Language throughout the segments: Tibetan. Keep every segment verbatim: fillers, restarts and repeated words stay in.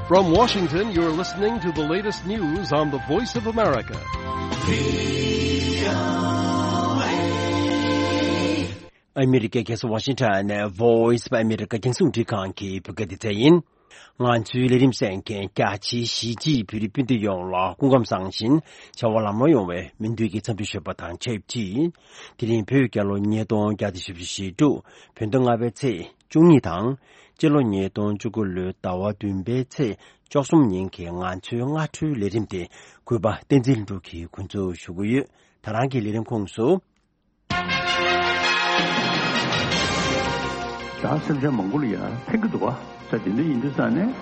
From Washington, you're listening to the latest news on the Voice of America. ཨ་མི་རི་ཀའི་རྒྱལ་ས་ཝ་ཤིང་ཊོན་ནས་Voice of America རྒྱང་སྲིང་རླུང་འཕྲིན་ཁང་གི་བོད་སྐད་སྡེ་ཚན་ཡིན། ང་ཚོའི་ལས་རིམ་གསན་མཁན་རྒྱ་ཆེའི་གཞིས་བྱེས་བོད་རིགས་སྤུན་ཟླ་ཡོངས་ལ་སྐུ་ཁམས་བཟང་ཞིང་བྱ་བ་ལམ་ལྷོང་ཡོང་བའི་སྨོན་འདུན་གྱི་འཚམས་འདྲི་ཞུ་བ་དང་ཆབས་ཅིག་དེ་རིང་བོད་རྒྱལ་ལོ་ཉིས་སྟོང་བརྒྱ་དང་བཞི་བཅུ་ཞེ་དྲུག་བོད་ཟླ་ལྔ་པའི་ཚེས་བཅུ་གཉིས་དང་། སྤྱི་ལོ་ཉིས་སྟོང་བཅུ་དགུ་ལོའི་ཟླ་བ་བདུན་པའི་ཚེས་བཅུ་གསུམ་ཉིན་གྱི་ང་ཚོའི་སྔ་དྲོའི་ལས་རིམ་དེ་གུས་པ་བསྟན་འཛིན་ལྷུན་གྲུབ་ཀྱིས་འགོ་འཛུགས་ཞུ་གི་ཡོད། ད་རང་གི་ལས་རིམ་ཁོངས་སུ། བྱ་སེམས་ཅན་མང་པོ་ལ་ཡ་ཕན་གྱི་འདུག་བ། ས་དེ་འདྲ་ཡིན་དུས་ཙང་ནས་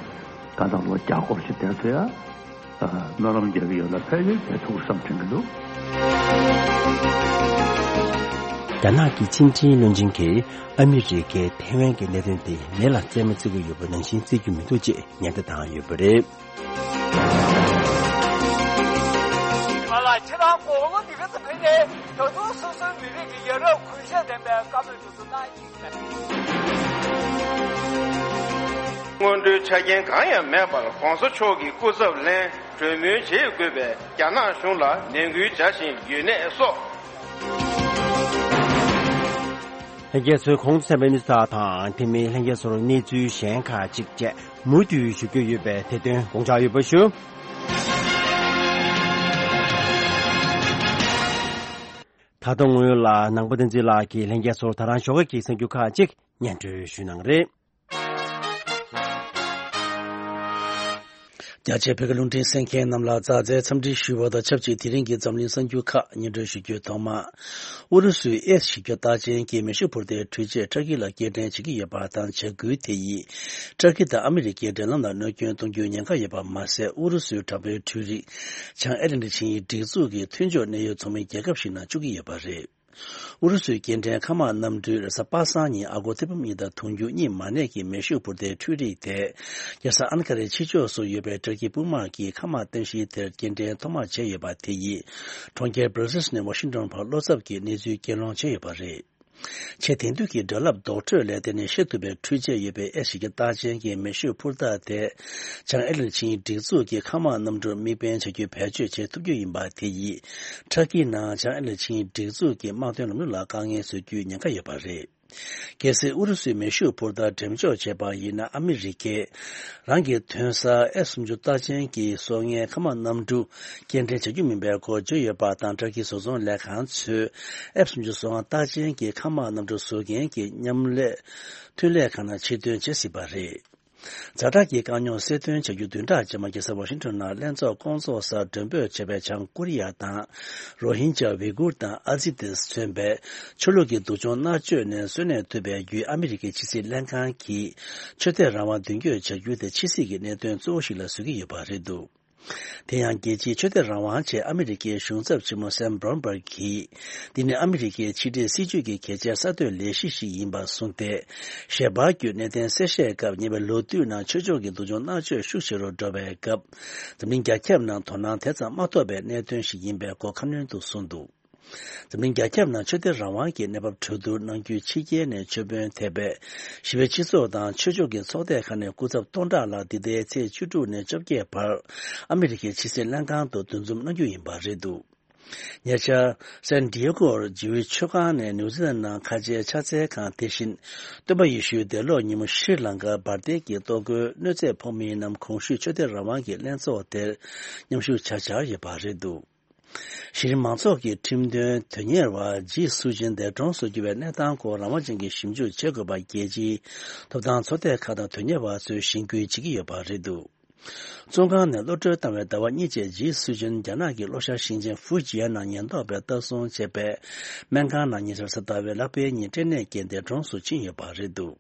ད་ལྟ་ལོ་བརྒྱ་སྐོར་ཞིག་བསྡད་ཚེ་ཡ། སྨོན་ལམ་རྒྱག་གི་ཡོད་ལ་ཕན་ཡོན་དེ་ཐུགས་བསམ་དྲན་གྱི་འདུག་རྒྱ་ནག་གི་ཕྱི་འབྲེལ་བློན་ཆེན་གྱིས་ཨ་མི་རི་ཀའི་ཐའེ་ཝན་གྱི་གནད་དོན་དེ་ལས་ལ་རྩེད་མོ་རྩེ་གི་ཡོད་པ་ནང་བཞིན་རྩེ་རྒྱུ་མི་འདུག་ཅེས་ཉེན་བརྡ་བཏང་ཡོད་པ་རེད། ང་ལ་ཁྱེད་རང་དགུང་ལོ་འདི་ག་ཙམ་ཕེབས་ནས་ད་དུང་སོ་སོའི་མི་རིགས་ཀྱི་ཡ་རབས་གུས་ཞབས་ལྡན་པའི་བཀའ་མོལ་དེ་ཚོ་གནང་གི་ཡིན་པས། སྔོན་འགྲོའི་ཆ་རྐྱེན་གང་ཡང་མེད་པར་གོང་ས་མཆོག་གི་སྐུ་ཚབ་ལེན་གྲོས་མོལ་བྱེད་དགོས་པའི་རྒྱ་ནག་གཞུང་ལ་ནན་སྐུལ་བྱ་བཞིན་ཡོད་གནས་སོགས། ལྷན་རྒྱས་ཚོས་གོང་དུ་གསན་པའི་གནས་ཚུལ་དག་དང་དེ་མིན་ལྷན་རྒྱས་ཚོར་གནས་ཚུལ་གཞན་ཁག་ཅིག་བཅས་མུ་མཐུད་ཞུ་རྒྱུ་ཡོད་པས་དེ་དོན་དགོངས་འཇགས་ཡོད་པ་ཞུ། ད་དུང་སྔོན་ལ་ནང་པ་བསྟན་འཛིན་ལགས་ཀྱིས་ལྷན་རྒྱས་ཚོར་ད་རང་ཞོགས་ཀས་ཀྱི་གསར་འགྱུར་ཁག་ཅིག་སྙན་སྒྲོན་ཞུ་གནང་རེད། རྒྱ་ཆེའི་བོད་ཀྱི་རླུང་འཕྲིན་གསན་མཁན་རྣམས་ལ་མཛའ་བརྩེའི་འཚམས་འདྲི་ཞུ་བ་དང་ཆབས་ཅིག་དེ་རིང་གི་འཛམ་གླིང་གསར་འགྱུར་ཁག་སྙན་སྒྲོན་ཞུ་རྒྱུའི་ཐོག་མ། ཨུ་རུ་སུའི་ཨེ་ཞིབ་བཤེར་རྟགས་ཅན་གྱི་མེ་ཤུགས་འཕུར་མདའི་འཕྲུལ་ཆས་ཏུར་ཀི་ལ་སྐྱེལ་འདྲེན་བྱེད་ཀྱི་ཡོད་པ་དང་བྱ་འགུལ་དེ་ཡིས་ཏུར་ཀི་དང་ཨ་མི་རི་ཀའི་འབྲེལ་ལམ་ལ་གནོད་སྐྱོན་གཏོང་རྒྱུའི་ཉེན་ཁ་ཡོད་པ་མ་ཟད། ཨུ་རུ་སུའི་དྲག་པོའི་འཕྲུལ་རིག་བྱང་ཨེ་ལན་ཌི་ཆིངས་ཡིག་སྒྲིག་འཛུགས་ཀྱི་མཐུན་ཕྱོགས་གནད་ཡོད་ཚོགས་མི་རྒྱལ་ཁབ་ཞིག་ནང་བཅུག་གི་ཡོད་པ་རེད། ཨུ་རུ་སུའི་སྐྱེལ་འདྲེན་མཁའ་དམག་གནམ་གྲུས་རེས་གཟའ་པ་སངས་ཉིན་ཨ་སྒོར་ཐེར་འབུམ་གཉིས་དང་དུང་ཕྱུར་གཉིས་མ་གནས་ཀྱི་མེ་ཤུགས་འཕུར་མདའི་འཕྲུལ་རིག་དེ། རྒྱལ་ས་ཨན་ཀ་རའི་ཕྱི་ཕྱོགས་སུ་ཡོད་པའི་ཏུར་ཀི་དཔུང་དམག་གི་མཁའ་དམག་རྟེན་གཞིའི་དེར་སྐྱེལ་འདྲེན་ཐོག་མར་བྱས་ཡོད་པ་དེ་ཡིས། གྲོང་ཁྱེར་སྦྲ་སེལ་སི་ནས་ཝ་ཤིང་ཊོན་བར་བློ་འཚབ་ཀྱི་གནས་ཚུལ་གྱེན་ལངས་བྱས་ཡོད་པ་རེད། ཆེས་དེང་དུས་ཀྱི་དྲ་ལམ་རྡོག་ཁྲོད་ལས་དེ་ནི་ཤེས་ཐུབ་པའི་འཕྲུལ་ཆས་ཡོད་པའི་ཨེ་ཞིབ་བཤེར་རྟགས་ཅན་གྱི་མེ་ཤུགས་འཕུར་མདའ་དེ། བྱང་ཨེ་ལན་ཌི་ཆིངས་ཡིག་སྒྲིག་འཛུགས་ཀྱི་མཁའ་དམག་གནམ་གྲུར་དམིགས་འབེན་བྱ་རྒྱུ་བེད་སྤྱོད་བྱེད་ཐུབ་རྒྱུ་ཡིན་པ་དེ་ཡིས། ཏུར་ཀིའི་ནང་བྱང་ཨེ་ལན་ཌི་ཆིངས་ཡིག་སྒྲིག་འཛུགས་ཀྱི་དམག་དོན་ལམ་ལུགས་ལ་དཀའ་ངལ་བཟོ་རྒྱུའི་ཉེན་ཁ་ཡོད་པ་རེད། གལ་སྲིད་ཨུ་རུ་སུའི་མེ་ཤུགས་འཕུར་མདའ་འགྲེམས་འཇོག་བྱས་པ་ཡིན་ན། ཨ་མི་རི་ཀས་རང་གི་ཐོན་གསར་ཨེཕ་སུམ་ཅུ་རྟགས་ཅན་གྱི་སྲོག་ངན་མཁའ་དམག་གནམ་གྲུ་སྐྱེལ་འདྲེན་བྱ་རྒྱུ་མིན་པའི་སྐོར་བརྗོད་ཡོད་པ་དང་། ཏུར་ཀིའི་བཟོ་ཚོང་ལས་ཁང་ཚོས་ཨེཕ་སུམ་ཅུ་སོ་ལྔ་རྟགས་ཅན་གྱི་མཁའ་དམག་གནམ་གྲུ་བཟོ་མཁན་གྱི་མཉམ་ལས་ཐོན་ལས་ཁང་ནང་ཕྱིར་ཐོན་བྱེད་སྲིད་པ་རེད། ཛ་དྲག་གི་དཀའ་རྙོག་སེལ་ཐོན་བྱ་རྒྱུ་བདུན་ཕྲག་རྗེས་མ་རྒྱལ་ས་ཝ་ཤིང་ཊོན་ནང་ལྷན་ཚོགས་སྐོང་ཚོགས་སར་མགྲོན་འབོད་བྱས་པའི་བྱང་ཀོ་རི་ཡ་དང་། རོ་ཧིན་ཇཱ་ཝི་གུར་དང་ཨ་ཛི་ཏིས་མཚོན་པའི་ཆོས་ལུགས་ཀྱི་སྡུག་སྦྱོང་མནར་གཅོད་ནས་གསོན་གནས་ཐུབ་པའི་བརྒྱུད། ཨ་མི་རི་ཀའི་ཕྱི་སྲིད་ལྷན་ཁང་གིས་ཆོས་དད་རང་དབང་མདུན་སྐྱོད་བྱ་རྒྱུ་དེ་ཕྱི་སྲིད་ཀྱི་གནད་དོན་གཙོ་བོ་ཞིག་ལ་བཟོ་གི་ཡོད་པ་རེད་འདུག་དེ་ཡང་རྒྱལ་སྤྱིའི་ཆོས་དད་རང་དབང་ཆེད་ཨ་མི་རི་ཀའི་གཞུང་ཚབ་ཆེན་མོ་སེམ་བྷྲོན་བྷར་གྱིས། འདི་ནི་ཨ་མི་རི་ཀའི་ཕྱི་འབྲེལ་སྲིད་ཇུས་ཀྱི་གལ་ཆེའི་གསར་གཏོད་ལས་གཞི་ཞིག་ཡིན་པར་གསུངས་ཏེ། ཞལ་པར་བརྒྱུད་གནད་དོན་གསལ་བཤད་སྐབས། ཉེ་བའི་ལོ་དུས་ནང་ཆོས་ཕྱོགས་ཀྱི་སྡུག་སྦྱོང་མནར་གཅོད་ཤུགས་ཆེ་རུ་འགྲོ་བའི་སྐབས། འཛམ་གླིང་རྒྱ་ཁྱབ་ནང་དོ་སྣང་དེ་ཙམ་མ་ཐོབ་པའི་གནད་དོན་ཞིག་ཡིན་པའི་སྐོར་ཁ་སྣོན་དུ་གསུངས་འདུག་འཛམ་གླིང་རྒྱ་ཁྱབ་ནང་ཆོས་དད་རང་དབང་གི་གནས་བབ་གྲོས་བསྡུར་གནང་རྒྱུའི་ཕྱི་རྒྱལ་ནས་ཆོས་དཔོན་ཐེ་བའི་ཞི་བའི་སྤྱི་ཚོགས་དང་ཆོས་ཕྱོགས་ཀྱི་ཚོགས་སྡེ་ཁག་ནས་སྐུ་ཚབ་སྟོང་ཕྲག་ལྷག་འདི་ཟླའི་ཚེས་བཅུ་དྲུག་ནས་བཅོ་བརྒྱད་བར་ཨ་མི་རི་ཀའི་ཕྱི་སྲིད་ལྷན་ཁང་དུ་འདུ་འཛོམས་གནང་རྒྱུ་ཡིན་པ་རེད་འདུག་ཉེ་ཆར། སན་ཌི་ཡེ་གོར་ཇིའུ་ཆོས་ཁང་ནས་ནིའུ་ཛི་ལན་ནང་ཁ་ཆེའི་ཕྱག་འཚལ་ཁང་དེ་བཞིན། སྟོན་པ་ཡེ་ཤུའི་འདས་ལོག་ཉིན་མོ་ཤྲི་ལང་ཀར་འབར་མདེལ་གྱིས་གཏོར་རྒོལ་གནོད་འཚེ་ཕོག་མི་རྣམས་གོང་ཞུས་ཆོས་དད་རང་དབང་གི་ལྷན་ཚོགས་དེར་མཉམ་ཞུགས་བྱ་འཆར་ཡོད་པ་རེད་འདུག་གཞི་རིམ་མང་ཚོགས་ཀྱི་ཁྲིམས་དོན་དོན་གཉེར་བ་ཇི་སུའུ་ཅིན་འདས་གྲོངས་སུ་གྱུར་བའི་གནས་སྟངས་སྐོར་རང་དབང་ཅན་གྱི་ཞིབ་འཇུག་བྱེད་དགོས་པ། རྒྱལ་སྤྱིའི་ཐོབ་ཐང་ཚོགས་སྡེ་ཁག་དང་དོན་གཉེར་བ་ཚོས་གཞེན་སྐུལ་བྱེད་ཀྱི་ཡོད་པ་རེད་འདུག་བཙོན་ཁང་ནས་གློད་གྲོལ་བཏང་བའི་ཟླ་བ་གཉིས་རྗེས་ཇི་སུའུ་ཅིན་རྒྱ་ནག་གི་ལྷོ་ཤར་ཞིང་ཆེན་ཧྥུ་ཇི་ཡན་ནང་ཉེན་རྟོག་པས་ལྟ་སྲུང་བྱས་པའི་སྨན་ཁང་ནང་ཉེ་ཆར་གཟའ་ཟླ་བའི་ལྷག་པའི་ཉིན་སྐྲན་ནད་ཀྱིས་འདས་གྲོངས་སུ་ཕྱིན་ཡོད་པ་རེད་འདུག་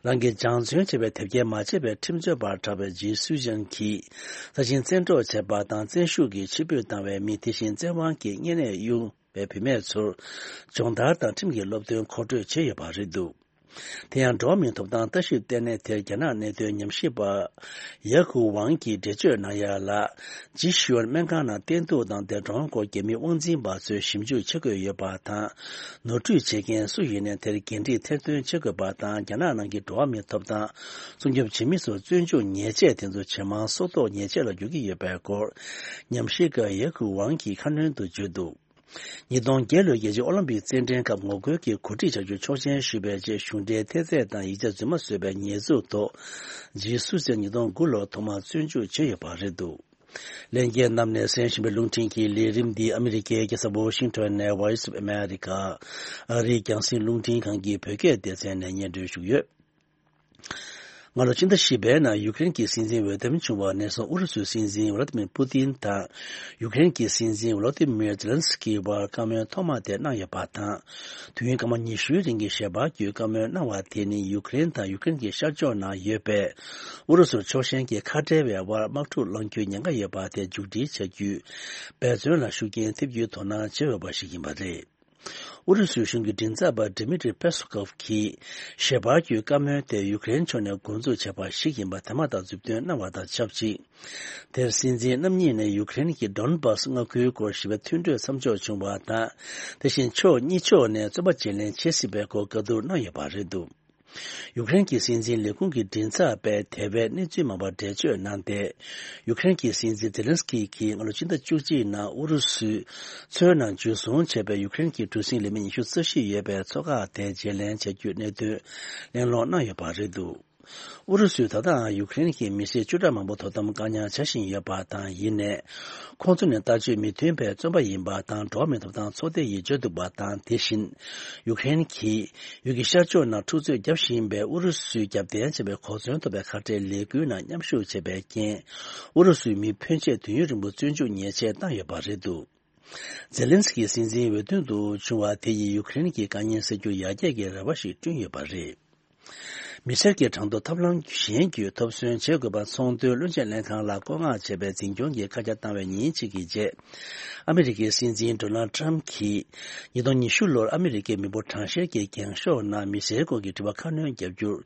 རང་གིས་སྦྱང་བརྩོན་བྱས་པའི་དེབ་སྐྱེལ་མ་བྱས་པའི་ཁྲིམས་རྩོད་པར་གྲགས་པའི་ཇི་སུའུ་ཅིན་གྱིས་ས་ཞིང་བཙན་འཕྲོག་བྱས་པ་དང་བཙན་ཤུགས་ཀྱིས་ཕྱིར་འབུད་བཏང་བའི་མི། དེ་བཞིན་བཙན་དབང་གིས་གཉན་ནད་གཡུགས་པའི་བུད་མེད་ཚོར་སྦྱོང་བརྡར་དང་ཁྲིམས་ཀྱི་སློབ་སྟོན་མཁོ་སྤྲོད་བྱས་ཡོད་པ་རེད་འདུག་དེ་ཡང་འགྲོ་བ་མིའི་ཐོབ་ཐང་ལྟ་ཞིབ་ལྟེ་གནས་དེར་རྒྱ་ནག་གནད་དོན་ཉམས་ཞིབ་པ་ཡ་ཁུ་ཝང་གིས་འགྲེལ་བརྗོད་གནང་ཡ་ལ། ཇི་ཤུའན་སྨན་ཁང་ནང་བསྟེན་གཏུག་དང་འདས་གྲོངས་སྐོར་རྒྱ་མིའི་དབང་འཛིན་པ་ཚོས་ཞིབ་འཇུག་བྱེད་དགོས་ཡོད་པ་དང་། ནོར་འཁྲུལ་བྱེད་མཁན་སུ་ཡིན་ནའི་དེར་འགན་འཁྲི་ཐེར་འདོན་བྱེད་དགོས་པ་དང་། རྒྱ་ནག་ནང་གི་འགྲོ་བ་མིའི་ཐོབ་ཐང་སྲུང་སྐྱོབ་བྱེད་མི་ཚོར་བཙོན་འཇུག་ཉེས་ཆད་དེ་ཚོ་ཇེ་མང་སོར་རྟོག་ཉེས་ཆད་ལ་འགྱུར་གྱི་ཡོད་པའི་སྐོར། ཉམས་ཞིབ་པ་ཡ་ཁུ་ཝང་གིས་ཁ་སྣོན་དུ་བརྗོད་འདུག་ཉིས་སྟོང་བརྒྱད་ལོའི་རྒྱལ་སྤྱིའི་ཨོ་ལིམ་པིག་རྩེད་འགྲན་སྐབས་ངོ་རྒོལ་གྱི་གོ་སྒྲིག་བྱ་རྒྱུ་ཆོག་མཆན་ཞུས་པའི་རྗེས་གཞུང་འབྲེལ་ཐེལ་ཙེ་དང་ཡིག་ཆ་རྫུན་མ་བཟོས་པའི་ཉེས་འཛུགས་ཐོག་ཇི་སུའེ་ཉིས་སྟོང་དགུ་ལོར་ཐོག་མར་བཙོན་འཇུག་བྱས་ཡོད་པ་རེད་འདུག་ལྷན་རྒྱས་རྣམས་ནས་གསན་བཞིན་པའི་རླུང་འཕྲིན་གྱི་ལས་རིམ་འདི་ཨ་མི་རི་ཀའི་རྒྱལ་ས་ཝོ་ཤིང་ཊོན་ནས་Voice of America ཨ་རིའི་རྒྱང་སྲིང་རླུང་འཕྲིན་ཁང་གི་བོད་སྐད་སྡེ་ཚན་ནས་སྙན་སྒྲོན་ཞུས་ཡོད། སྔ་ལོ་ཕྱི་ཟླ་བཞི་པའི་ནང་ཡུཀ་རེན་གྱི་སྲིད་འཛིན་འོས་འདེམས་བྱུང་བ་ནས་བཟུང་ཨུ་རུ་སུའི་སྲིད་འཛིན་ཝ་ལ་ཏི་མིར་པུ་ཏིན་དང་ཡུཀ་རེན་གྱི་སྲིད་འཛིན་ཝ་ལ་ཏི་མིར་ཛེ་ལན་སི་ཀི་བར་བཀའ་མོལ་ཐོག་མ་དེ་གནང་ཡོད་པ་དང་། དུས་ཡུན་སྐར་མ་ཉི་ཤུའི་རིང་གི་ཞལ་པར་བརྒྱུད་བཀའ་མོལ་གནང་བ་དེ་ནི་ཡུཀ་རེན་དང་ཡུཀ་རེན་གྱི་ཤར་ཕྱོགས་ནང་ཡོད་པའི་ཨུ་རུ་སུ་ཕྱོགས་ཞེན་གྱི་ཁ་བྲལ་བའི་དབར་དམག་འཁྲུག་སློང་རྒྱུའི་ཉེན་ཁ་ཡོད་པ་དེ་མཇུག་སྒྲིལ་བྱ་རྒྱུའི་འབད་བརྩོན་ལ་ཤུགས་རྐྱེན་ཐེབས་རྒྱུའི་དོ་སྣང་བྱེད་འོས་པ་ཞིག་ཡིན་པ་རེད། ཨུ་རུ་སུའི་གཞུང་གི་མགྲིན་ཚབ་པ་ཌི་མི་ཏྲི་པེ་སུ་ཀོབ་ཀྱིས་ཞལ་པར་བརྒྱུད་བཀའ་མོལ་དེ་ཡུཀ་རེན་ཕྱོགས་ནས་འགོ་འཛུགས་བྱས་པ་ཞིག་ཡིན་པ་དེ་མ་ཐག་མཛུབ་སྟོན་གནང་བ་དང་ཆབས་ཅིག་དེར་སྲིད་འཛིན་རྣམ་གཉིས་ནས་ཡུཀ་རེན་གྱི་ཌོན་བྷ་སི་མངའ་ཁུལ་སྐོར་ཞི་བའི་མཐུན་གྲོས་མཚམས་འཇོག་བྱུང་བ་དང་། དེ་བཞིན་ཕྱོགས་གཉིས་ཕྱོགས་ནས་བཙོན་པ་བརྗེ་ལེན་བྱེད་སྲིད་པའི་སྐོར་བཀའ་བསྡུར་གནང་ཡོད་པ་རེད་འདུག་ཡུཀ་རེན་གྱི་སྲིད་འཛིན་ལས་ཁུངས་ཀྱི་མགྲིན་ཚབ་པས་དེ་བས་གནས་ཚུལ་མང་པོ་འགྲེལ་བརྗོད་གནང་སྟེ། ཡུཀ་རེན་གྱི་སྲིད་འཛིན་ཛེ་ལན་སི་ཀི་གིས་སྔ་ལོ་ཕྱི་ཟླ་བཅུ་གཅིག་ནང་ཨུ་རུ་སུའི་མཚོའི་ནང་འཇུ་བཟུང་བྱས་པའི་ཡུཀ་རེན་གྱི་གྲུ་གཟིངས་ལས་མི་ཉི་ཤུ་རྩ་བཞི་ཡོད་པའི་མཚོ་འགག་དེ་བརྗེ་ལེན་བྱ་རྒྱུའི་གནད་དོན་གླེང་སློང་གནང་ཡོད་པ་རེད་འདུག་ཨུ་རུ་སུས་ད་ལྟའང་ཡུཀ་རེན་གྱི་མི་སེར་བཅུ་ཕྲག་མང་པོ་དོ་དམ་བཀག་ཉར་བྱ་བཞིན་ཡོད་པ་དང་། ཡིན་ནའི། ཁོང་ཚོ་ནི་ལྟ་སྤྱོད་མི་མཐུན་པའི་བཙོན་པ་ཡིན་པ་དང་། འགྲོ་བ་མིའི་ཐོབ་ཐང་ཚོགས་སྡེ་ཡིས་བརྗོད་འདུག་པ་དང་། དེ་བཞིན། ཡུཀ་རེན་གྱིས་ཡུལ་གྱི་ཤར་ཕྱོགས་ནང་འཁྲུག་རྩོད་བརྒྱབ་བཞིན་པའི་ཨུ་རུ་སུས་རྒྱབ་རྟེན་བྱས་པའི་གོ་མཚོན་ཐོབ་པའི་ཁ་བྲལ་ལས་འགུལ་ནང་མཉམ་ཞུགས་བྱས་པའི་རྐྱེན། ཨུ་རུ་སུའི་མི་ཕོན་ཆེ་དུས་ཡུན་རིང་པོ་བཙོན་འཇུག་ཉེས་ཆད་བཏང་ཡོད་པ་རེད་འདུག་ཛེ་ལན་སི་ཀི་སྲིད་འཛིན་འོས་མདུན་དུ་བྱུང་བ་དེ་ཡིས་ཡུཀ་རེན་གྱི་དཀའ་ངལ་སེལ་རྒྱུར་ཡར་རྒྱས་ཀྱི་རེ་བ་ཞིག་བསྐྲུན་ཡོད་པ་རེད། མི་སེར་གྱི་གྲངས་ཐོ་ཐབས་ལམ་གཞན་བརྒྱུད་ཐོབ་སོན་བྱེད་དགོས་པ་ཚོང་དོན་བློན་ཆེན་ལྷན་ཁང་ལ་བཀོད་མངགས་བྱས་པའི་འཛིན་སྐྱོང་གི་བཀའ་རྒྱ་བཏང་བའི་ཉིན་གཅིག་གི་རྗེས། ཨ་མི་རི་ཀའི་སྲིད་འཛིན་ཌོ་ནལ་ཊམ་གྱིས། ཉིས་སྟོང་ཉི་ཤུ་ལོར་ཨ་མི་རི་ཀའི་མི་འབོར་གྲངས་བཤེར་གྱི་འགེངས་ཤོག་ནང་མི་སེར་སྐོར་གྱི་དྲི་བ་ཁ་སྣོན་བརྒྱབ་རྒྱུར།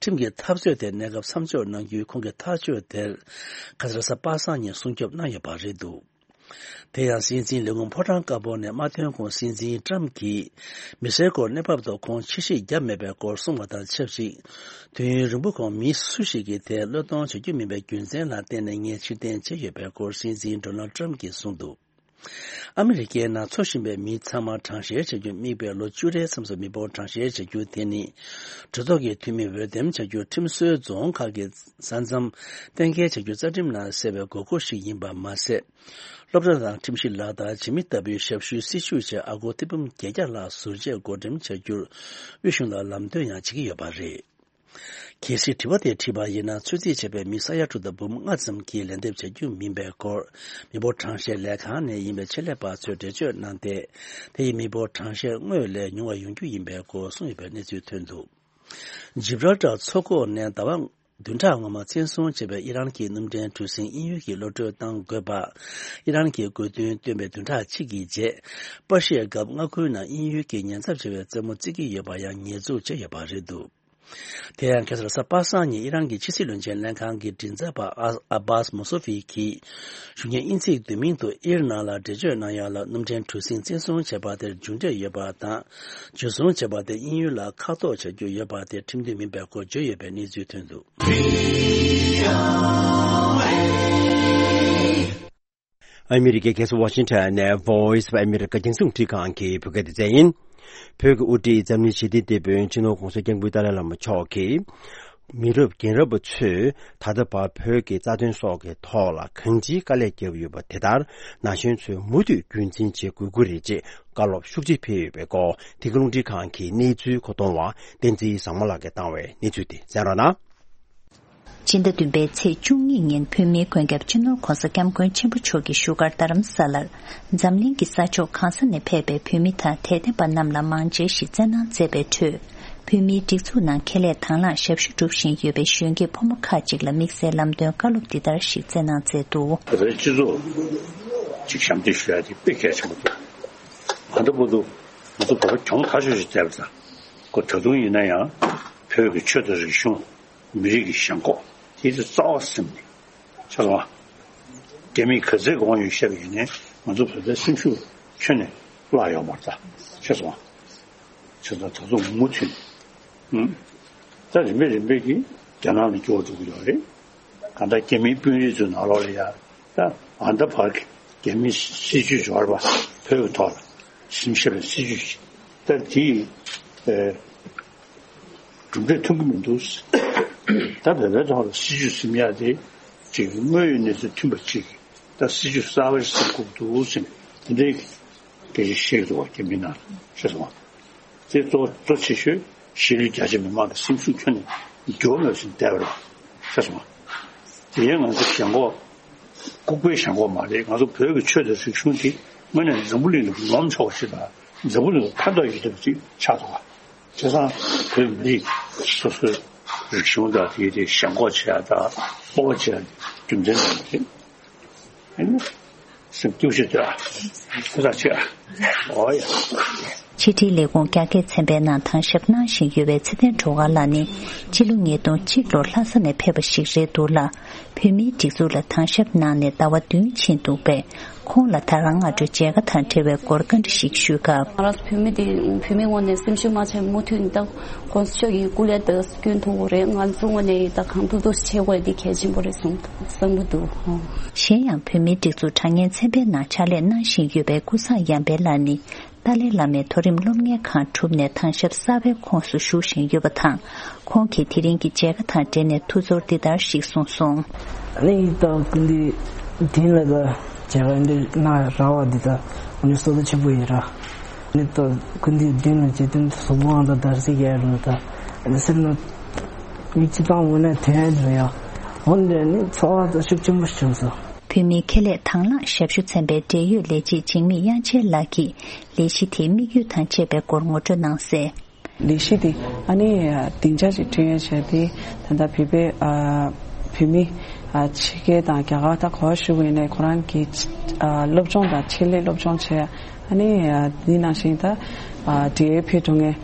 ཁྲིམས་ཀྱི་འཐབ་རྩོད་དེ་གནས་སྐབས་མཚམས་འཇོག་གནང་རྒྱུའི་ཁོང་གི་ཐག་གཅོད་དེར། ཁ་སང་གཟའ་པ་སངས་ཉིན་སྲུང་སྐྱོབ་གནང་ཡོད་པ་རེད་འདུག་དེ་ཡང་སྲིད་འཛིན་ལས་ཁུངས་ཕོ་བྲང་དཀར་པོ་ནས་མ་ཐོན་གོང་སྲིད་འཛིན་ཊམ་གྱིས་མི་སེར་སྐོར་གནས་བབ་ཐོག་ཁོང་ཕྱིར་བཤིག་བརྒྱབ་མེད་པའི་སྐོར་གསུངས་པ་དང་ཆབས་ཅིག་དུས་ཡུན་རིང་པོ་གོང་མི་སུ་ཞིག་གིས་དེར་བློས་གཏོང་བྱ་རྒྱུ་མིན་པའི་རྒྱུ་མཚན་ལ་བརྟེན་ནས་ངས་ཕྱིར་འཐེན་བྱས་ཡོད་པའི་སྐོར་སྲིད་འཛིན་ཌོ་ནལ་ཊམ་གྱིས་གསུངས་འདུག་ཨ་མི་རི་ཀའི་ནང་འཚོ་བཞིན་པའི་མི་ཚང་མ་གྲངས་བཤེར་བྱ་རྒྱུར་དམིགས་པའི་ལོ་བཅུ་རེའི་མཚམས་སུ་མི་འབོར་གྲངས་བཤེར་བྱ་རྒྱུ་དེ་ནི་གྲོས་ཚོགས་ཀྱི་འཐུས་མི་འོས་འདེམས་བྱ་རྒྱུར་ཁྲིམས་སྲོལ་རྫོང་ཁག་གི་ས་མཚམས་གཏན་འཁེལ་བྱ་རྒྱུ་རྩ་ཁྲིམས་ནང་གསལ་བའི་དགོས་མཁོ་ཞིག་ཡིན་པ་མ་ཟད། སློབ་གྲྭ་དང་ཁྲིམས་གཞི་ལག་བསྟར་བྱེད་མི་ལྟ་བུའི་ཞབས་ཞུའི་སྲིད་ཇུས་བྱས་ཨ་སྒོར་ཐེར་འབུམ་བརྒྱད་བརྒྱ་ལྷག་ཟུར་བཅད་བགོ་འགྲེམས་བྱ་རྒྱུར་དབུས་གཞུང་ལ་ལམ་སྟོན་ཡང་བྱེད་ཀྱི་ཡོད་པ་རེད། གལ་སྲིད་དྲི་བ་དེ་དྲིས་པ་ཡིན་ན། ཚོད་རྩིས་བྱས་པའི་མི་ས་ཡ་དྲུག་དང་འབུམ་ལྔ་ཙམ་གྱིས་ལན་འདེབས་བྱ་རྒྱུ་མིན་པའི་སྐོར། མི་འབོར་གྲངས་བཤེར་ལས་ཁང་ནས་ཡིན་པའི་ཆེད་ལས་པ་ཚོས་འགྲེལ་བརྗོད་གནང་སྟེ། དེ་ཡིས་མི་འབོར་གྲངས་བཤེར་སྔོན་ལས་ཉུང་བ་ཡོང་རྒྱུ་ཡིན་པའི་སྐོར་གསུངས་ཡོད་པའི་གནས་ཚུལ་ཐོན་འདུག་ཇིབ་རལ་ཊར་མཚོ་ཁོག་ནས་ཟླ་བ་བདུན་ཕྲག་སྔོན་མ་བཙན་བཟུང་བྱས་པའི་ཨི་རན་གྱི་གནམ་གྲུའི་གྲུ་གཟིངས་དབྱིན་ཡུལ་གྱི་གློད་གྲོལ་གཏང་དགོས་པ། ཨི་རན་གྱི་དགོས་འདུན་བཏོན་པའི་བདུན་ཕྲག་གཅིག་གི་རྗེས། པར་ཤའི་སྒམ་མངའ་ཁུལ་ནང་དབྱིན་ཡུལ་གྱི་ཉེན་ཚབས་ཆེ་བའི་རྩེད་མོ་རྩེ་གི་ཡོད་པ་ཡང་ཉེས་འཛུགས་བྱས་ཡོད་པ་རེད་འདུག་དེ་ཡང་ཁ་སང་གཟའ་པ་སངས་ཉིན་ཨི་རན་གྱི་ཕྱི་སྲིད་བློན་ཆེན་ལྷན་ཁང་གི་མགྲིན་ཚབ་པ་ཨ་ཨ་བྷ་སི་མོ་སོ་ཕི་གིས། གཞུང་གི་དབྱིན་ཚིག་བསྡུས་མིང་དུ་ཨིར་ནང་ལ་འགྲེལ་བརྗོད་གནང་ཡག་ལ། གནམ་གྲུའི་གྲུ་གཟིངས་བཙན་བཟུང་བྱས་པ་དེར་མཇུག་འབྲས་ཡོད་པ་དང་། འཇུ་བཟུང་བྱས་པ་དེ་དབྱིན་ཡུལ་ལ་ཁ་གཏོགས་བྱ་རྒྱུ་ཡོད་པ་དེ་ཁྲིམས་མཐུན་མིན་པའི་སྐོར་བརྗོད་ཡོད་པའི་གནས་ཚུལ་ཐོན་འདུག་ཨ་མི་རི་ཀའི་རྒྱལ་ས་ཝ་ཤིང་ཊོན་ནས་Voice of America རྒྱང་སྲིང་རླུང་འཕྲིན་ཁང་གི་བོད་སྐད་སྡེ་ཚན་ཡིན། བོད་ཀྱི་དབུ་ཁྲིད་འཛམ་གླིང་ཞི་བདེའི་དེད་དཔོན་སྤྱི་ནོར་༧གོང་ས་༧སྐྱབས་མགོན་ཏཱ་ལའི་བླ་མ་མཆོག་གིས། མི་རབས་རྒན་རབས་པ་ཚོས་ད་ལྟ་བར་བོད་ཀྱི་རྩ་དོན་སོགས་ཀྱི་ཐོག་ལ་གང་ཅིའི་དཀའ་ལས་བརྒྱབ་ཡོད་པ་དེ་ལྟར་ན་གཞོན་ཚོས་མུ་མཐུད་རྒྱུན་འཛིན་བྱེད་དགོས་ཀྱི་རེད་ཅེས་བཀའ་སློབ་ཤུགས་ཆེ་ཕེབས་ཡོད་པའི་སྐོར། དེ་གའི་རླུང་འཕྲིན་ཁང་གི་གནས་ཚུལ་མཁོ་གཏོང་བ་བསྟན་འཛིན་བཟང་མོ་ལགས་ཀྱིས་བཏང་བའི་གནས་ཚུལ་དེ་གསན་རོགས་གནང་། སྤྱི་ཟླ་བདུན་པའི་ཚེས་བཅུ་གཉིས་ཉིན་བོད་མིའི་མགོན་སྐྱབས་སྤྱི་ནོར་༧གོང་ས་༧སྐྱབས་མགོན་ཆེན་པོ་མཆོག་གི་བཞུགས་སྒར་རྡ་རམ་ས་ལར། འཛམ་གླིང་གི་ས་ཕྱོགས་གང་ས་ནས་ཕེབས་པའི་བོད་མི་དང་དད་ལྡན་པ་རྣམས་ལ་མང་མཇལ་ཞིག་སྩལ་གནང་མཛད་པའི་ཁྲོད། བོད་མིའི་སྒྲིག་འཛུགས་ནང་ཁས་ལེན་དང་བླངས་ཞབས་ཞུ་སྒྲུབ་བཞིན་ཡོད་པའི་གཞོན་སྐྱེས་ཕོ་མོ་ཁག་ཅིག་ལ་དམིགས་བསལ་ལམ་སྟོན་བཀའ་སློབ་འདི་ལྟར་ཞིག་སྩལ་གནང་མཛད་འདུག་བོད་པའི་སྤྱི་ཚོགས་ཅིག་ཞབས་འདེགས་ཞུ་ཡ་དེ་དཔེ་གལ་ཆེན་པོ་འདུག་ང་ཚོ་བར་དུ་ང་ཚོ་བོད་པ་གྱོང་ཐག་ཆོད་ཅིག་བསྡད་པ་དང་། ཁོ་ད་དུང་ཡིན་ན་ཡང་བོད་ཀྱི་ཆོས་དང་རིག་གཞུང་། མི་རིགས་ཀྱི་ཞེན་ཁོག་དེ་ཚོ་རྩ་བ་ཟིན་ནས། ཤེས་སོང་ང་། རྒྱ་མིས་ག་ཚད་གོང་ཡོད་བཤད་པ་ཡིན་ནའི་ང་ཚོ་བོད་པའི་སེམས་ཤུགས་ཁྱོན་ནས་བརླག་ཡོད་མ་རེད་ད། ཤེས་སོང་ང་། བྱས་ཙང་ད་དུང་མུ་མཐུད་ནས། ད་རིམ་པས་རིམ་པས་ཀྱིས་རྒྱ་ནག་ལ་སྐྱོ་བ་འགྲོ་གི་ཡོད་རེད། གང་ལྟར་རྒྱ་མིའི་དཔོན་རིགས་ཚོའི་ནང་ལོགས་ལ་ཡ། ད་ཨ་ད་བར་གྱི་རྒྱ་མིའི་སྲིད་ཇུས་འབྱོར་བ་བོད་ཀྱི་ཐོག་ལ་ཞིབ་བཤེར་བའི་སྲིད་ཇུས་ཤིག་ད་དེ་ཡི་གྲུབ་འབྲས་ཐོན་གྱི་མི་འདུག་ད་བོད་པའི་ཐོག་ལ་སྲིད་ཇུས་ཟིན་ཡག་དེ་ཅིག་དངོས་ཡོད་གནས་ཚུལ་མཐུན་པ་ཅིག་ད་སྲིད་ཇུས་གསར་པ་ཞིག་ཟིན་དགོས་འདུག་ཟེར་ནས་དེ་འདྲའི་སྐད་ཆ་བཤད་ཀྱི་འདུག་བ། རྒྱ་མིའི་ནང་ལ། ཤེས་སོང་ང་། དེ་གཙོ་གཙོ་ཆེ་ཤོས་གཞིས་ལུས་རྒྱ་ཆེ་མི་མང་གི་སེམས་ཤུགས་ཁྱོན་ནས་འགྱུར་མེད་ཟིན་བསྡད་པ་རེད། ཤེས་སོང་ང་། དེ་ཡང་ང་ཚོ་ཞེན་ཁོག་ལྐུགས་པའི་ཞེན་ཁོག་མ་རེད། ང་ཚོ་བོད་ཀྱི་ཆོས་དང་རིག་གཞུང་དེ་དངོས་གནས་འཛམ་བུ་གླིང་ལ་ངོམ་ཆོག་པ་ཞིག་དང་འཛམ་བུ་གླིང་ལ་ཕན་ཐོགས་ཡོད་བསྡད་པ་ཅིག་ཆགས་འདུག་ག་བྱས་ཙང་བོད་མི་རིགས་སོ་སོའི་རིག་གཞུང་དང་དེའི་དེ་ཞེན་ཁོག་བྱེད་ཡ་དང་སྤོབས་པ་བྱེད་ཡ་རྒྱུ་མཚན་དེ་མ་རེད། ཨ་ནི། སེམས་སྐྱོ་ཤོས་དེ་ཨ། ཁོ་ཐག་ཆོད་ཨ། ཨོ་ཡ། ཕྱི་དྲིལ་ལས་ཁུངས་རྒྱ་སྐད་ཚན་པའི་ནང་དམ་ཞབས་གནང་བཞིན་ཡོད་པའི་ཚེ་བརྟན་སྒྲོལ་དཀར་ལགས་ནི་སྤྱི་ལོ་ཉིས་སྟོང་གཅིག་ལོར་ལྷ་ས་ནས་ཕེབས་པ་ཞིག་རེད་འདུག་ལ། བོད་མིའི་སྒྲིག་འཛུགས་ལ་དམ་ཞབས་གནང་ནས་ཟླ་བ་བདུན་ཕྱིན་འདུག་པས། ཁོང་ལ་ད་རང་སྔ་དྲོ་མཇལ་ཁ་དང་འབྲེལ་བའི་སྐོར་བཀའ་འདྲི་ཞིག་ཞུས་སྐབས། ང་རང་ཚོ་བོད་མི་དེ་བོད་མིའི་ངོས་ནས་སེམས་ཤུགས་མ་ཆག་མུ་མཐུད་ནས་ད་༸གོང་ས་མཆོག་གི་སྐུ་ལས་ད་སྐྱོན་ཐུབ་དགོས་རེད། ང་ཚོ་ངོས་ནས་ད་གང་ཐུབ་ཐུབ་བྱེད་དགོས་དེ་གལ་ཆེན་པོ་རེད་བསམ་བསམ་གྱི་འདུག་གཞན་ཡང་བོད་མིའི་སྒྲིག་འཛུགས་དྲ་བརྙན་ཚན་པའི་ནང་ཕྱག་ལས་གནང་བཞིན་ཡོད་པའི་ཀུན་བཟང་ཡར་འཕེལ་ལགས་ནི་ཏཱ་ལའི་བླ་མའི་མཐོ་རིམ་སློབ་གཉེར་ཁང་གྲུབ་ནས་དམ་ཞབས་གསར་པའི་ཁོངས་སུ་ཞུགས་བཞིན་ཡོད་པ་དང་། ཁོང་གིས་དེ་རིང་གི་མཇལ་ཁ་དང་འབྲེལ་ནས་ཐུགས་ཚོར་འདི་ལྟར་ཞིག་གསུངས་སོང་། ཨ་ནི་ད་སྐུ་མདུན་དེ་ལ་ད་མཇལ་ཁ་འདི་གནང་རག་པ་འདི་ད་ཨ་ནི་བསོད་བདེ་ཆེན་པོ་ཡིན་ར། ཨ་ནི་ད་སྐུ་མདུན་དེ་ལ་མཇལ་དོན་གཟུགས་པོ་ཨང་དང་འདར་སིག་ཡར་རུ་ད་ཨ་ནི་སེམས་ནང་མིག་ཆུ་བཏང་འོང་ན་དོན་ཡང་འདུག་ཡ། འོ་འདི་ནི་ཚོར་བ་ད་ཤུགས་ཆེན་པོ་བྱུང་སོང་། བོད་མིའི་ཁེ་ལས་དང་བླངས་ཞབས་ཞུ་ཚན་པའི་འབྲེལ་ཡོད་ལས་བྱེད་འཇིགས་མེད་དབྱངས་ཅན་ལགས་ཀྱིས་ལས་གཞི་དེའི་དམིགས་ཡུལ་དང་བཅས་པའི་སྐོར་ངོ་སྤྲོད་གནང་གསལ། ལས་གཞི་དེ་ཨ་ནི་སྡིངས་ཆ་ཞིག་བསྐྲུན་ཡ་བྱས་ཏེ་ད་ལྟ་བོད་པའི་ཨ་བོད་མི་ཨ་ཕྱི་རྒྱལ་དང་རྒྱ་གར་ད་ག་པར་བཞུགས་ཡོད་ནའི་ཁོ་རང་གི་ཨ་སློབ་སྦྱོང་དང་ཆེད་ལས་སློབ་སྦྱོང་བྱས། ཨ་ནི་ཨ་འདི་ནང་བཞིན་ད་ཨ་འབྲེལ་ཡོད་ཕེབས་འགྲོ་མཁན་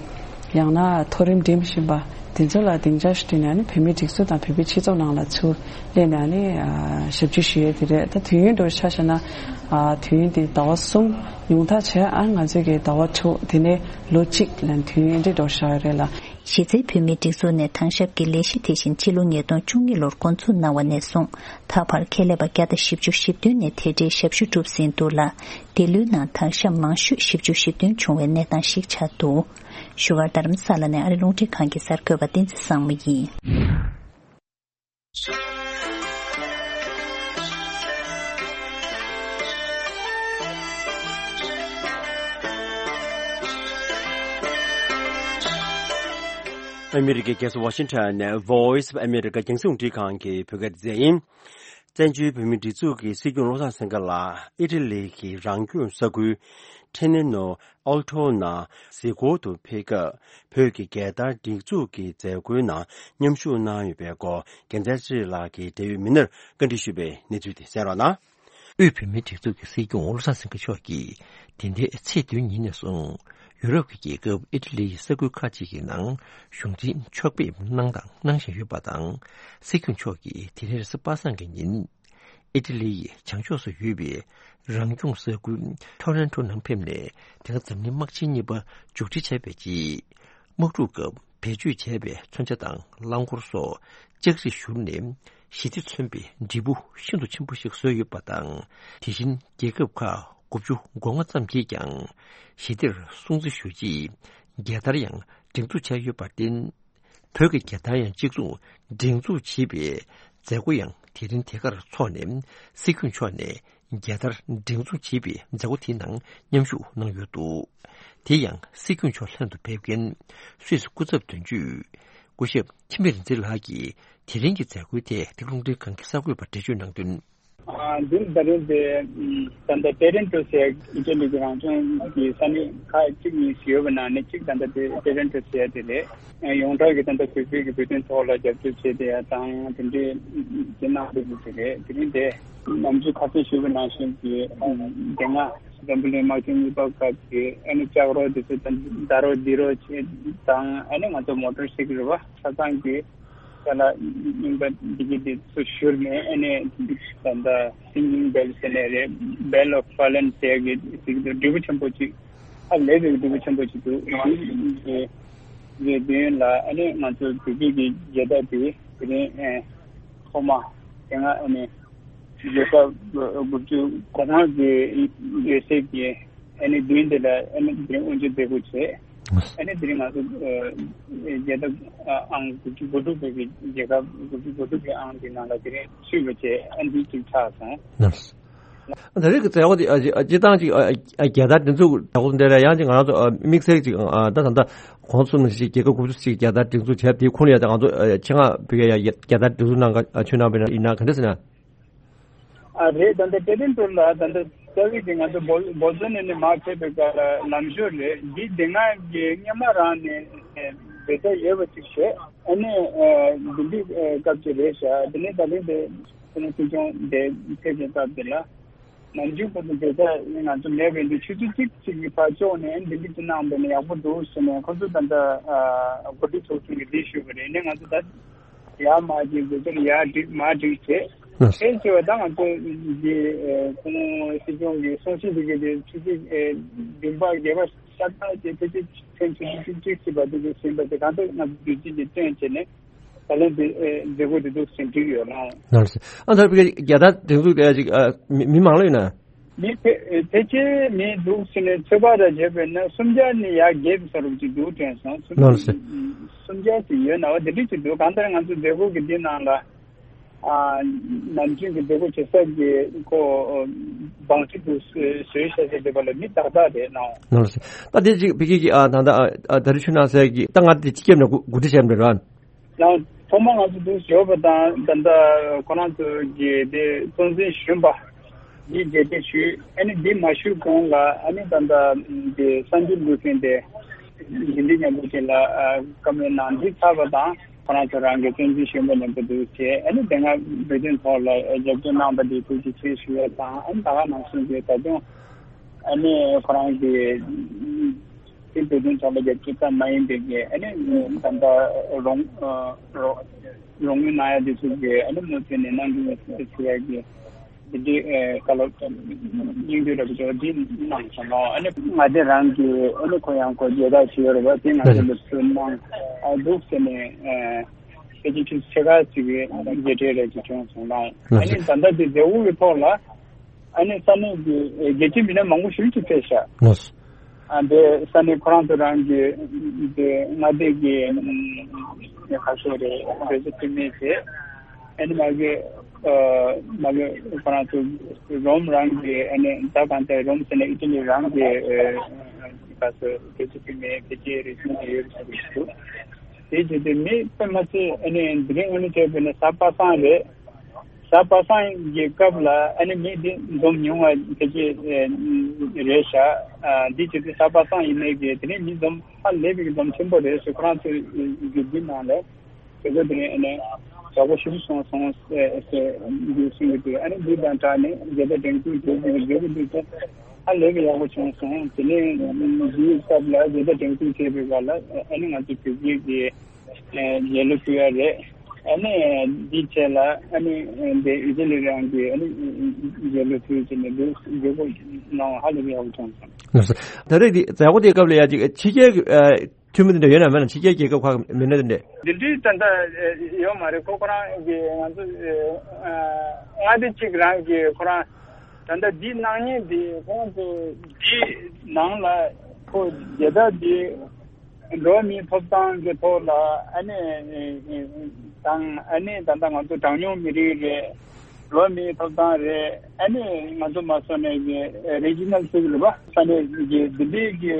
ཡང་ན་མཐོ་རིམ་འགྲིམ་བཞིན་པ་དེ་ཚོ་ལ་སྡིངས་ཆ་ཞིག་བསྐྲུན་ནས་ཨ་ནི་བོད་མིའི་སྒྲིག་འཛུགས་དང་བོད་པའི་སྤྱི་ཚོགས་ནང་ལ་ཚུར་སླེབས་ནས་ཨ་ནི་ཨ་ཞབས་ཕྱི་ཞུ་ཡས་དེ་རེད། ད་དུས་ཡུན་འདྲ་ཆ་བཞག་ན་ཨ་དུས་ཡུན་དེ་ཟླ་བ་གསུམ། ཉུང་མཐའ་བྱས་ཨ་ང་ཚོས་ཀྱི་ཟླ་བ་དྲུག་དེ་ནས་ལོ་གཅིག་ལ་དུས་ཡུན་འདྲ་འདྲ་བཞག་ཡོད་རེད་ལ། གཞི་རྩའི་བོད་མིའི་སྒྲིག་འཛུགས་ནས་དམ་ཞབས་ཀྱི་ལས་གཞི་དེ་བཞིན་ཕྱི་ལོ་ཉིས་སྟོང་བཅུ་གཉིས་ལོར་འགོ་འཛུགས་གནང་བ་ནས་བཟུང་ད་བར་ཁེ་ལས་པ་བརྒྱ་དང་བཞི་བཅུ་ཞེ་བདུན་ནས་དེ་འབྲེལ་ཞབས་ཞུ་བསྒྲུབས་ཟིན་འདུག་ལ། འདི་ལོའི་ནང་དམ་ཞབས་མང་ཤོས་བཞི་བཅུ་ཞེ་བདུན་བྱུང་བའི་གནས་སྟངས་ཤིག་ཆགས་འདུག་བཞུགས་སྒར་རྡ་རམ་ས་ལ་ནས་ཨ་རི་རླུང་འཕྲིན་ཁང་གི་གསར་འགོད་པ་བསྟན་འཛིན་བཟང་མོ་ཡིན། ཨ་མི་རི་ཀའི་རྒྱལ་ས་ཝ་ཤིང་ཊོན་ནས་Voice of America རྒྱང་སྲིང་རླུང་འཕྲིན་ཁང་གི་བོད་སྐད་སྡེ་ཚན་ཡིན། བཙན་བྱོལ་བོད་མིའི་སྒྲིག་འཛུགས་ཀྱི་སྲིད་སྐྱོང་བློ་བཟང་སེང་གེ་ལགས་ཨི་ཊ་ལི་གི་རང་སྐྱོང་ས་ཁུལ་ཁྲེ་ནེ་ནོ་ཨལ་ཊོ་ནང་གཟིགས་སྐོར་དུ་ཕེབས་སྐབས། བོད་ཀྱི་རྒྱལ་དར་སྒྲེང་འཛུགས་ཀྱི་མཛད་སྒོའི་ནང་མཉམ་ཞུགས་གནང་ཡོད་པའི་སྐོར་རྒྱལ་མཚན་ཚེ་རིང་ལགས་ཀྱིས་འབྲེལ་ཡོད་མི་སྣར་བཀའ་འདྲི་ཞུས་པའི་གནས་ཚུལ་དེ་གསན་རོགས་གནང་། དབུས་བོད་མིའི་སྒྲིག་འཛུགས་ཀྱི་སྲིད་སྐྱོང་བློ་བཟང་སེང་གེ་མཆོག་གིས་འདི་ཟླའི་ཚེས་བདུན་ཉིན་ནས་བཟུང་ཡུ་རོབ་ཀྱི་རྒྱལ་ཁབ་ཨི་ཊ་ལི་ཡི་ས་ཁུལ་ཁག་ཅིག་གི་ནང་གཞུང་འཛིན་ཕྱོགས་ཕེབས་གནང་དང་གནང་བཞིན་ཡོད་པ་དང་། སྲིད་སྐྱོང་མཆོག་གིས་དེ་རིང་རེས་གཟའ་པ་སངས་ཀྱི་ཉིན་ཨི་ཊ་ལི་ཡི་བྱང་ཕྱོགས་སུ་ཡོད་པའི་རང་སྐྱོང་ས་ཁུལ་ཐོ་རན་ཊོ་ནང་ཕེབས་ནས་དེ་སྔ་འཛམ་གླིང་དམག་ཆེན་གཉིས་པ་མཇུག་སྒྲིལ་བྱས་པའི་རྗེས། དམག་འཁྲུག་སྐབས་བེད་སྤྱོད་བྱས་པའི་མཚོན་ཆ་དང་རླངས་འཁོར་སོགས་ལྕགས་རིས་བཞུར་ནས་ཞི་བདེ་མཚོན་པའི་འབྲས་བུ་ཤིན་ཏུ་ཆེན་པོ་ཞིག་བཟོས་ཡོད་པ་དང་། དེ་བཞིན་རྒྱལ་ཁབ་ཁག་དགུ་བཅུ་གོ་ལྔ་ཙམ་གྱིས་ཀྱང་ཞི་བདེར་སྲུང་བརྩི་ཞུ་ཆེད་རྒྱལ་དར་ཡང་སྒྲེང་འཛུགས་བྱས་ཡོད་པར་བརྟེན། བོད་ཀྱི་རྒྱལ་དར་ཡང་གཅིག་མཚུངས་སྒྲེང་འཛུགས་བྱེད་པའི་མཛད་སྒོ་ཡང་དེ་རིང་དེ་གར་འཚོགས་ནས། སྲིད་སྐྱོང་མཆོག་ནས་རྒྱལ་དར་སྒྲེང་འཛུགས་བྱེད་པའི་མཛད་སྒོ་དེའི་ནང་མཉམ་ཞུགས་གནང་ཡོད་འདུག་དེ་ཡང་སྲིད་སྐྱོང་མཆོག་ལྷན་དུ་ཕེབས་མཁན་སུད་སི་སྐུ་ཚབ་དོན་གཅོད་སྐུ་ཞབས་འཆི་མེད་རིག་འཛིན་ལགས་ཀྱིས་དེ་རིང་གི་མཛད་སྒོའི་ཐད་འདི་རླུང་འཕྲིན་ཁང་གི་གསར་འགོད་པར་འགྲེལ་བརྗོད་གནང་དོན། ཨ། འདི་ད་རིང་དེ་ད་ལྟ་ཏེ་རན་ཏོ་ཟེར་ཨི་ཊ་ལི་གི་རང་སྐྱོང་གི་ས་གནས་ཁག་གཅིག་གཉིས་ཤིག་ཡོད་པ་ནང་ནས་གཅིག་ད་ལྟ་དེ་ཏེ་རན་ཏོ་ཟེར་དེ་རེད། ཡོངས་གྲགས་ཀྱི་ད་ལྟ་བོད་པའི་གི་བོད་དོན་ཐོག་ལ་རྒྱབ་སྐྱོར་བྱས་ཏེ་ཡ་དང་དེ་འདྲའི་དེ་གནང་འདུག་ཟེར་རེད། དེ་རིང་དེ་ནམ་རྒྱུན་ཁ་སང་ཞུས་པ་ནང་བཞིན་གྱི་དེ་སྔ་ འཛམ་བུ་གླིང་དམག་ཆེན་གཉིས་པ་སྐབས་ཀྱི་ཨ་ནི་ལྕགས་རོ་དེ་ཚོ་དང་ཟླ་རོ་ལྡིར་རོ་བྱེད་དང་ཨ་ནི་ང་ཚོ་མོ་ཊར་སའི་ཀལ་རེད་བ། ཆ་ཚང་གི་ས་ལ་རྙིང་པ་འདི་གི་དེ་ཚོ་བཞུར་ནས་ཨ་ནི་ད་ལྟ་སིང་གིང་བེལ་ཟེར་ནས་རེད། བེལ་ཨོཕ་ཕ་ལན་ཟེར་གི་ཟིག་འདུག་འབྲས་བུ་ཆེན་པོ་ཅིག་ཨ་ལས་པའི་འབྲས་བུ་ཆེན་པོ་ཅིག་འདུག་འདི་གི་མདུན་ལ་ཨ་ནི་ང་ཚོ་བོད་བརྒྱུད་ཀྱི་རྒྱལ་དར་དེ་དེ་རིང་ཨ་ཐོག་མ་དེ་སྔ་ཨ་ནི་རྒྱལ་ཁབ་དགུ་བཅུ་གོ་ལྔ་གི་ཡོད་སའི་གི་ཨ་ནི་མདུན་དེ་ལ་ཨ་ནི་དེ་རིང་དབུ་འབྱེད་མཛད་སྒོ་བྱས། ཨ་ནི་དེ་རིང་ང་ཚོ་ཨ་རྒྱལ་ཁབ་ཨང་དགུ་བཅུ་གོ་དྲུག་པའི་གི་རྒྱལ་ཁབ་དགུ་བཅུ་གོ་དྲུག་གི་ཨང་དེ་ནང་ལ་དེ་རིང་ཚུད་པ་བྱས། ཨ་ནི་གཅིག་ཆགས་སོང་། ད་རེས་ཀྱི་མཛད་སྒོ་དེ་ཨ་ཅི་ཨ་སྤྱི་བཏང་ཅིག་ཨ་ཨ་རྒྱལ་དར་སྒྲེང་འཛུགས་མཛད་སྒོ་འདི་ལ་ཡང་ཅིག་ང་རང་ཚོ་ཨ་དམིགས་བསལ་ཅིག་ཨ་ད་ད་ལྟ་གོང་གསུམ་ནས་ཅིག་རྒྱལ་ཁབ་དགུ་བཅུ་ཅིག་རྒྱལ་དར་སྒྲེང་འཛུགས་བྱས་དེའི་ཁོངས་ལ་ཡང་ང་ཚོ་ཨ་ཆེད་མངགས་བོད་རྒྱལ་ཡ་རྒྱལ་དར་སྒྲེང་འཛུགས་གནང་ག་ཨ་ཆོད་གནང་བ་ཡིན་ན་ག་འདྲ་ཟེར་ན། ཨ་རེད། ད་ལྟ་དེ་རིང་ཐོག་ལ་ད་ལྟ་རྩ་བའི་དེ་ང་ཚོ་འབོ་འབོ་ཙོན་ནས་ནས་མར་ཕེབས་པའི་སྐབས་ལ་ལམ་ཞོར་རེད། འདི་དེ་སྔ་གི་སྔོན་མ་རང་ནས་ཨ་འབད་རྩོལ་ཡོད་པ་ཅིག་བྱས། ཨ་ནི་ཨ་འདི་འདི་ཨ་སྐབས་ཅིག་རེད་ཤག་དེ་ནས་ད་ལན་དེ་ཁོ་ན་སྲིད་སྐྱོང་དེ་ཕེབས་པའི་སྐབས་དེ་ལ། ནམ་རྒྱུན་ཁོ་ཚོ་འབད་རྩོལ་ང་ཚོ་མེད་པ་ཡིན་དུས་ཆུ་ཚོད་གཅིག་གཅིག་གི་བར་ཕྱོགས་ནས་འདི་འདྲ་ཅིག་གནང་བ་ནི་ཡག་པོ་འདུག་ཟེར་ནས་ཁོ་ཚོ་ད་ལྟ་ཨ་འགོ་ཁྲིད་ཚོགས་ཆུང་གིས་འདི་ཞུས་པ་རེད། ནས་ང་ཚོ་ད་ཡར་མར་གྱི་འབད་རྩོལ་ཡར་སྒྲིག་མར་སྒྲིག་བྱས། ཨ་དེ་བྱས་པ་ད་ང་ཚོ་འདི་ཨ་ཁོང་སྲིད་སྐྱོང་གི་གསུང་བཤད་འདི་གའི་དེ་ཆུ་ཚོད་ཨ་བདུན་པ་བརྒྱད་པ་ཤར་ཕྱོགས་ཀྱི་ཕལ་ཆེར་ཕྱིན་ཆུ་ཚོད་གཅིག་གཅིག་བར་དུ་གི་ཟིན་པ་དེ་གང་ལྟར་ང་ཚོ་བདུད་རྩི་འདི་བཏོན་བྱས་ནས། ད་ལན་དེ་ཨེ་མཛད་སྒོ་དེ་འདུག་ཟིན་འགྲིག་ཡོད་ལགས། ལགས་སོ། ཨ་ད་བི་རྒྱལ་དར་སྒྲེང་འཛུགས་དེ་ཅིག་ཨ་མི་མི་མང་ལོས་ན། མི་ཕལ་ཕལ་ཆེར་མི་འདུག་ཟིན་ནས་ཚོད་དཔག་ར་བྱས་པས་ན་སུམ་བརྒྱ་ནས་ཡར་བརྒལ་བའི་ས་རུབ་ཅིག་འདུག་དྲན་སོང་། སུམ་ལགས་སོ། སུམ་བརྒྱ་ཅིག་ཡོད་ན་བ་དེ་འདྲ་ཅིག་འདུག་གང་ལྟར་ང་ཚོ་མཛད་སྒོ་གི་འདི་ནང་ལ་ཨ་ནམ་རྒྱུན་གྱི་མཛད་སྒོ་བྱེད་ས་གི་ཁོ་བང་སྒྲིག་དུ་བཟོས་བྱས་ཏེ་བསྡད་པ་ལ་མི་ཏག་ཏག་རེད་ལགས། ལགས་སོ། ད་དེ་ཅིག་བི་རྒྱལ་གྱི་ཨ་ད་ད་ཨ་ད་རེས་ཆུ་ནང་སའི་གི་ད་ང་དེ་སྤྱི་ཁྱབ་ནས་གོ་གོ་སྒྲིག་བྱས་པ་རེད་ར། ཡང་ཐོག་མ་ང་ཚོ་འདུག་ཞོགས་པ་དང་ད་ལྟ་ཁོ་རང་ཚོ་གི་དེ་གཙོ་འཛིན་གཞོན་པ་འདི་མཇལ་འཕྲད་ཞུས། ཨ་ནི་འདི་མ་ཞུས་གོང་ལ་ཨ་ནི་ད་ལྟ་དེ་གསར་འགྱུར་འགོད་མཁན་དེ་འདི་འདི་མཉམ་པོ་ཅིག་ལ་བཀའ་མོལ་གནང་འདི་ཚར་བ་དང་ཁོ་རང་ཚོ་རང་གི་གཙོ་འཛིན་གཞོན་པ་མཉམ་པོ་འདུག་བྱས། ཨ་ནི་དེ་སྔ་བོད་དོན་ཐོག་ལ་རྒྱབ་སྐྱོར་གནང་བ་འདི་ཐུགས་རྗེ་ཆེ་ཞུ་ཡ་དང་། ཨ་ནི་ད་ག་ནང་བཞིན་གྱི་ད་དུང་ཨ་ནི་ཁོ་རང་གི་དེ་བོད་དོན་ཐོག་ལ་རྒྱབ་སྐྱོར་ཙམ་མ་ཡིན་པའི་གི་ཨ་ནི་ད་ལྟ་རོགས་རོགས་རོགས་དངུལ་གནང་ཡ་དེ་ཚོ་གི་ཨ་ནི་མུ་མཐུད་ནས་གནང་གི་ཡོད་ཟེར་ཡ་གི་དེ་འདྲའི་བཀའ་སློབ་སྙིང་བསྡུས་འདྲ་པོ་ཅིག་འདི་གནང་སོང་ལགས། ཨ་ནི་ང་དེ་རང་གི་ཨ་ནི་ཁོ་ཡང་ཁོ་རྒྱལ་དར་ཞིག་ཡོད་རེད་པ། དེ་ང་ཚོ་ལ་ཕུལ་གནང་འདུག་ཟེར་ནས་ཕལ་ཆེར་ཆུ་ཚོད་ཕྱེད་ཀ་ཅིག་གི་མཇལ་འཕྲད་རེ་ཅིག་བྱུང་སོང་ལགས། ཨ་ནི་ད་ལྟ་དེ་མཛད་སྒོ་གི་ཐོག་ལ། ཨ་ནི་ས་གནས་ཀྱི་ཨེ་རྒྱལ་སྤྱིའི་མི་སྣ་མང་པོ་ཞིག་ཅིག་ཕེབས་ཤག་ལགས་སོ། ཨ་འདི་ས་གནས་ཁོ་རང་ཚོ་རང་གི་འདི་མངའ་སྡེ་གི་ཨམ་ཁ་ཤས་རེད། འབྲེལ་ཚོགས་འཐུས་མི་བྱས། ཨ་ནི་མ་གི་ཨ་མ་གི་ཁོ་རང་ཚོ་རོམ་རང་གི་ཨ་ནི་ད་གང་ལྟར་རོམ་ཟེར་ན་ཨི་ཊ་ལི་རང་གི་ཨ་ཁ་ཤས་འབྲེལ་ཚོགས་འཐུས་མི་ཕལ་ཆེར་རེ་ཟུང་ཅིག་ཡོད་ཟེར་གི་འདུག་དེ་བྱས་ཏེ་མི་དཔེ་མ་སྲིད་ཨ་ནི་དེ་རིང་ཨ་ནི་བྱས་པས་ན་གཟའ་པ་སངས་རེད། གཟའ་པ་སངས་ཀྱི་སྐབས་ལ་ཨ་ནི་མི་འདི་འཛོམས་ཉུང་བ་དེ་ཅིག་རེད་ཤག་འདི་བྱས་ཏེ་གཟའ་པ་སངས་ཡིན་ནའི་གི་དེ་རིང་མི་འཛོམས་ཧ་ལས་པའི་འཛོམས་ཆེན་པོ་རེད་ཟེར། ཁོ་རང་ཚོའི་རྒྱུད་འདི་ནང་ལ་དེ་ཚོ་དེ་རིང་ཨ་ནི་ཡག་པོ་ཞེ་པོ་སོང་སོང་ཟེར་འདི་གསུང་གི་འདུག་ཨ་ནི་འདི་དང་སྦྲགས་ནས་རྒྱལ་དར་སྒྲེང་འཛུགས་བྱེད་དགོས་ཀྱི་འདུག་ཟེར། ཧ་ལས་པའི་ཡག་པོ་བྱུང་སོང་། དེ་ནས་འདིའི་སྐབས་ལ་རྒྱལ་དར་སྒྲེང་འཛུགས་བྱས་པའི་སྐབས་ལ་ཨ་ནི་ང་ཚོ་བོད་བརྒྱུད་ཀྱི་རྒྱལ་གླུ་ཕུལ་ཡ་རེད། ཨ་ནི་འདིའི་རྗེས་ལ་ཨ་ནི་འདི་ཨི་ཊ་ལི་རང་གི་ཨ་ནི་རྒྱལ་གླུ་ཕུལ་བྱས་ནས་འདུག་མཛད་སྒོ་གནང་བ་ཧ་ལས་པའི་ཡག་པོ་བྱུང་སོང་། ད་རེས་འདི་མཛད་སྒོ་དེའི་སྐབས་ལ་ཡ་ཅིག་ཕྱི་རྒྱལ་གྱི་འཐུས་མི་དེ་འདྲ་ཡོད་ན་མེད་ན། ཕྱི་རྒྱལ་རྒྱལ་ཁབ་ཁག་མི་སྣ་དེ་འདྲས། འདི་འདྲའི་ད་ལྟ་ཡོད་མ་རེད། ཁོ་ཁོ་རང་གི་ང་ཚོ་མངའ་སྡེ་གཅིག་རང་གི་ཁོ་རང་ད་ལྟ་འདི་གནང་མཁན་འདི་ཁོང་ཚོ་འདི་ནང་ལ་ཁོ་རྒྱལ་དར་འདི་འགྲོ་བ་མིའི་ཐོབ་ཐང་གི་ཐོག་ལ་ཨ་ནི་དང་ཨ་ནི་ད་ལྟ་ང་ཚོ་གྲངས་ཉུང་མི་རིགས་རེད། འགྲོ་བ་མིའི་ཐོབ་ཐང་རེད། ཨ་ནི་ང་ཚོ་མ་སོ་ནས་ཀྱི་རི་ཇི་ནལ་ཚུགས་རེད་པ། ས་གནས་ཀྱི་ལྡི་ལི་གི་ག་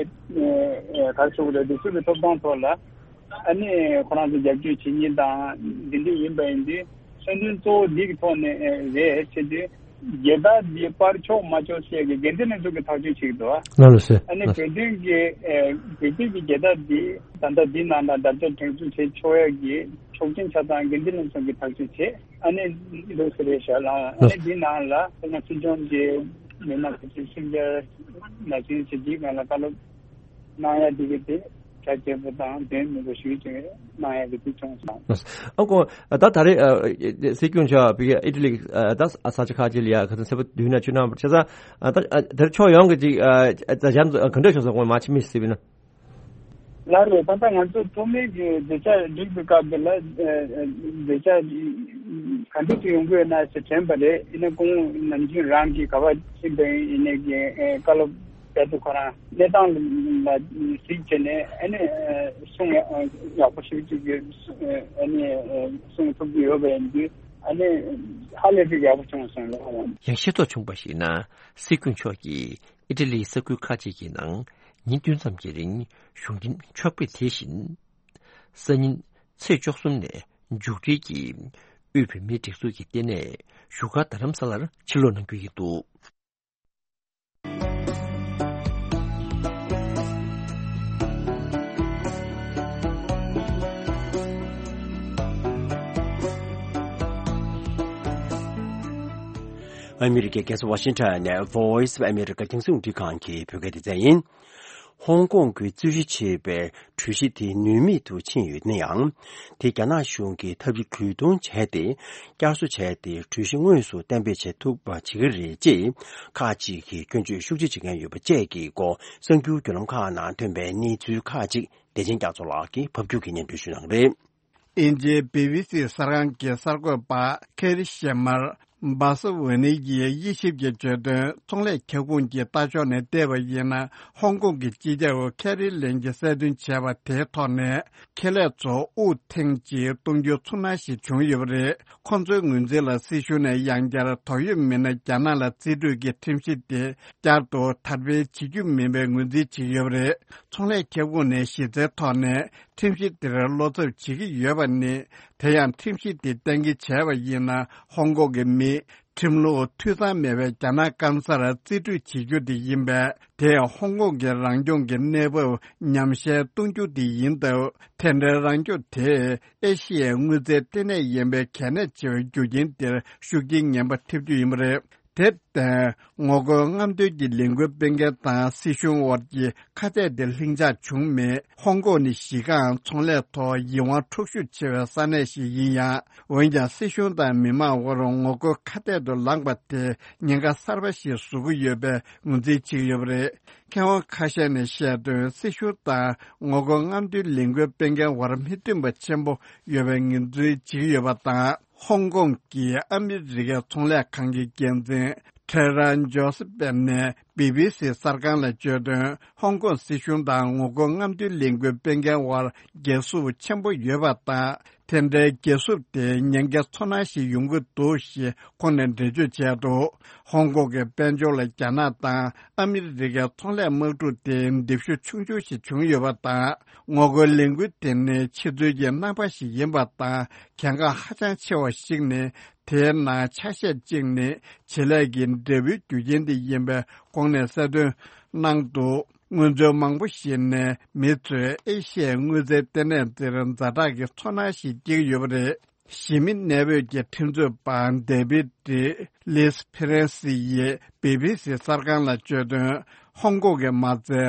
རེ་ཞུ་དགོས་རེད། འདི་ཚོ་གི་ཐོབ་ཐང་ཐོག་ལ་ཨ་ནི་ཁོ་རང་ཚོ་རྒྱབ་སྐྱོར་བྱེད་མཁན་དང་འདི་འདྲ་ཡིན་པ་ཡིན་དུས་མཚོན་དོན་གཙོ་བོ་འདི་གི་ཐོག་ནས་རེད་བྱེད་དུས་རྒྱལ་དར་འདི་པར་ཆོག་མ་ཆོག་བཤད་ཀྱི་འགན་འཛིན་ལྷན་ཚོགས་ཀྱི་ཐག་གཅོད་བྱེད་ཀྱི་འདུག་ལགས་སོ། ཨ་ནི་ལགས་སོ། བོད་དོན་གྱི་ཨེ་བོད་དོན་གྱི་རྒྱལ་དར་འདི་ད་ལྟ་འདི་ནང་ལ་རྒྱལ་དར་སྒྲེང་འཛུགས་བྱེད་ཆོག་ཡ་གི་ཆོག་མཆན་ཆ་ཚང་འགན་འཛིན་ལྷན་ཚོགས་ཀྱི་ཐག་གཅོད་བྱས། ཨ་ནི་འདུག་སེ་རེད་ཤག་ལགས། ཨ་ནི་འདི་ནང་ལ་ཁོ་ན་སྲིད་སྐྱོང་གི་ མི་མང་གི་ཅིག་ཤིང་རྒྱ་ན་ཆུང་བྱེད་ཀྱི་ང་ལ་བཀའ་སློབ་གནང་ཡ་དེ་གི་དེ་གྲ་རྒྱས་པོ་དང་དོན་མི་འདུག་ཞུ་ཅིག་གནང་ཡ་གི་དེ་བྱུང་སོང་། ཨ་ཁོ་ད་ད་རེས་སྲིད་སྐྱོང་མཆོག་བི་ཨི་ཊ་ལི་ད་ས་ཆ་ཁག་ཅིག་ལ་ཡ་ག་ཚོད་ཚེ་པོ་དུས་ན་བཅུ་ན་བར་ཆ་ས་ད་དེར་ཕྱོགས་ཡོངས་ཀྱི་ཅིག་ད་གཞན་ག་འདྲ་བྱུང་སོང་ངོ་མ་ཆི་མི་སྲིད་པ་ཡིན་ན། ལགས་རེད། ད་ལྟ་ང་ཚོ་ཐོག་མའི་གི་བརྗོད་བྱ་སྒྲིག་པའི་སྐབས་དེ་ལ་ཨ་ཨ་བརྗོད་བྱ་ག་འདྲ་ཅིག་ཡོང་གི་ཡོད་ན་ཟེར་དྲན་པ་རེད། ཡིན་ན་ཁོང་ནམ་རྒྱུན་རང་གིས་ག་པར་ཕྱིན་པ་ཡིན་ནའི་གི་ཨ་བཀའ་སློབ་དེ་ཚོ་ཁོ་རང་གནས་སྟངས་ལ་གཟིགས་བྱས་ནས་ཨ་ནི་ཨ་གསུང་ཡག་ཡག་པོ་ཞིག་ཅིག་གི་ཨ་ནི་ཨ་གསུང་ཐུབ་ཀྱི་ཡོད་པ་ཡིན་དུས་ཨ་ནི་ཧ་ལས་པའི་ཡག་པོ་བྱུང་སོང་ལགས། ཡང་ཤེས་རྟོགས་བྱུང་པར་གཞིགས་ན་སྲིད་སྐྱོང་མཆོག་གིས་ཨི་ཊ་ལིའི་ས་ཁུལ་ཁག་ཅིག་གི་ནང་ཉིན་བདུན་ཙམ་གྱི་རིང་བཞུགས་རྒྱུན་ཆོག་པའི་དེ་བཞིན། སང་ཉིན་ཚེས་བཅུ་གསུམ་ནས་མཇུག་སྒྲིལ་གྱིས་དབུས་བོད་མིའི་སྒྲིག་འཛུགས་ཀྱི་ལྟེ་གནས་བཞུགས་སྒར་རྡ་རམ་ས་ལར་ཕྱིར་ལོག་གནང་རྒྱུ་ཡིན་འདུག། ཨ་མི་རི་ཀའི་རྒྱལ་ས་ཝ་ཤིང་ཊོན་ནས་Voice of America རྒྱང་སྲིང་རླུང་འཕྲིན་ཁང་གི་བོད་སྐད་སྡེ་ཚན་ཡིན། ཧོང་ཀོང་གི་རྩོད་གཞི་ཆེ་བའི་གྲོས་གཞི་དེ་ནུས་མེད་དུ་ཕྱིན་ཡོད་ན་ཡང་། དེ་རྒྱ་ནག་གཞུང་གིས་ཐབས་ཇུས་གྲོས་བསྡུར་བྱས་ཏེ། བསྐྱར་གསོ་བྱས་ཏེ་གྲོས་གཞི་དངོས་སུ་གཏན་འབེབས་བྱེད་ཐུབ་པ་བྱེད་ཀྱི་རེད་ཅེས་ཁག་ཅིག་གིས་སྐྱོན་བརྗོད་ཤུགས་ཆེ་བྱེད་མཁན་ཡོད་པ་བཅས་ཀྱི་སྐོར་གསར་འགྱུར་བརྒྱུད་ལམ་ཁག་ནང་ཐོན་པའི་གནས་ཚུལ་ཁག་ཅིག་བདེ་ཆེན་རྒྱ་མཚོ་ལགས་ཀྱིས་ཕབ་སྒྱུར་གྱིས་སྙན་སྒྲོན་ཞུ་གནང་གི་རེད། དབྱིན་ཇིའི་བི་བི་སི་གསར་ཁང་གི་གསར་འགོད་པ་ཁེ་རི་ཤེ་མར་སྦ་ས་ཝེ་ནི་ཡིས་དབྱེ་ཞིབ་ཀྱིས་བརྗོད་དོན། ཚོང་ལས་ཁྱབ་ཁོངས་ཀྱི་ལྟ་ཕྱོགས་ནས་བལྟས་པ་ཡིན་ན། ཧོང་ཀོང་གི་སྤྱི་ཁྱབ་ཁེ་རི་ལེམ་གྱིས་གསལ་སྟོན་བྱས་པ་དེའི་ཐོག་ནས། ཁེ་ལས་ཚོ་དབུགས་ཐེངས་གཅིག་གཏོང་རྒྱུའི་ཚོར་སྣང་ཞིག་བྱུང་ཡོད་པ་རེད། ཁོང་ཚོའི་ངོས་འཛིན་ལ་སྲིད་གཞུང་ནས་ཡང་བསྐྱར་དོགས་ཡོད་མི་སྣ་རྒྱ་ནག་ལ་རྩིས་སྤྲོད་ཀྱི་ཁྲིམས་གཞི་དེ་བསྐྱར་དུ་དར་སྤེལ་བྱེད་རྒྱུ་མིན་པའི་ངོས་འཛིན་བྱེད་ཀྱི་ཡོད་པ་རེད། ཚོང་ལས་ཁྱབ་ཁོངས་ནས་གཞི་རྩའི་ཐོག་ནས་ཁྲིམས་གཞི་དེར་བློ་འཚབ་བྱེད་ཀྱི་ཡོད་པ་ནི། དེ་ཡང་ཁྲིམས་གཞི་དེ་གཏན་འཁེལ་བྱས་པ་ཡིན་ན། ཧོང་ཀོང་གི་མི་ཁྲིམས་ལུགས་འཐུས་ཚང་མེད་པའི་རྒྱ་ནག་སྐམ་སར་རྩིས་སྤྲོད་བྱེད་རྒྱུ་དེ་ཡིན་པས། དེས་ཧོང་ཀོང་གི་རང་སྐྱོང་གི་གནས་བབ་ཉམས་ཞན་གཏོང་རྒྱུ་དེ་ཡིན་སྟབས། དེ་འདྲའི་རང་སྐྱོང་དེས་ཨེ་ཤི་ཡའི་དངུལ་རྩའི་ལྟེ་གནས་ཡིན་པའི་གལ་གནད་ཆེ་བའི་རྒྱུ་རྐྱེན་དེར་ཤུགས་རྐྱེན་ངན་པ་ཐེབས་རྒྱུ་ཡིན་པ་རེད། དེར་བརྟེན། ངོ་རྒོལ་རྔམ་སྟོན་གྱི་ལས་འགུལ་སྤེལ་མཁན་དང་སྲིད་གཞུང་དབར་གྱི་ཁ་གཏད་དེ་ལྷིང་འཇགས་བྱུང་མེད། ཧོང་ཀོང་ནི་གཞི་རྐང་ཚོང་ལས་ཐོག་ཡིད་དབང་འཕྲོག་ཤུགས་ཆེ་བའི་ས་གནས་ཤིག་ཡིན་ཡང་། འོན་ཀྱང་། སྲིད་གཞུང་དང་མི་མང་དབར་ངོ་རྒོལ་ཁ་གཏད་དུ་ལངས་པ་དེ་ཉེན་ཁ་གསར་པ་ཞིག་བཟོ་གི་ཡོད་པའི་ངོས་འཛིན་བྱེད་ཀྱི་ཡོད་པ་རེད། མཁས་དབང་ཁ་ཤས་ནས་བཤད་དོན། སྲིད་གཞུང་དང་ངོ་རྒོལ་རྔམ་སྟོན་ལས་འགུལ་སྤེལ་མཁན་དབར་མི་མཐུན་པ་ཆེན་པོ་ཡོད་པའི་ངོས་འཛིན་བྱེད་ཀྱི་ཡོད་པ་དང་། ཧོང་ཀོང་གི་ཨ་མི་རི་ཀའི་ཚོང་ལས་ཁང་གི་འགན་འཛིན་ཁྲེ་རན་ཇོ་སི་པེ་ནས་བི་བི་སི་གསར་ཁང་ལ་བརྗོད་དོན། ཧོང་ཀོང་སྲིད་གཞུང་དང་ངོ་རྒོལ་རྔམ་སྟོན་ལས་འགུལ་སྤེལ་མཁན་དབར་འགལ་ཟླ་ཆེན་པོ་ཡོད་པ་དང་། དེ་འདྲའི་འགལ་ཟླ་དེ་ཉེན་ཁའི་ཚོར་སྣང་ཞིག་ཡོང་གི་འདུག་ཞེས་ཁོང་ནས་འགྲེལ་བརྗོད་བྱས་འདུག། ཧོང་ཀོང་གི་དཔལ་འབྱོར་ལ་རྒྱ་ནག་དང་ཨ་མི་རི་ཀའི་ཚོང་ལས་དམག་འཁྲུག་དེ་འདེབས་ཤུགས་ཆུང་ཆུང་ཞིག་བྱུང་ཡོད་པ་དང་། ངོ་རྒོལ་ལས་འགུལ་དེ་ནི་ཕྱི་ཚུལ་གྱི་རྣམ་པ་ཞིག་ཡིན་པ་དང་། གལ་འགངས་ཧ་ཅང་ཆེ་བ་ཞིག་ནི། དེའི་ནང་ཆ་ཤས་གཅིག་ནི་བྱེད་ལས་ཀྱི་འབྲས་བུའི་རྒྱུ་རྐྱེན་དེ་ཡིན་པའི་སྒོ་ནས་གསལ་སྟོན་གནང་འདུག། སྔོན་ཚུད་མང་པོ་ཞིག་ནས་མི་ཚོས་ཨེ་ཤི་ཡའི་དངུལ་རྩའི་ལྟེ་གནས་འདིར་ཛ་དྲག་གི་ཚོར་སྣང་ཞིག་སྐྱེ་གི་ཡོད་པ་རེད། གཞིས་མི་གནས་སྤོས་ཀྱི་ཁྲིམས་རྩོད་པ་ཌེ་བིད་ལིས་ཕི་རན་སི་ཡིས་བི་བི་སི་གསར་ཁང་ལ་བརྗོད་དོན། ཧོང་ཀོང་གི་མ་རྩའི་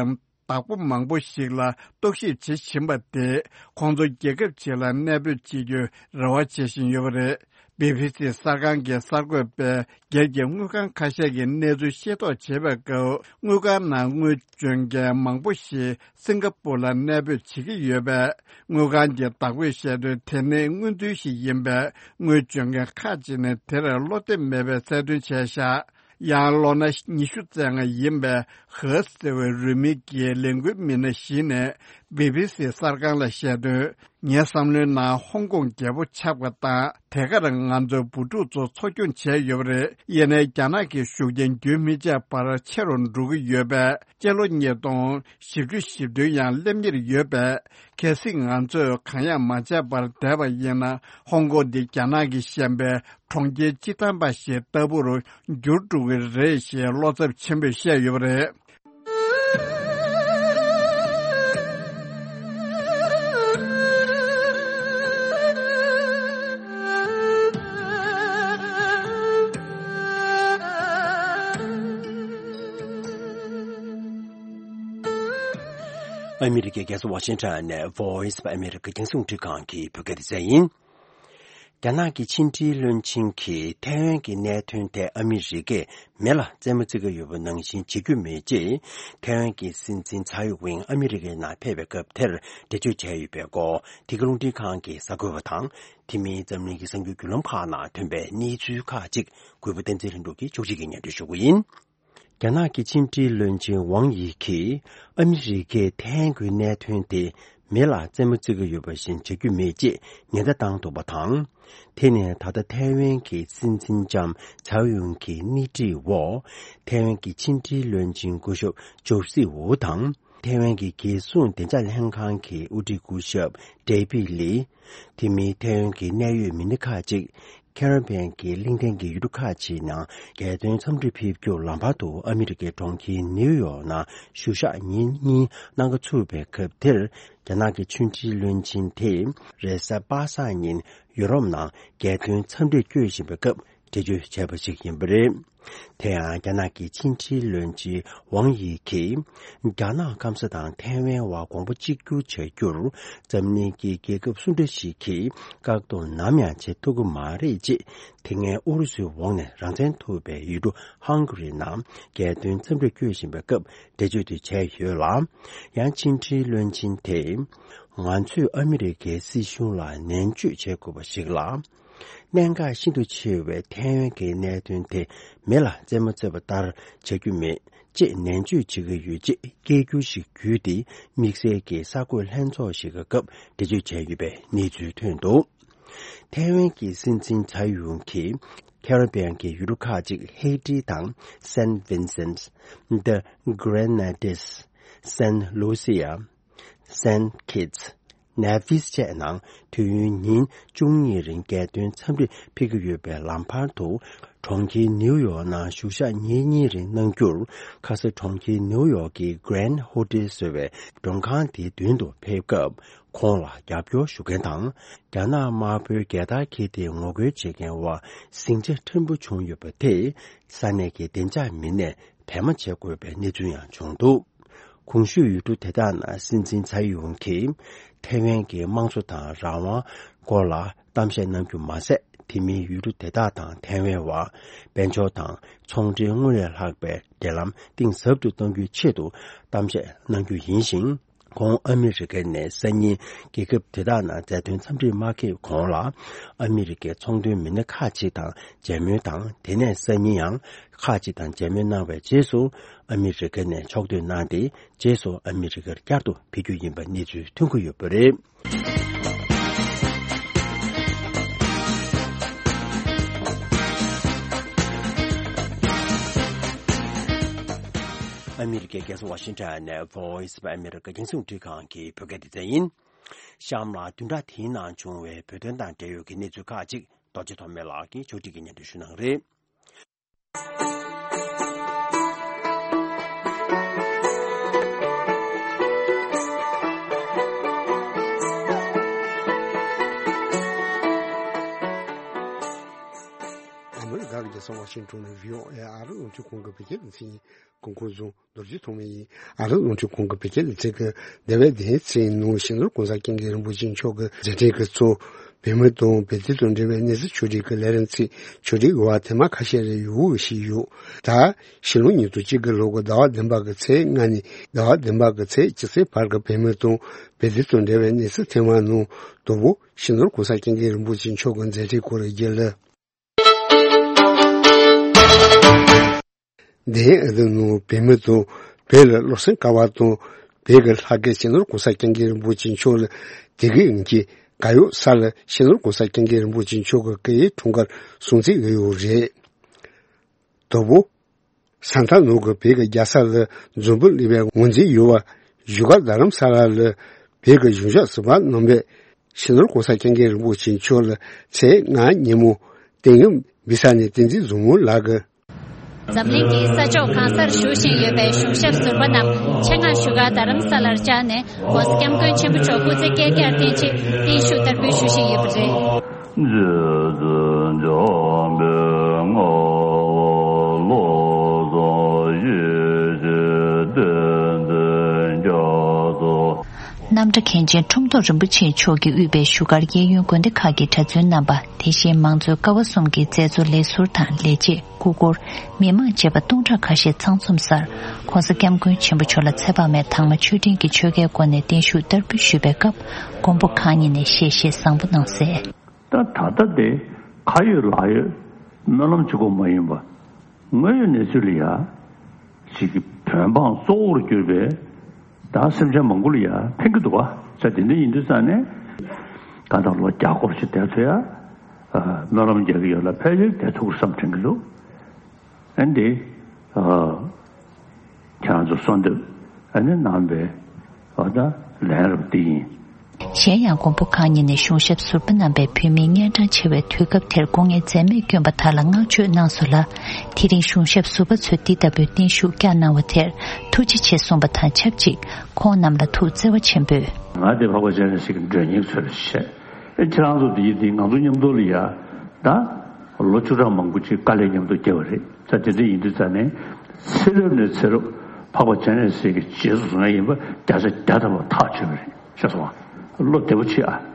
བདག་པོ་མང་པོ་ཞིག་ལ་རྟོག་ཞིབ་བྱེད་བཞིན་པ་དེས་ཁོང་ཚོ་རྒྱལ་ཁབ་ཅིག་ལ་གནས་སྤོས་བྱེད་རྒྱུའི་རེ་བ་བྱེད་བཞིན་ཡོད་པ་རེད། བི་བི་སི་གསར་ཁང་གི་གསར་འགོད་པས་སྒེར་གྱི་དངུལ་ཁང་ཁ་ཤས་ཀྱི་གནས་ཚུལ་ཤེས་རྟོགས་བྱེད་པའི་སྐབས། དངུལ་ཁང་ནང་དངུལ་འཇོག་མཁན་མང་པོ་ཞིག་སིང་ག་པུར་ལ་གནས་སྤོས་བྱེད་ཀྱི་ཡོད་པས། དངུལ་ཁང་གི་བདག་པོས་བཤད་དོན། དེ་ནི་དངུལ་འཛུལ་ཞིག་ཡིན་པས། དངུལ་འཇོག་མཁན་ཁག་ཅིག་ནས་དེར་བློ་གཏད་མེད་པའི་གསལ་སྟོན་བྱས་བཞག། ཡང་ལོ་ན་ཉི་ཤུ་རྩ་ལྔ་ཡིན་པའི་ཧེ་ཟེར་བའི་རུས་མིང་གི་ལས་འགུལ་མི་སྣ་ཞིག་ནས་བི་བི་སི་གསར་ཁང་ལ་བཤད་དོན། ངའི་བསམ་བློའི་ནང་ཧོང་ཀོང་རྒྱལ་པོ་ཆགས་པ་དང་། དེ་གར་ང་ཚོའི་བུ་ཕྲུག་ཚོ་འཚོ་སྐྱོང་བྱས་ཡོད་པ་རེད། ཡིན་ནའི་རྒྱ་ནག་གི་ཤུགས་རྐྱེན་རྒྱུན་མི་ཆད་པར་ཆེ་རུ་འགྲོ་གི་ཡོད་པས། སྤྱི་ལོ་ཉིས་སྟོང་བཞི་བཅུ་ཞེ་བདུན་ཡང་སླེབས་ཉེར་ཡོད་པས། གལ་སྲིད་ང་ཚོས་གང་ཡང་མ་བྱས་པར་བསྡད་པ་ཡིན་ན། ཧོང་ཀོང་འདི་རྒྱ་ནག་གིས་བཤམས་པའི་གྲོང་ཁྱེར་སྤྱི་དམ་པ་ཞིག་ལྟ་བུར་འགྱུར་འགྲོ་གི་རེད་ཞེས་བློ་འཚབ་ཆེན་པོས་བཤད་ཡོད་པ་རེད། ཨ་མི་རི་ཀའི་རྒྱལ་ས་ཝ་ཤིང་ཊོན་ནས་Voice of America རྒྱང་སྲིང་རླུང་འཕྲིན་ཁང་གི་བོད་སྐད་སྡེ་ཚན་ཡིན། རྒྱ་ནག་གི་ཕྱི་འབྲེལ་བློན་ཆེན་གྱིས་ཐའེ་ཝན་གྱི་གནད་དོན་ཐད་ཨ་མི་རི་ཀས་མེ་ལ་རྩེད་མོ་རྩེ་གི་ཡོད་པ་ནང་བཞིན་བྱེད་རྒྱུ་མེད་ཅེས་ཐའེ་ཝན་གྱི་སྲིད་འཛིན་ཚའེ་ཝེན་ཨ་མི་རི་ཀའི་ནང་ཕེབས་པའི་སྐབས་དེར་འགྲེལ་བརྗོད་བྱས་ཡོད་པའི་སྐོར། འདི་ག་རླུང་འཕྲིན་ཁང་གི་གསར་འགོད་པ་དང་། དེ་མིན་འཛམ་གླིང་གི་གསར་འགྱུར་བརྒྱུད་ལམ་ཁག་ནང་ཐོན་པའི་གནས་ཚུལ་ཁག་ཅིག་གུས་པ་བསྟན་འཛིན་ལྷུན་གྲུབ་ཀྱིས་ཕྱོགས་སྒྲིག་གིས་སྙན་སྒྲོན་ཞུ་གི་ཡིན། རྒྱ་ནག་གི་ཕྱི་འབྲེལ་བློན་ཆེན་ཝང་ཡི་གིས་ཨ་མི་རི་ཀས་ཐའེ་ཝན་གྱི་གནད་དོན་དེ་མེ་ལ་རྩེད་མོ་རྩེ་གི་ཡོད་པ་བཞིན་བྱེད་རྒྱུ་མེད་ཅེས་ཉེན་བརྡ་བཏང་འདུག་པ་དང་། དེ་ནི་ད་ལྟ་ཐའེ་ཝན་གྱི་སྲིད་འཛིན་ལྕམ་ཚའེ་ཝེན་གྱི་སྣེ་ཁྲིད་འོག་ཐའེ་ཝན་གྱི་ཕྱི་འབྲེལ་བློན་ཆེན་སྐུ་ཞབས་ཇོ་སི་ཝུ་དང་། ཐའེ་ཝན་གྱི་རྒྱལ་སྲུང་བདེ་འཇགས་ལྷན་ཁང་གི་དབུ་ཁྲིད་སྐུ་ཞབས་ཌེ་བིད་ལི། དེ་མིན་ཐའེ་ཝན་གྱི་གནད་ཡོད་མི་སྣ་ཁག་ཅིག་ཁེ་རི་བྷི་ཡན་གྱི་གླིང་ཕྲན་གྱི་ཡུལ་གྲུ་ཁག་ཅིག་ནང་རྒྱལ་དོན་འཚམས་འདྲིར་ཕེབས་རྒྱུར་ལམ་བར་དུ་ཨ་མི་རི་ཀའི་གྲོང་ཁྱེར་ནིའུ་ཡོག་ནང་བཞུགས་ཞག་ཉིན་གཉིས་གནང་ག་ཚུད་པའི་སྐབས་དེར། རྒྱ་ནག་གི་ཕྱི་འབྲེལ་བློན་ཆེན་དེས་རེས་གཟའ་པ་སངས་ཉིན་ཡུ་རོབ་ནང་རྒྱལ་དོན་འཚམས་འདྲིར་བསྐྱོད་བཞིན་པའི་སྐབས་འགྲེལ་བརྗོད་བྱས་པ་ཞིག་ཡིན་པ་རེད། དེ་ཡང་རྒྱ་ནག་གི་ཕྱི་འབྲེལ་བློན་ཆེན་ཝང་ཡི་གིས། རྒྱ་ནག་སྐམ་ས་དང་ཐའེ་ཝན་བར་གོང་བུ་གཅིག་གྱུར་བྱ་རྒྱུར་འཛམ་གླིང་གི་རྒྱལ་ཁབ་སུ་འདྲ་ཞིག་གིས་བཀག་སྡོམ་ནམ་ཡང་བྱེད་ཐུབ་ཀྱི་མ་རེད་ཅེས། དེ་སྔའི་ཨུ་རུ་སུའི་འོག་ནས་རང་བཙན་ཐོབ་པའི་ཡུལ་གྲུ་ཧང་གྷ་རི་ནང་རྒྱལ་དོན་འཚམས་འདྲིར་བསྐྱོད་བཞིན་པའི་སྐབས་འགྲེལ་བརྗོད་དེ་བྱས་ཡོད་ལ། ཡང་ཕྱི་འབྲེལ་བློན་ཆེན་དེས། ང་ཚོས་ཨ་མི་རི་ཀའི་སྲིད་གཞུང་ལ་ནན་བརྗོད་བྱེད་དགོས་པ་ཞིག་ལ། གནད་འགག་ཤིན་ཏུ་ཆེ་བའི་ཐའེ་ཝན་གྱི་གནད་དོན་དེ་མེ་ལ་རྩེད་མོ་རྩེ་བ་ལྟར་བྱ་རྒྱུ་མེད་ཅེས་ནན་བརྗོད་བྱེད་ཀྱི་ཡོད་ཅེས་སྐད་སྒྱུར་ཞིག་བརྒྱུད་དེ་དམིགས་བསལ་གྱི་གསར་འགོད་ལྷན་ཚོགས་ཤིག་གི་སྐབས་འགྲེལ་བརྗོད་བྱས་ཡོད་པའི་གནས་ཚུལ་ཐོན་འདུག་ཐའེ་ཝན་གྱི་སྲིད་འཛིན་ཚའེ་ཝེན་གྱིས་ཁེ་རི་བྷི་ཡན་གྱི་ཡུལ་གྲུ་ཁག་ཅིག་ཧེ་ཏི་དང་སན་ཝིན་སེན། The Grenadines། སན་ལུ་སི་ཡ། སན་ཁིད་སི། ནེ་ཕིས་བཅས་ནང་དུས་ཡུན་ཉིན་བཅུ་གཉིས་རིང་རྒྱལ་དོན་འཚམས་འདྲིར་ཕེབས་ཀྱི་ཡོད་པའི་ལམ་བར་དུ། གྲོང་ཁྱེར་ནིའུ་ཡོག་ནང་བཞུགས་ཞག་ཉིན་གཉིས་རིང་གནང་རྒྱུར། ཁ་སང་གྲོང་ཁྱེར་ནིའུ་ཡོག་གི་Grand Hotel ཟེར་བའི་མགྲོན་ཁང་དེའི་མདུན་དུ་ཕེབས་སྐབས། ཁོང་ལ་རྒྱབ་སྐྱོར་ཞུ་མཁན་དང་། རྒྱ་ནག་དམར་པོའི་རྒྱལ་དར་འཁྱེར་ཏེ་ངོ་རྒོལ་བྱེད་མཁན་བར་ཟིང་ཆ་ཕྲན་བུ་བྱུང་ཡོད་པ་དེས། ས་གནས་ཀྱི་བདེ་འཇགས་མི་སྣས་འབད་མ་བྱེད་དགོས་པའི་གནས་ཚུལ་ཡང་བྱུང་འདུག་གོང་ཞུས་ཡུལ་གྲུ་དེ་དག་ནང་སྲིད་འཛིན་ཚའེ་ཝེན་གྱིས་ཐའེ་ཝན་གྱི་དམངས་གཙོ་དང་རང་དབང་སྐོར་ལ་གཏམ་བཤད་གནང་རྒྱུ་མ་ཟད། དེ་མིན་ཡུལ་གྲུ་དེ་དག་དང་ཐའེ་ཝན་བར་དཔལ་འབྱོར་དང་ཚོང་འབྲེལ་སྔར་ལས་ལྷག་པའི་འབྲེལ་ལམ་གཏིང་ཟབ་ཏུ་གཏོང་རྒྱུའི་ཆེད་དུ་གཏམ་བཤད་གནང་རྒྱུ་ཡིན་ཞིང་། ཁོང་ཨ་མི་རི་ཀ་ནས་སང་ཉིན་རྒྱལ་ཁབ་དེ་དག་ནང་མཛའ་མཐུན་འཚམས་འདྲིར་མ་ཕེབས་གོང་ལ། ཨ་མི་རི་ཀའི་ཚོང་དོན་མི་སྣ་ཁག་ཅིག་དང་མཇལ་མོལ་དང་། དེ་ནས་སང་ཉིན་ཡང་ཁག་ཅིག་དང་མཇལ་མོལ་གནང་བའི་རྗེས་སུ། ཨ་མི་རི་ཀ་ནས་ཕྱོགས་བསྡུས་གནང་སྟེ། རྗེས་སུ་ཨ་མི་རི་ཀར་བསྐྱར་དུ་ཕེབས་རྒྱུ་ཡིན་པ་གནས་ཚུལ་ཐོན་གྱི་ཡོད་པ་རེད། ཨ་མི་རི་ཀའི་རྒྱལ་ས་ཝ་ཤིང་ཊོན་ནས་Voice of America རྒྱང་སྲིང་རླུང་འཕྲིན་ཁང་གི་བོད་སྐད་སྡེ་ཚན་ཡིན། གཤམ་ལ་བདུན་ཕྲག་དེའི་ནང་བྱུང་བའི་བོད་དོན་དང་འབྲེལ་ཡོད་ཀྱི་གནས་ཚུལ་ཁག་ཅིག་རྡོ་རྗེ་ཐོགས་མེད་ལགས་ཀྱིས་ཕྱོགས་སྒྲིག་གིས་སྙན་སྒྲོན་ཞུ་གནང་གི་རེད། ཨ་མི་རི་ཀ་གི་རྒྱལ་ས་ཝ་ཤིང་ཊོན་ནས་བྷི་ཨོ་ཨེ་ཨ་རི་རླུང་འཕྲིན་ཁང་གི་བོད་སྐད་སྡེ་ཚན་ཡིན། སྐུ་ཁམས་བཟང་། རྡོ་རྗེ་ཐོགས་མེད་ཡིན། ཨ་རི་རླུང་འཕྲིན་ཁང་གི་བོད་སྐད་སྡེ་ཚན་གྱི་འདས་པའི་བདུན་ཕྲག་ནང་སྤྱི་ནོར་༸གོང་ས་༸སྐྱབས་མགོན་རིན་པོ་ཆེ་མཆོག་གི་མཛད་འཕྲིན་གྱི་ཚོགས། བོད་མི་དང་བོད་དོན་དང་འབྲེལ་བའི་གནས་ཚུལ་ཕྱོགས་སྒྲིག་གི་ལས་རིམ་ཚིག་ཕྱོགས་སྒྲིག་གི་བར་ཐེངས་མ་ཁ་ཤས་རེ་ཡོང་གི་ཞིག་ཡོད། ད་ཕྱི་ལོ་ཉིས་སྟོང་གཅིག་གི་ལོ་གི་ཟླ་བ་བདུན་པ་གི་ཚེས་ལྔ་ནས་ཟླ་བ་བདུན་པ་གི་ཚེས་བཅུ་གཅིག་བར་གྱི་བོད་མི་དང་བོད་དོན་དང་འབྲེལ་བའི་གནས་ཚུལ་ཐེངས་མ་ནང་དང་པོ་སྤྱི་ནོར་༸གོང་ས་༸སྐྱབས་མགོན་རིན་པོ་ཆེ་མཆོག་གི་མཛད་འཕྲིན་སྐོར་རྒྱུན་ལས། འདི་ཡང་ཨ་རིའི་ནང་བོད་མི་དང་བོད་ལ་བློ་སེམས་དཀར་བ་དང་བོད་ཀྱི་ལྷ་སྐལ་སྤྱི་ནོར་༸གོང་ས་༸སྐྱབས་མགོན་རིན་པོ་ཆེ་མཆོག་ལ་དད་གུས་ཡོད་མཁན་གར་ཡོད་ས་ལ་སྤྱི་ནོར་༸གོང་ས་༸སྐྱབས་མགོན་རིན་པོ་ཆེ་མཆོག་གི་སྐུ་ཡི་འཁྲུངས་སྐར་སྲུང་བརྩི་ཡོད་ཡོད་རེད། དང་པོ། ས་མཐའ་ནང་གི་བོད་ཀྱི་རྒྱལ་ས་ལ་འཛོམས་འབུལ་སླེབས་པའི་ངོས་འཛིན་ཡོད་པ་བཞུགས་སྒར་རྡ་རམ་ས་ལ་ལ་བོད་ཀྱི་གཞུང་ཕྱོགས་ཟུར་པ་རྣམ་པས་སྤྱི་ནོར་༸གོང་ས་༸སྐྱབས་མགོན་རིན་པོ་ཆེ་མཆོག་ལ་ཚེས་ལྔ་ཉིན་མོ་བསྟན་ཡོད་བི་ས་ནས་བསྟན་འཛིན་བཟང་མོ་ལགས་ཀྱིས། འཛམ་གླིང་གི་ས་ཕྱོགས་གང་སར་བཞུགས་བཞིན་ཡོད་པའི་གཞུང་ཞབས་ཟུར་པ་རྣམས་ཆེད་མངགས་བཞུགས་སྒར་རྡ་རམ་ས་ལར་བཅར་ནས་༸གོང་ས་༸སྐྱབས་མགོན་ཆེན་པོ་མཆོག་སྐུ་ཚེ་བསྐལ་བརྒྱར་བརྟན་ཆེད་བརྟན་བཞུགས་བསྟར་འབུལ་ཞུ་བཞིན་ཡོད་པ་རེད། རྗེ་བཙུན་འཇམ་པའི་དངོས་པོ་བློ་བཟང་ཡེ་ཤེས་བསྟན་འཛིན་རྒྱ་མཚོ་ མཁན་ཆེན་ཁྲོམ་ཐོག་རིན་པོ་ཆེ་མཆོག་གིས་དབུས་པའི་བཞུགས་སྒར་གཡས་གཡོན་དགོན་སྡེ་ཁག་གི་གྲྭ་བཙུན་རྣམ་པ། དེ་བཞིན་མང་གཙོའི་ཀ་བ་གསུམ་གྱི་མཛད་གཙོ་ལས་ཟུར་དང་ལས་བྱེད། སྐུ་འཁོར། མི་མང་བཅས་པ་སྟོང་ཕྲག་ཁ་ཤས་ཚང་འཛོམས་སར། ྋགོང་ས་ྋསྐྱབས་མགོན་ཆེན་པོ་མཆོག་ལ་ཚེ་དཔག་མེད་དྭངས་མ་མཆོད་སྤྲིན་གྱི་ཆོས་འགལ་སྒོ་ནས་བརྟན་བཞུགས་བསྟར་འབུལ་ཞུས་པའི་སྐབས། མགོན་པོ་གང་ཉིད་ནས་གཤེ་གཤེ་བཟང་པོ་གནང་གསལ། ད་ད་ལྟ་དེ་ཁ་ཡོད་ལག་ཡོད་སྨོན་ལམ་གཅིག་པོ་མ་ཡིན་པ། དངོས་ཡོད་གནས་ཚུལ་ལ་ཡ། ཅིག་གི་བོད་འབངས་གཙོ་བོར་གྱུར་པའི་ད་སེམས་ཅན་མང་པོ་ལ་ཡ་ཕན་གྱི་འདུག་བ། ས་དེ་འདྲ་ཡིན་དུས་ཙང་ནས་ད་ལྟ་ལོ་བརྒྱ་སྐོར་ཞིག་བསྡད་ཐུབ་ཡ། སྨོན་ལམ་རྒྱག་གི་ཡོད་ལ་ཕལ་ཆེར་བསྡད་ཐུབ་ཀྱི་བསམ་དྲན་གྱི་འདུག་ཨ་འདི། ཁྱེད་རང་ཚོ་གསོལ་འདེབས་ཨ་ནི་གནང་བའི་ཨ་ད་ལན་རབ་འདི་ཡིན། གཞན་ཡང་མགོན་པོ་གང་ཉིད་ནས་གཞུང་ཞབས་ཟུར་པ་རྣམ་པས་བོད་མིའི་གཉན་འཕྲང་ཆེ་བའི་དུས་སྐབས་དེར་སྐུ་ངལ་འཛེམས་མེད་བསྐྱོན་པ་དག་ལ་བསྔགས་བརྗོད་གནང་སོང་ལ། དེ་རིང་གཞུང་ཞབས་ཟུར་པ་ཚོས་འདི་ལྟ་བུའི་བརྟན་བཞུགས་བསྐྱངས་གནང་བ་དེར་ཐུགས་རྗེ་ཆེ་གསུངས་པ་དང་ཆབས་ཅིག་ཁོང་རྣམས་ལ་ཐུགས་བརྩེ་བ་ཆེན་པོས། ང་དེ་འཕགས་པ་སྤྱན་རས་གཟིགས་ཀྱི་མགྲོན་གཉེར་ཚོ་རེད་བཤད། ཨེ་ཁྱེད་རང་ཚོ་དེ་ཡིན་དེ་ང་ཚོ་མཉམ་དུ་ལ་ཡ་ད་ལོ་བཅུ་ཕྲག་མང་པོ་ཅིག་དཀའ་ལས་མཉམ་དུ་བརྒྱབ་པ་རེད། ས་དེ་འདྲ་ཡིན་དུས་ཙང་ནས་ཚེ་རབས་ནས་ཚེ་རབས་འཕགས་པ་སྤྱན་རས་གཟིགས་ཀྱི་རྗེས་སུ་བཟུང་ཡ་ཡིན་པ་བརྒྱ་ཆ་བརྒྱ་ཐམ་པ་ཐག་ཆོད་པ་རེད། ཤེས་སོང་ཨ། བློ་བདེ་པོ་བྱེད་ཨ།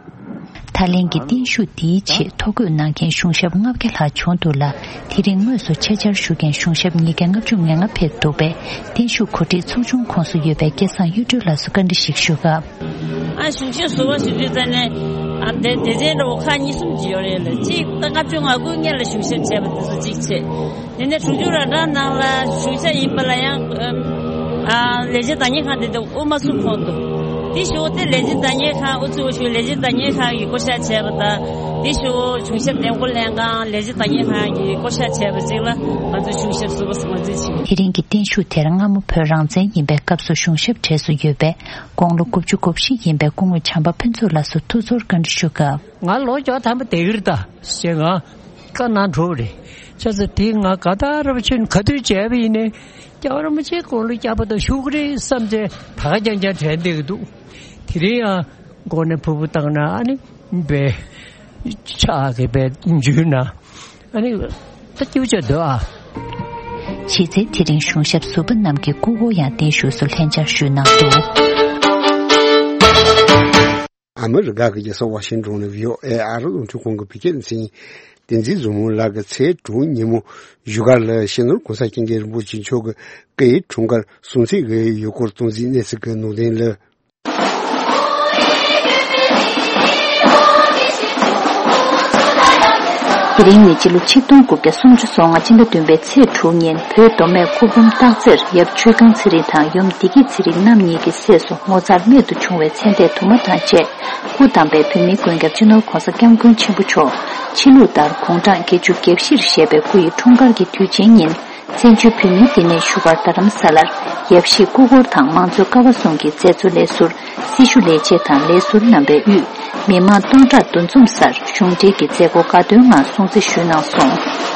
ད་ལན་གྱི་བརྟན་བཞུགས་འདིའི་ཆེད་ཐོ་འགོད་གནང་མཁན་གཞུང་ཞབས་ལྔ་བརྒྱ་ལྷག་བྱུང་འདུག་ལ། དེ་རིང་དངོས་སུ་ཆེད་བཅར་ཞུ་མཁན་གཞུང་ཞབས་ཉིས་བརྒྱ་ལྔ་བཅུ་ང་ལྔ་ཕེབས་འདུག་པས། བརྟན་བཞུགས་གོ་སྒྲིག་ཚོགས་ཆུང་ཁོངས་སུ་ཡོད་པའི་སྐལ་བཟང་གཡུ་སྒྲོན་ལགས་སུ་བཀའ་འདྲི་ཞིག་ཞུ་སྐབས། ཨ་གཞུང་ཞབས་ཟུར་པ་ཞུ་དུས་ཙམ་ནས་ཨ་དེ་སྡེ་ཚན་འདྲ་བོ་ཁག་གཉིས་གསུམ་ཅིག་ཡོད་རེད་ལ། གཅིག་ད་ལྔ་བཅུ་ང་དགུ་སྔོན་ལ་གཞུང་ཞབས་བྱས་པ་དེ་ཚོ་གཅིག་བྱས། དེ་ནས་དྲུག་ཅུ་ར་གྲངས་ནང་ལ་གཞུང་ཞབས་ཡིན་པ་ལ་ཡང་ཨ་ལས་བྱེད་བདག་གཉེར་ཁང་དེ་དུ་དབུ་མ་སུ་ཁོངས་འདུག་དེ་ཞོག་དེ་ལས་བྱེད་བདག་གཉེར་ཁང་དབུ་ཚུགས་ཞུ་ལས་བྱེད་བདག་གཉེར་ཁང་གི་བསྐོ་བཞག་བྱས་པ་དང་། དེ་ཞོག་གཞུང་ཞབས་འདེམས་བསྐོ་ལྷན་ཁང་ལས་བྱེད་བདག་གཉེར་ཁང་གི་བསྐོ་བཞག་བྱས་པ་ཅིག་ལ་ང་ཚོ་གཞུང་ཞབས་ཟུར་པ་ཟེར་ང་ཚོས་བྱེད། དེ་རིང་གི་བརྟན་བཞུགས་དེར་སྔ་མོ་བོད་རང་བཙན་ཡིན་པའི་སྐབས་སུ་གཞུང་ཞབས་གྲས་སུ་ཡོད་པའི་དགུང་ལོ་དགུ་བཅུ་གོ་བཞི་ཡིན་པའི་སྐུ་ངོ་བྱམས་པ་ཕུན་ཚོགས་ལགས་སུ་ཐུགས་ཚོར་བཀའ་འདྲི་ཞུ་སྐབས། ང་ལོ་བཅོ་ཐམ་པ་དེ་གིར་ད་ཞེས་ང་བཀའ་གནང་འགྲོ་བ་རེད། བྱས་ཙང་དེ་ང་ག་ད་རབ་ཆེན་ག་དུས་བྱས་པ་ཡིན་ནའི་སྐྱབས་རིན་པོ་ཆེ་དགུང་ལོ་བརྒྱ་པ་དང་བཞུགས་ཀྱི་རེད་བསམ་ཚེ་ད་ག་རྐྱང་རྐྱང་དྲན་བསྡད་ཀྱི་འདུག་དེ་རིང་ཡང་མགོ་ནས་ཕུར་བུ་བཏང་ན་ཨ་ནི་བས་ཕྱག་གི་བས་འཇུས་ན་ཨ་ནི་ད་སྐྱིད་པོ་བྱས་འདུག་ཨ། གཞི་རྩའི་དེ་རིང་གཞུང་ཞབས་ཟུར་པ་རྣམས་ཀྱི་སྐུ་འཁོར་ཡང་བརྟན་བཞུགས་སུ་ལྷན་བཅར་ཞུས་གནང་འདུག་ཨ་མི་རི་ཀ་གི་རྒྱལ་ས་ཝ་ཤིང་ཏོན་ནས་བྷི་ཨོ་ཨེ་ཨ་རི་རླུང་འཕྲིན་ཁང་གི་བོད་སྐད་སྡེ་ཚན་བསྟན་འཛིན་ཟུར་མོ་ལགས་ཀྱིས་ཚེས་དྲུག་ཉིན་མོ་བཞུགས་སྒར་ལ་གཞོན་ནུར་གོང་ས་སྐྱབས་མགོན་རིན་པོ་ཆེ་མཆོག་གི་སྐུའི་འཁྲུངས་སྐར་སྲུང་བརྩི་གི་ཡུལ་སྐོར་སྟངས་འཛིན་གནས་ཚུལ་གྱི་ནང་དོན་ལ། དེ་རིང་ནི་སྤྱི་ལོ་ཆིག་སྟོང་དགུ་བརྒྱ་སུམ་ཅུ་སོ་ལྔ་སྤྱི་ཟླ་བདུན་པའི་ཚེས་དྲུག་ཉིན་བོད་མདོ་སྨད་སྐུ་འབུམ་སྟག་རྩེར་ཡབ་ཆོས་སྒང་ཚེ་རིང་དང་ཡུམ་བདེ་སྐྱིད་ཚེ་རིང་རྣམ་གཉིས་ཀྱི་སྲས་སུ་ངོ་མཚར་རྨད་དུ་བྱུང་བའི་མཚན་ལྡན་དུ་མ་དང་བཅས་སྐུ་བལྟམས་པའི་བོད་མིའི་མགོན་སྐྱབས་སྤྱི་ནོར་གོང་ས་སྐྱབས་མགོན་ཆེན་པོ་མཆོག་ཕྱི་ལུགས་ལྟར་དགུང་གྲངས་བརྒྱད་ཅུ་གྱ་བཞིར་བཞེས་པའི་སྐུ་ཡི་འཁྲུངས་སྐར་གྱི་དུས་ཆེན་ཉིན། བཙན་བྱོལ་བོད་མིའི་བསྟི་གནས་བཞུགས་སྒར་རྡ་རམ་ས་ལར་ཡབ་གཞིས་སྐུ་འཁོར་དང་མང་གཙོའི་ཀ་བ་གསུམ་གྱི་མཛད་གཙོ་ལས་ཟུར། སྲི་ཞུ་ལས་བྱེད་དང་ལས་ཟུར་རྣམ་པའི་དབུས་མི་མང་སྟོང་ཕྲག་འདུ་འཛོམས་སར་གཞུང་འབྲེལ་གྱི་མཛད་སྒོ་དགའ་སྟོན་ངང་སྲུང་བརྩི་ཞུས་གནང་སོང་།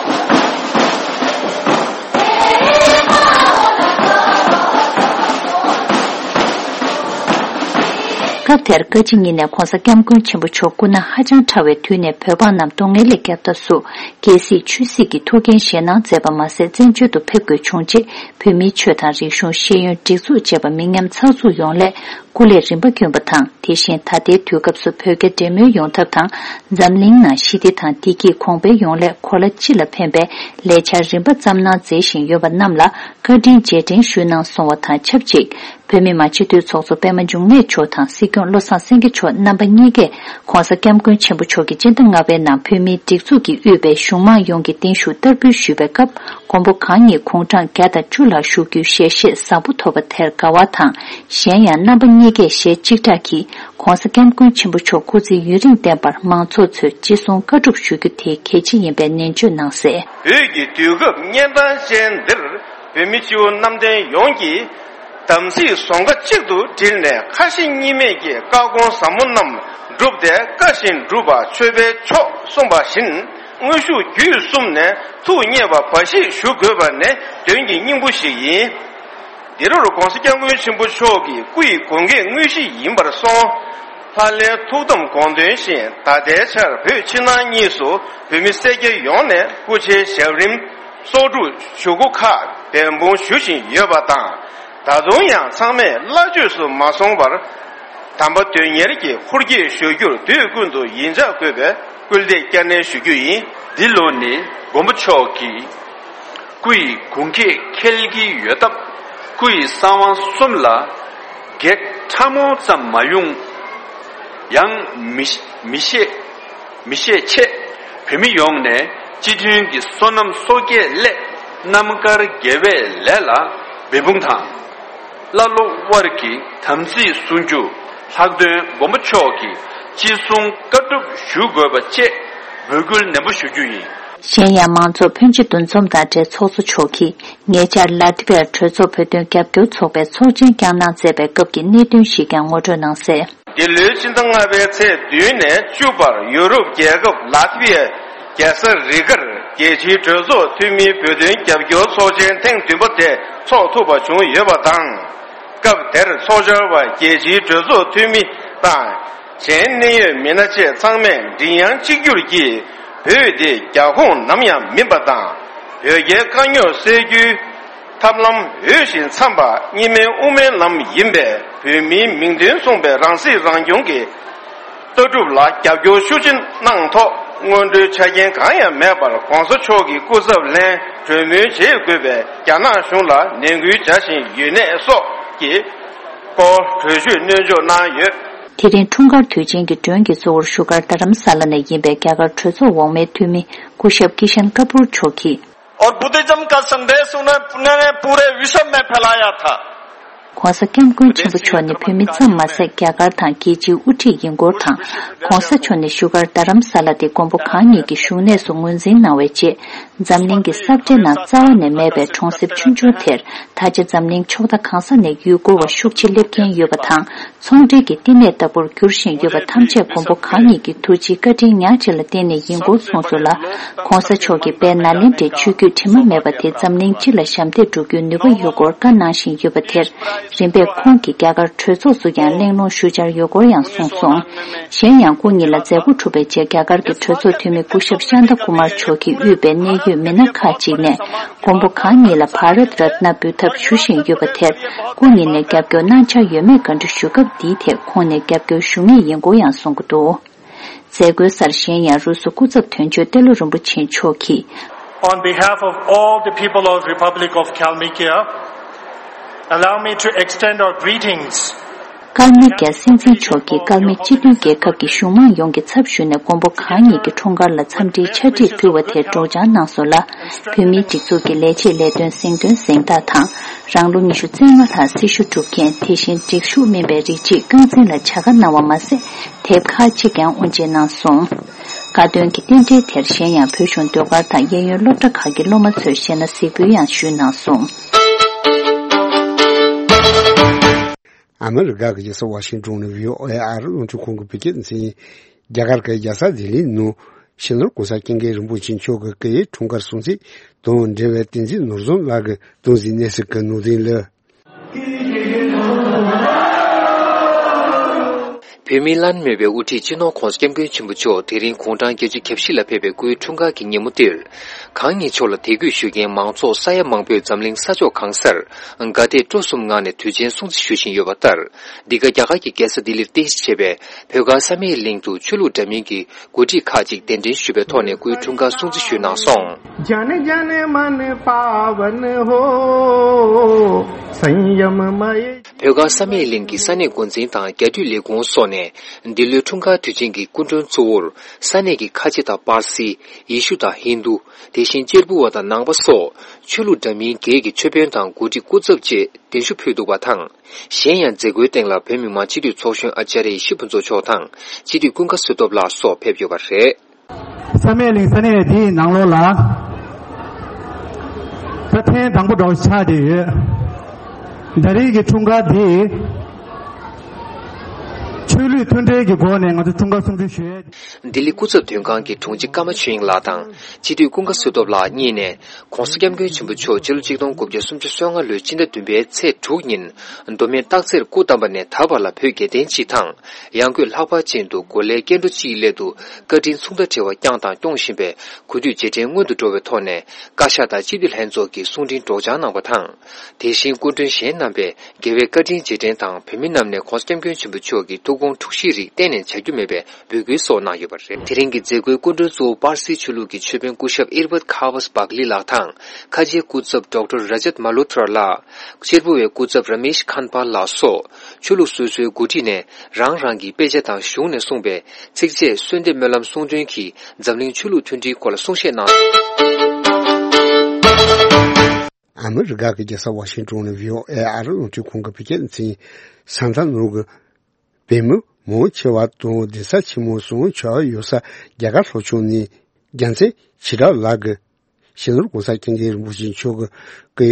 སྐབས་དེར་བཀའ་སྤྱི་ཉིད་ནས་གོང་ས་སྐྱབས་མགོན་ཆེན་པོ་མཆོག་སྐུ་ན་ཧ་ཅང་ཕྲ་བའི་དུས་ནས་བོད་འབངས་རྣམས་སྡུག་བསྔལ་ལས་བསྐྱབ་ཐབས་སུ། རྒྱལ་སྲིད་ཆོས་སྲིད་ཀྱི་ཐུགས་འགན་བཞེས་གནང་མཛད་པ་མ་ཟད་བཙན་བྱོལ་དུ་ཕེབས་དགོས་བྱུང་རྗེས་བོད་མིའི་ཆོས་དང་རིག་གཞུང་ཤེས་ཡོན་སྒྲིག་འཛུགས་བཅས་པ་མི་ཉམས་ཚགས་ཚུད་ཡོང་སླད་སྐུ་ལས་རིམ་པ་བསྐྱོན་པ་དང་། དེ་བཞིན་ད་ལྟའི་དུས་སྐབས་སུ་བོད་རྒྱ་འབྲེལ་མོལ་ཡོང་ཐབས་དང་འཛམ་གླིང་ནང་ཞི་བདེ་དང་བདེ་སྐྱིད་གོང་འཕེལ་ཡོང་སླད་གོ་ལ་སྤྱི་ལ་ཕན་པའི་ལས་འཆར་རིམ་པ་བརྩམས་གནང་མཛད་བཞིན་ཡོད་པ་རྣམས་ལ་བཀའ་དྲིན་རྗེས་དྲན་ཞུས་གནང་སོང་བ་དང་ཆབས་ཅིག་བོད་མི་མང་སྤྱི་འཐུས་ཚོགས་གཙོ་པད་མ་འབྱུང་གནས་མཆོག་དང་སྲིད་སྐྱོང་བློ་བཟང་སེང་གེ་མཆོག་རྣམ་པ་གཉིས་ཀས་གོང་ས་སྐྱབས་མགོན་ཆེན་པོ་མཆོག་གིས་སྤྱི་ཟླ་ལྔ་པའི་ནང་བོད་མིའི་སྒྲིག་འཛུགས་ཀྱིས་དབུས་པའི་གཞུང་མང་ཡོངས་ཀྱི་བརྟན་བཞུགས་བསྟར་འབུལ་ཞུས་པའི་སྐབས་མགོན་པོ་གང་ཉིད་དགུང་གྲངས་བརྒྱ་དང་བཅུ་ལྷག་བཞུགས་རྒྱུའི་ཞལ་བཞེས་བཟང་པོ་ཐོབ་པ་དེར་དགའ་བ་དང་། གཞན་ཡང་རྣམ་པ་གཉིས་ཀས་ཞལ་གཅིག་གྲགས་ཀྱིས་གོང་ས་སྐྱབས་མགོན་ཆེན་པོ་མཆོག་སྐུ་ཚེ་ཡུན་རིང་བརྟན་པར་མང་ཚོགས་ཚོས་ཅི་གསུང་བཀའ་སྒྲུབ་ཞུ་རྒྱུ་དེ་གལ་ཆེ་ཡིན་པའི་ནན་བརྗོད་གནང་གསལ། བོད་ཀྱི་དུས་སྐབས་གཉན་འཕྲང་ཅན་འདིར་བོད་མི་སྤྱི་བོ་གནམ་བསྟན་ཡོངས་ཀྱིས། དམ་ཚིག་ཟོང་ཁ་གཅིག་ཏུ་དྲིལ་ནས་ཁ་ཞེ་གཉིས་མེད་ཀྱིས་བཀའ་དགོངས་ཟབ་མོ་རྣམས་བསྒྲུབས་ཏེ་བཀའ་བཞིན་སྒྲུབ་པ་མཆོད་པའི་མཆོག་གསུངས་པ་བཞིན་དངོས་ཤུགས་བརྒྱུད་གསུམ་ནས་ཐུགས་མཉེས་པ་འབའ་ཞིག་ཞུ་དགོས་པ་ནི་དོན་གྱི་སྙིང་པོ་ཞིག་ཡིན། འདི་རུ་གོང་ས་སྐྱབས་མགོན་ཆེན་པོ་མཆོག་གི་སྐུ་ཡི་དགོངས་འགལ་དངོས་གཞི་ཡིན་པར་སོང་། ལྷ་ལྷའི་ཐུགས་དམ་དགོངས་དོན་བཞིན་ད་ལྟའི་ཆར་བོད་ཕྱི་ནང་གཉིས་སུ་བོད་མི་སེར་སྐྱ་ཡོངས་ནས་སྐུ་ཕྱྭའི་ཞབས་རིམ་གསོག་སྒྲུབ་ཞུ་སྒོ་ཁག་འབད་འབུངས་ཞུ་བཞིན་ཡོད་པ་དང་། ད་དུང་ཡང་ཚང་མས་བླ་བཅོས་སུ་མ་སོང་བར། དམ་པ་དོན་གཉེར་གྱི་འཁོར་སྐྱོད་ཞུ་རྒྱུར་དུས་ཀུན་ཏུ་ཡིད་འཇགས་དགོས་པའི་སྐུལ་འདེད་བསྐྱར་ནན་ཞུ་རྒྱུ་ཡིན། འདི་ལོ་ནི་མགོན་པོ་མཆོག་གི་སྐུ་ཡི་དགུང་ཁྱེད་འཁེལ་གྱི་ཡོད་སྟབས། སྐུ་ཡི་གསང་བ་གསུམ་ལ་བགེགས་ཕྲ་མོ་ཙམ་མ་ཡོང་ཡང་མི་མི་ཤེས་མི་ཤེས་ཆེད། བོད་མི་ཡོངས་ནས་སྤྱི་མཐུན་གྱི་བསོད་ནམས་གསོག་སྐྱེལ་སླད་རྣམ་དཀར་དགེ་བའི་ལས་ལ་འབད་འབུངས་དང་། བླ་སློབ་དབར་གྱི་དམ་ཚིག་སྲུང་རྒྱུ། ལྷག་དོན་མགོན་པོ་མཆོག་གི་ཅི་གསུང་བཀའ་སྒྲུབ་ཞུ་དགོས་པ་བཅས་འབོད་སྐུལ་ནན་པོ་ཞུ་རྒྱུ་ཡིན། གཞན་ཡང་མང་ཚོགས་ཕོན་ཆེ་འདུ་འཛོམས་དང་འབྲེལ་ཚོགས་གཙོ་མཆོག་གིས་ཉེ་ཆར་ལ་ཏི་བའི་གྲོས་ཚོགས་བོད་དོན་རྒྱབ་སྐྱོར་ཚོགས་པའི་ཚོགས་ཆེན་བསྐྱངས་གནང་མཛད་པའི་སྐབས་ཀྱི་གནད་དོན་ཞིག་ཀྱང་ངོ་སྤྲོད་གནང་གསལ། འདི་ལོའི་ཕྱི་ཟླ་ལྔ་པའི་ཚེས་བདུན་ནས་བཅུ་བར་ཡུ་རོབ་རྒྱལ་ཁབ་ལ་ཏི་བའི་རྒྱལ་ས་རི་གར་རྒྱལ་སྤྱིའི་གྲོས་ཚོགས་འཐུས་མིའི་བོད་དོན་རྒྱབ་སྐྱོར་ཚོགས་ཆེན་ཐེངས་བདུན་པ་དེ་འཚོགས་ཐུབ་པ་བྱུང་ཡོད་པ་དང་། སྐབས་དེར་ཚོགས་བཅར་བ་རྒྱལ་སྤྱིའི་གྲོས་ཚོགས་འཐུས་མི་དང་། གཞན་གནད་ཡོད་མི་སྣ་བཅས་ཚང་མས་མགྲིན་དབྱངས་གཅིག་གྱུར་གྱིས་བོད་དེ་རྒྱ་ཁོངས་ནམ་ཡང་མིན་པ་དང་། བོད་རྒྱའི་དཀའ་རྙོག་སེལ་རྒྱུའི་ཐབས་ལམ་འོས་ཤིང་འཚམས་པ་གཉིས་སྨན་དབུ་མའི་ལམ་ཡིན་པས། བོད་མིའི་མིང་དོན་མཚུངས་པའི་རང་སྲིད་རང་སྐྱོང་གི་ལྟ་གྲུབ་ལ་རྒྱབ་སྐྱོར་ཤུགས་ཆེ་གནང་ཐོག་སྔོན་འགྲོའི་ཆ་རྐྱེན་གང་ཡང་མེད་པར་གོང་ས་མཆོག་གི་སྐུ་ཚབ་ལེན་གྲོས་མོལ་བྱེད་དགོས་པའི་རྒྱ་ནག་གཞུང་ལ་ནན་སྐུལ་བྱ་བཞིན་ཡོད་གནས་སོགས་ཀྱི་སྐོར་གྲོས་ཆོད་སྣོན་འཇོག་གནང་ཡོད། དེ་རིང་འཁྲུངས་སྐར་དུས་ཆེན་གྱི་མགྲོན་གྱི་གཙོ་བོར་བཞུགས་སྒར་རྡ་རམ་ས་ལ་ནས་ཡིན་པའི་རྒྱ་གར་གྲོས་ཚོགས་འོག་མའི་འཐུས་མི་སྐུ་ཞབས་ཀི་ཤན་ཀ་པུར་མཆོག་གིས། और बुद्धिज्म का संदेश उन्होंने पूरे विश्व में फैलाया था। ྋགོང་ས་ྋསྐྱབས་མགོན་ཆེན་པོ་མཆོག་ནི་བོད་མི་ཙམ་མ་ཟད། རྒྱ་གར་དང་རྒྱལ་སྤྱིའི་དབུ་ཁྲིད་ཡིན་སྐོར་དང་། ྋགོང་ས་མཆོག་ནི་བཞུགས་སྒར་རྡ་རམ་ས་ལ་དེ་མགོན་པོ་གང་ཉིད་ཀྱི་བཞུགས་གནས་སུ་ངོས་འཛིན་གནང་བའི་རྗེས། འཛམ་གླིང་གི་ས་བཀྲའི་ནང་རྩ་བ་ནས་མེད་པའི་གྲོང་གསེབ་ཆུང་ཆུང་དེར། ད་ཆ་འཛམ་གླིང་ཕྱོགས་མཐའ་གང་ས་ནས་ཡུལ་སྐོར་བ་ཤུགས་ཆེ་སླེབས་མཁན་ཡོད་པ་དང་། ཚོང་འབྲེལ་གྱི་བསྟི་གནས་ལྟ་བུར་འགྱུར་བཞིན་ཡོད་པ་ཐམས་ཅད་མགོན་པོ་གང་ཉིད་ཀྱི་ཐུགས་རྗེའི་བཀའ་དྲིན་ཉག་གཅིག་ལ་བརྟེན་ནས་ཡིན་སྐོར་གསུངས་སོང་ལ། ྋགོང་ས་མཆོག་གིས་དཔལ་ནཱ་ལེནྡྲའི་ཆོས་བརྒྱུད་དྲི་མ་མེད་པ་དེ་འཛམ་གླིང་སྤྱི་ལ་ཞབས་འདེགས་སྒྲུབ་རྒྱུའི་ནུས་པ་ཡོད་སྐོར་བཀའ་གནང་བཞིན་ཡོད་པ་དེར། རིམ་པས་ཁོང་གིས་རྒྱ་གར་གྲོས་ཚོགས་སུ་ཡང་གླེང་སློང་ཞུ་འཆར་ཡོད་སྐོར་ཡང་གསུངས་སོང་། གཞན་ཡང་སྐུ་ཉིད་ལ་མཛད་སྒོ་གྲུབ་པའི་རྗེས་རྒྱ་གར་གྱི་གྲོས་ཚོགས་འཐུས་མི་སྐུ་ཞབས་ཤཱནྟ་ཀུ་མར་མཆོག་གིས་དབུས་པའི་གནད་ཡོད་མི་སྣ་ཁག་ཅིག་ནས། མགོན་པོ་གང་ཉིད་ལ་བྷ་རད་རཏ་ན་འབུལ་ཐབས་ཞུ་བཞིན་ཡོད་པ་དེར། སྐུ་ཉིད་ནས་རྒྱབ་སྐྱོར་གནང་འཆར་ཡོད་མེད་བཀའ་འདྲི་ཞུ་སྐབས། འདིའི་ཐད་ཁོང་ནས་རྒྱབ་སྐྱོར་ཞུ་ངེས་ཡིན་སྐོར་ཡང་གསུང་གི་འདུག། མཛད་སྒོའི་སར་གཞན་ཡང་རུ་སུ་སྐུ་ཚབ་དོན་གཅོད་ཏེ་ལོ་རིན་པོ་ཆེ་མཆོག་གིས། On behalf of all the people of Republic of Kalmykia, allow me to extend our greetings. ཀལ་མི་ཀྱ་སྲིད་འཛིན་མཆོག་གིས་ཀལ་མི་སྤྱི་མཐུན་རྒྱལ་ཁབ་ཀྱི་གཞུང་མང་ཡོངས་ཀྱི་ཚབ་ཞུས་ནས་མགོན་པོ་གང་ཉིད་ཀྱི་འཁྲུངས་སྐར་ལ་འཚམས་འདྲིའི་ཕྱག་བྲིས་ཕུལ་བ་དེར་སྒྲོག་སྦྱང་གནང་སོང་ལ། བོད་མིའི་སྒྲིག་འཛུགས་ཀྱི་ལས་བྱེད་ལས་དོན་གཟེངས་ཐོན་གཟེངས་རྟགས་དང་། རང་ལོ་ཉི་ཤུ་རྩ་ལྔ་ལྷག་སྲི་ཞུ་སྒྲུབ་མཁན། དེ་བཞིན་སྒྲིག་ཞུགས་སྨིན་པའི་རིགས་གཅིག་རྐང་འཛིན་ལ་བྱ་དགའ་གནང་བ་མ་ཟད། དེབ་ཁག་ཅིག་ཀྱང་དབུ་འབྱེད་གནང་སོང་། དགའ་སྟོན་གྱི་རྟེན་འབྲེལ་དེར་གཞན་ཡང་བོད་གཞུང་ཟློས་གར་དང་གཡས་གཡོན་སློབ་གྲྭ་ཁག་གི་སློབ་མ་ཚོས་གཞས་སྣ་གཟིགས་འབུལ་ཡང་ཞུས་གནང་སོང་། ཨ་མི་རི་ཀ་གི་རྒྱལ་ས་ཝ་ཤིང་ཏོན་ནས་བྷི་ཨོ་ཨེ་ཨ་རི་རླུང་འཕྲིན་ཁང་གི་བོད་སྐད་སྡེ་ཚན། རྒྱ་གར་གྱི་རྒྱལ་ས་ལྡི་ལིའི་ནང་། སྤྱི་ནོར་༧གོང་ས་༧སྐྱབས་མགོན་རིན་པོ་ཆེ་མཆོག་གི་སྐུའི་འཁྲུངས་སྐར་སྲུང་བརྩི་དང་འབྲེལ་བའི་བསྟན་འཛིན་ནོར་བཟང་ལགས་ཀྱིས་གདུང་སེམས་གནས་ཚུལ་གྱི་ནང་དོན་ལ། བོད་མིའི་བླ་ན་མེད་པའི་དབུ་ཁྲིད་སྤྱི་ནོར་༧གོང་ས་༧སྐྱབས་མགོན་ཆེན་པོ་མཆོག་དེ་རིང་དགུང་གྲངས་བརྒྱད་ཅུ་གྱ་བཞི་ལ་ཕེབས་པའི་སྐུའི་འཁྲུངས་སྐར་གྱི་ཉིན་མོ་འདིར། གང་ཉིད་མཆོག་ལ་དད་གུས་ཞུ་མཁན་མང་ཚོགས་ས་ཡ་མང་པོས་འཛམ་གླིང་ས་ཕྱོགས་གང་སར་དགའ་དད་སྤྲོ་གསུམ་ངང་ནས་དུས་ཆེན་སྲུང་བརྩི་ཞུ་བཞིན་ཡོད་པ་ལྟར། འདི་ག་རྒྱ་གར་གྱི་རྒྱལ་ས་ལྡི་ལིར་རྟེན་གཞི་བྱས་པའི་བོད་དགའ་བསམ་ཡས་གླིང་དུ་ཆོས་ལུགས་འདྲ་མིན་གྱི་འགོ་ཁྲིད་ཁག་ཅིག་གདན་འདྲེན་ཞུས་པའི་ཐོག་ནས་སྐུའི་འཁྲུངས་སྐར་སྲུང་བརྩི་ཞུས་གནང་སོང་། जन जन मन पावन हो, संयम मय བོད་དགའ་བསམ་ཡས་གླིང་གི་ས་གནས་འགོ་འཛིན་དང་རྒྱ་འཐུས་ལས་ཁུངས་སོགས་ནས་འདི་ལོའི་འཁྲུངས་སྐར་དུས་ཆེན་གྱི་སྐུ་མགྲོན་གཙོ་བོར་ས་གནས་ཀྱི་ཁ་ཆེ་དང་པར་སི། ཡེ་ཤུ་དང་ཧིན་དུ། དེ་བཞིན་གཅེར་བུ་བ་དང་ནང་པ་སོགས་ཆོས་ལུགས་འདྲ་མིན་བརྒྱད་ཀྱི་ཆོས་དཔོན་དང་འགོ་ཁྲིད་སྐུ་ཚབ་བཅས་གདན་ཞུ་ཕུལ་འདུག་པ་དང་། གཞན་ཡང་མཛད་སྒོའི་སྟེང་ལ་བོད་མི་མང་སྤྱི་འཐུས་ཚོགས་གཞོན་ཨ་ཙརྱ་ཡེ་ཤེས་ཕུན་ཚོགས་མཆོག་དང་སྤྱི་འཐུས་ཀུན་དགའ་བསོད་སྟོབས་ལགས་སོགས་ཕེབས་ཡོད་པ་རེད། བསམ་ཡས་གླིང་ས་གནས་འདིའི་ནང་ལོགས་ལ་ད་ཐེངས་དང་པོ་འདྲ་བོ་ཆགས་བསྡད་ཡོད། ད་རེས་ཀྱི་འཁྲུངས་སྐར་འདི་ ཆོས་ལུགས་མཐུན་འབྲེལ་གྱི་སྒོ་ནས་ང་ཚོ་འཁྲུངས་སྐར་སྲུང་བརྩི་ཞུ་ཡས། ལྡི་ལི་སྐུ་ཚབ་དོན་ཁང་གི་དྲུང་ཆེ་ཀརྨ་ཆོས་དབྱིངས་ལགས་དང་སྤྱི་འཐུས་ཀུན་དགའ་བསོད་སྟོབས་ལགས་གཉིས་ནས་༸གོང་ས་༸སྐྱབས་མགོན་ཆེན་པོ་མཆོག་ཕྱི་ལོ་ཆིག་སྟོང་དགུ་བརྒྱ་སུམ་ཅུ་སོ་ལྔ་ལོའི་སྤྱི་ཟླ་བདུན་པའི་ཚེས་དྲུག་ཉིན་མདོ་སྨད་སྟག་འཚེར་སྐུ་བལྟམས་པ་ནས་ད་བར་ལ་བོད་རྒྱལ་བསྟན་སྤྱི་དང་ཡང་སྒོས་ལྷག་པར་ཅན་དུ་གོ་ལའི་སྐྱེ་འགྲོ་སྤྱིའི་སླད་དུ་བཀའ་དྲིན་མཚུངས་ཟླ་བྲལ་བ་བསྐྱངས་དང་སྐྱོང་བཞིན་པའི་གུས་འདུད་རྗེས་དྲན་སྔོན་དུ་འགྲོ་བའི་ཐོག་ནས་བཀའ་ཤག་དང་སྤྱི་འཐུས་ལྷན་ཚོགས་ཀྱིས་གསུང་འཕྲིན་སྒྲོག་སྦྱང་གནང་བ་དང་། དེ་བཞིན་སྐུ་མགྲོན་གཞན་རྣམ་པས་རྒྱལ་བའི་བཀའ་དྲིན་རྗེས་དྲན་དང་བོད་མི་རྣམས་ནས་༸གོང་ས་༸སྐྱབས་མགོན་ཆེན་པོ་མཆོག་གི་ཐུགས་དགོངས་འཁྲུག་གཞིའི་རིགས་གཏན་ནས་བྱ་རྒྱུ་མེད་པའི་འབོད་སྐུལ་སོགས་གནང་ཡོད་པ་རེད། དེ་རིང་གི་མཛད་སྒོའི་སྐུ་མགྲོན་གཙོ་བོ་པར་སིའི་ཆོས་ལུགས་ཀྱི་ཆོས་དཔོན་སྐུ་ཞབས་ཨིར་བད་ཁ་ཝས་བག་ལི་ལགས་དང་ཁ་ཆེའི་སྐུ་ཚབ་ཌོག་ཊར་ར་ཇད་མ་ལྷོ་ཐྲ་ལགས། གཅེར་བུ་བའི་སྐུ་ཚབ་ར་མེཤ་ཁན་པཱལ་ལགས་སོགས་ཆོས་ལུགས་སོ་སོའི་འགོ་ཁྲིད་ནས་རང་རང་གི་དཔེ་ཆ་དང་གཞུང་ནས་གསུངས་པའི་ཚིགས་བཅད་གསོལ་འདེབས་སྨོན་ལམ་གསུང་འདོན་གྱིས་འཛམ་གླིང་ཆོས་ལུགས་མཐུན་སྒྲིལ་སྐོར་ལ་གསུང་བཤད་གནང་། ཨ་མི་རི་ཀ་གི་རྒྱལ་ས་ཝ་ཤིང་ཏོན་ནས་བྷི་ཨོ་ཨེ་ཨ་རི་རླུང་འཕྲིན་ཁང་གི་བོད་སྐད་སྡེ་ཚན་ས་མཐའ་ནོར་གྱི་བོད་མི་མང་ཆེ་བ་དང་གདན་ས་ཆེན་མོ་གསུམ་ཆགས་ཡོད་ས་རྒྱ་གར་ལྷོ་ཕྱོགས་ནས་རྒྱལ་མཚན་ཞི་དྲག་ལགས་ཀྱིས་སྤྱི་ནོར་༸གོང་ས་༸སྐྱབས་མགོན་རིན་པོ་ཆེ་མཆོག་གི་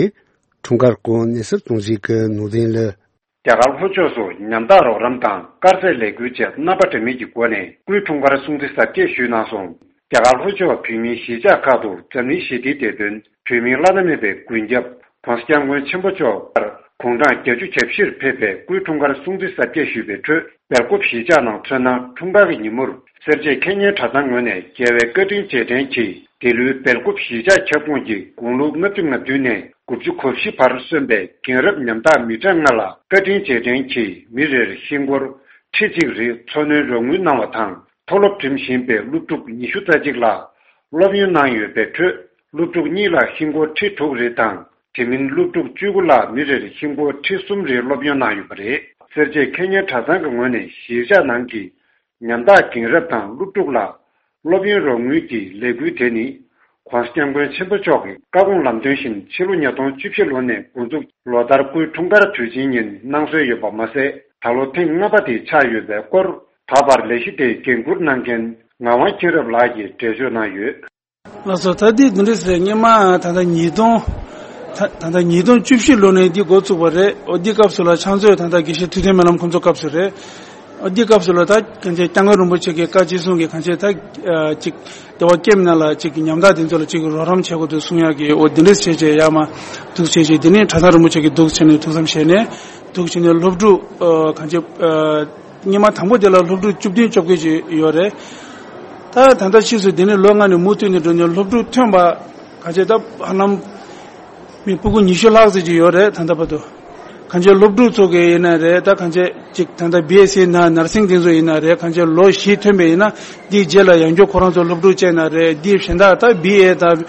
འཁྲུངས་སྐར་སྐོར་གནས་ཚུལ་གཏོང་གཞིའི་ནང་དོན་ལ། རྒྱ་གར་ལྷོ་ཕྱོགས་སུ་ཉམ་ཐག་རོགས་རམ་དང་དཀར་ཟས་ལས་འགུལ་བཅས་རྣམ་པ་འདྲ་མིན་གྱི་སྒོ་ནས་སྐུའི་འཁྲུངས་སྐར་སྲུང་བརྩི་གཟབ་རྒྱས་ཞུས་གནང་སོང་། རྒྱ་གར་ལྷོ་ཕྱོགས་བོད་མིའི་གཞིས་ཆགས་ཁག་ཏུ་འཛམ་གླིང་ཞི་བདེའི་བདེ་དོན། བོད་མིའི་བླ་ན་མེད་པའི་མགོན་སྐྱབས་༸གོང་ས་༸སྐྱབས་མགོན་ཆེན་པོ་མཆོག་དགུང་གྲངས་བརྒྱད་ཅུ་གྱ་བཞིར་ཕེབས་པའི་སྐུའི་འཁྲུངས་སྐར་སྲུང་བརྩི་གཟབ་རྒྱས་ཞུས་པའི་ཁྲོད། སྦེལ་ཀོབ་གཞིས་ཆགས་ནང་མཚོན་ན། འཁྲུངས་སྐར་གྱི་ཉིན་མོར་སེར་བྱེས་ཁེ་ཉེན་གྲྭ་ཚང་ངོས་ནས་རྒྱལ་བའི་བཀའ་དྲིན་རྗེས་དྲན་གྱིས། འདི་ལོའི་སྦེལ་ཀོབ་གཞིས་ཆགས་ཁྱབ་ཁོངས་ཀྱི་དགུང་ལོ་ལྔ་བཅུ་ང་བདུན་ནས་དགུ་བཅུ་གོ་བཞི་བར་སོན་པའི་རྒན་རབས་ཉམ་ཐག་མི་གྲངས་ལྔ་ལ་བཀའ་དྲིན་རྗེས་དྲན་གྱིས་མི་རེར་ཧིན་སྒོར་ཁྲི་གཅིག་རེ་འཚོ་སྣོན་རོགས་དངུལ་གནང་བ་དང་། མཐོ་སློབ་འགྲིམ་བཞིན་པའི་སློབ་ཕྲུག་ཉི་ཤུ་རྩ་གཅིག་ལ་སློབ་ཡོན་གནང་ཡོད་པའི་ཁྲོད། སློབ་ཕྲུག་གཉིས་ལ་ཧིན་སྒོར་ཁྲི་དྲུག་རེ་དང་། དེ་མིན་སློབ་ཕྲུག་བཅུ་དགུ་ལ་མི་རེར་ཧིན་སྒོར་ཁྲི་གསུམ་རེ་སློབ་ཡོན་གནང་ཡོད་པ་རེད། སེར་བྱེས་ཁེ་ཉེན་གྲྭ་ཚང་གི་ངོས་ནས་གཞིས་ཆགས་ནང་གི་ཉམ་ཐག་རྒན་རབས་དང་སློབ་ཕྲུག་ལ་སློབ་ཡོན་རོགས་དངུལ་གྱི་ལས་འགུལ་དེ་ནི། ༸གོང་ས་༸སྐྱབས་མགོན་ཆེན་པོ་མཆོག་གི་བཀའ་དགོངས་ལམ་སྟོན་བཞིན་ཕྱི་ལོ་ཉིས་སྟོང་བཅུ་བཞི་ལོ་ནས་འགོ་འཛུགས། ལོ་ལྟར་སྐུའི་འཁྲུངས་སྐར་དུས་ཆེན་ཉིན་གནང་སྲོལ་ཡོད་པ་མ་ཟད། ད་ལོ་ཐེངས་ལྔ་པ་དེ་ཆགས་ཡོད་པའི་སྐོར། ད་བར་ལས་གཞི་དེའི་འགན་འཁུར་གནང་མཁན་ངག་དབང་མཁྱེན་རབ་ལགས་ཀྱིས་འགྲེལ་བརྗོད་གནང་ཡོད། ལགས་སོ། ད་འདི་འདི་འདྲ་ཟེར། སྔོན་མ་ད་ལྟ་ཉིས་སྟོང་། ད་ད་ལྟ་ཉིས་སྟོང་བཅུ་བཞི་ལོ་ནས་འདི་འགོ་བཙུགས་པ་རེད། འོ་འདི་སྐབས་སུ་ལ་ཕྱག་མཛོད་ད་ལྟ་དགེ་བཤེས་ཐུབ་བསྟན་སྨོན་ལམ་ཁོང་ཚོ་སྐབས་སུ་རེད། འོ་འདི་སྐབས་སུ་ལ་ད་གང་ཅི་༸སྐྱབས་མགོན་རིན་པོ་ཆེ་གི་བཀའ་ཅི་གསུང་གི་གང་ཅི་ད་ཅིག་བདེ་བ་སྐྱེམས་ན་ལ་ཅིག་ཉམ་ཐག་དེ་ཚོ་ལ་ཅིག་རོགས་རམ་བྱེད་དགོས་འདུག་གསུང་ཡག་གི། འོ་འདི་འདྲ་བྱས་བྱས་ཡར་མར་འདུག་བྱས་བྱས། འདི་ནས་གྲྭ་ཚང་རིན་པོ་ཆེ་གི་འདུག་བྱས་ནས་ཐུགས་བསམ་བཞེས་ནས་འདུག་བྱས་ནས་སློབ་ཕྲུག་ཨ་གང་ཅི་ཨ། སྔོན་མ་དང་པོ་དེ་ལ་སློབ་ཕྲུག་བཅུ་བདུན་བཅོ་བརྒྱད་ཅིག་ཡོད་རེད། ད་ད་ལྟ་ཕྱིས་སུ་དེ་ནས་ལོ་ལྔ་ནས་མུ་མཐུད་ནས་འགྲོ་ནས་སློབ་ཕྲུག་ཐོན་པ་ག་ཚད་ད་ཧ་ལམ་མི་སྤུ་གུ་ཉི་ཤུ་ལྷག་ཙམ་ཅིག་ཡོད་རེད། ད་ལྟ་བར་དུ་གང་ཅི་སློབ་ཕྲུག་ཚོ་གི་ཡིན་ན་རེད། ད་གང་ཅི་ཅིག་ད་ལྟ་བི་ཨེས་སི་ན་ནར་སིང་དེ་ཚོ་ཡིན་ན་རེད། གང་ཅི་ལོ་བཞི་ཐོན་པ་ཡིན་ན་འདིའི་རྗེས་ལ་ཡང་བསྐྱར་ཁོ་རང་ཚོ་སློབ་ཕྲུག་བྱས་ན་རེད། འདིའི་གཞན་དག་ད་བི་ཨེ་ད།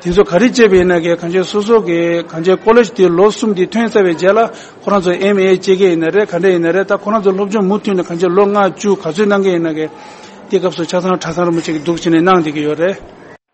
དེ་ཚོ་ག་རེ་བྱས་པ་ཡིན་ན་གི་གང་ཅི་སོ་སོ་གི་གང་ཅི་ཀོ་ལེཇ་དེ་ལོ་གསུམ་དེ་ཐོན་ཚར་བའི་རྗེས་ལ་ཁོ་རང་ཚོ་ཨེམ་ཨེ་བྱེད་ཀྱི་ཡིན་ན་རེད། ག་འདྲ་ཡིན་ན་རེད། ད་ཁོ་རང་ཚོ་སློབ་སྦྱོང་མུ་མཐུད་ནས་གང་ཅི་ལོ་ལྔ་བཅུ་ག་ཚོད་གནང་གི་ཡིན་ན་གི་དེ་སྐབས་སུ་ཆ་ཚང་གྲྭ་ཚང་རིན་པོ་ཆེ་གི་འདུག་བྱས་ནས་གནང་བསྡད་ཀྱི་ཡོད་རེད།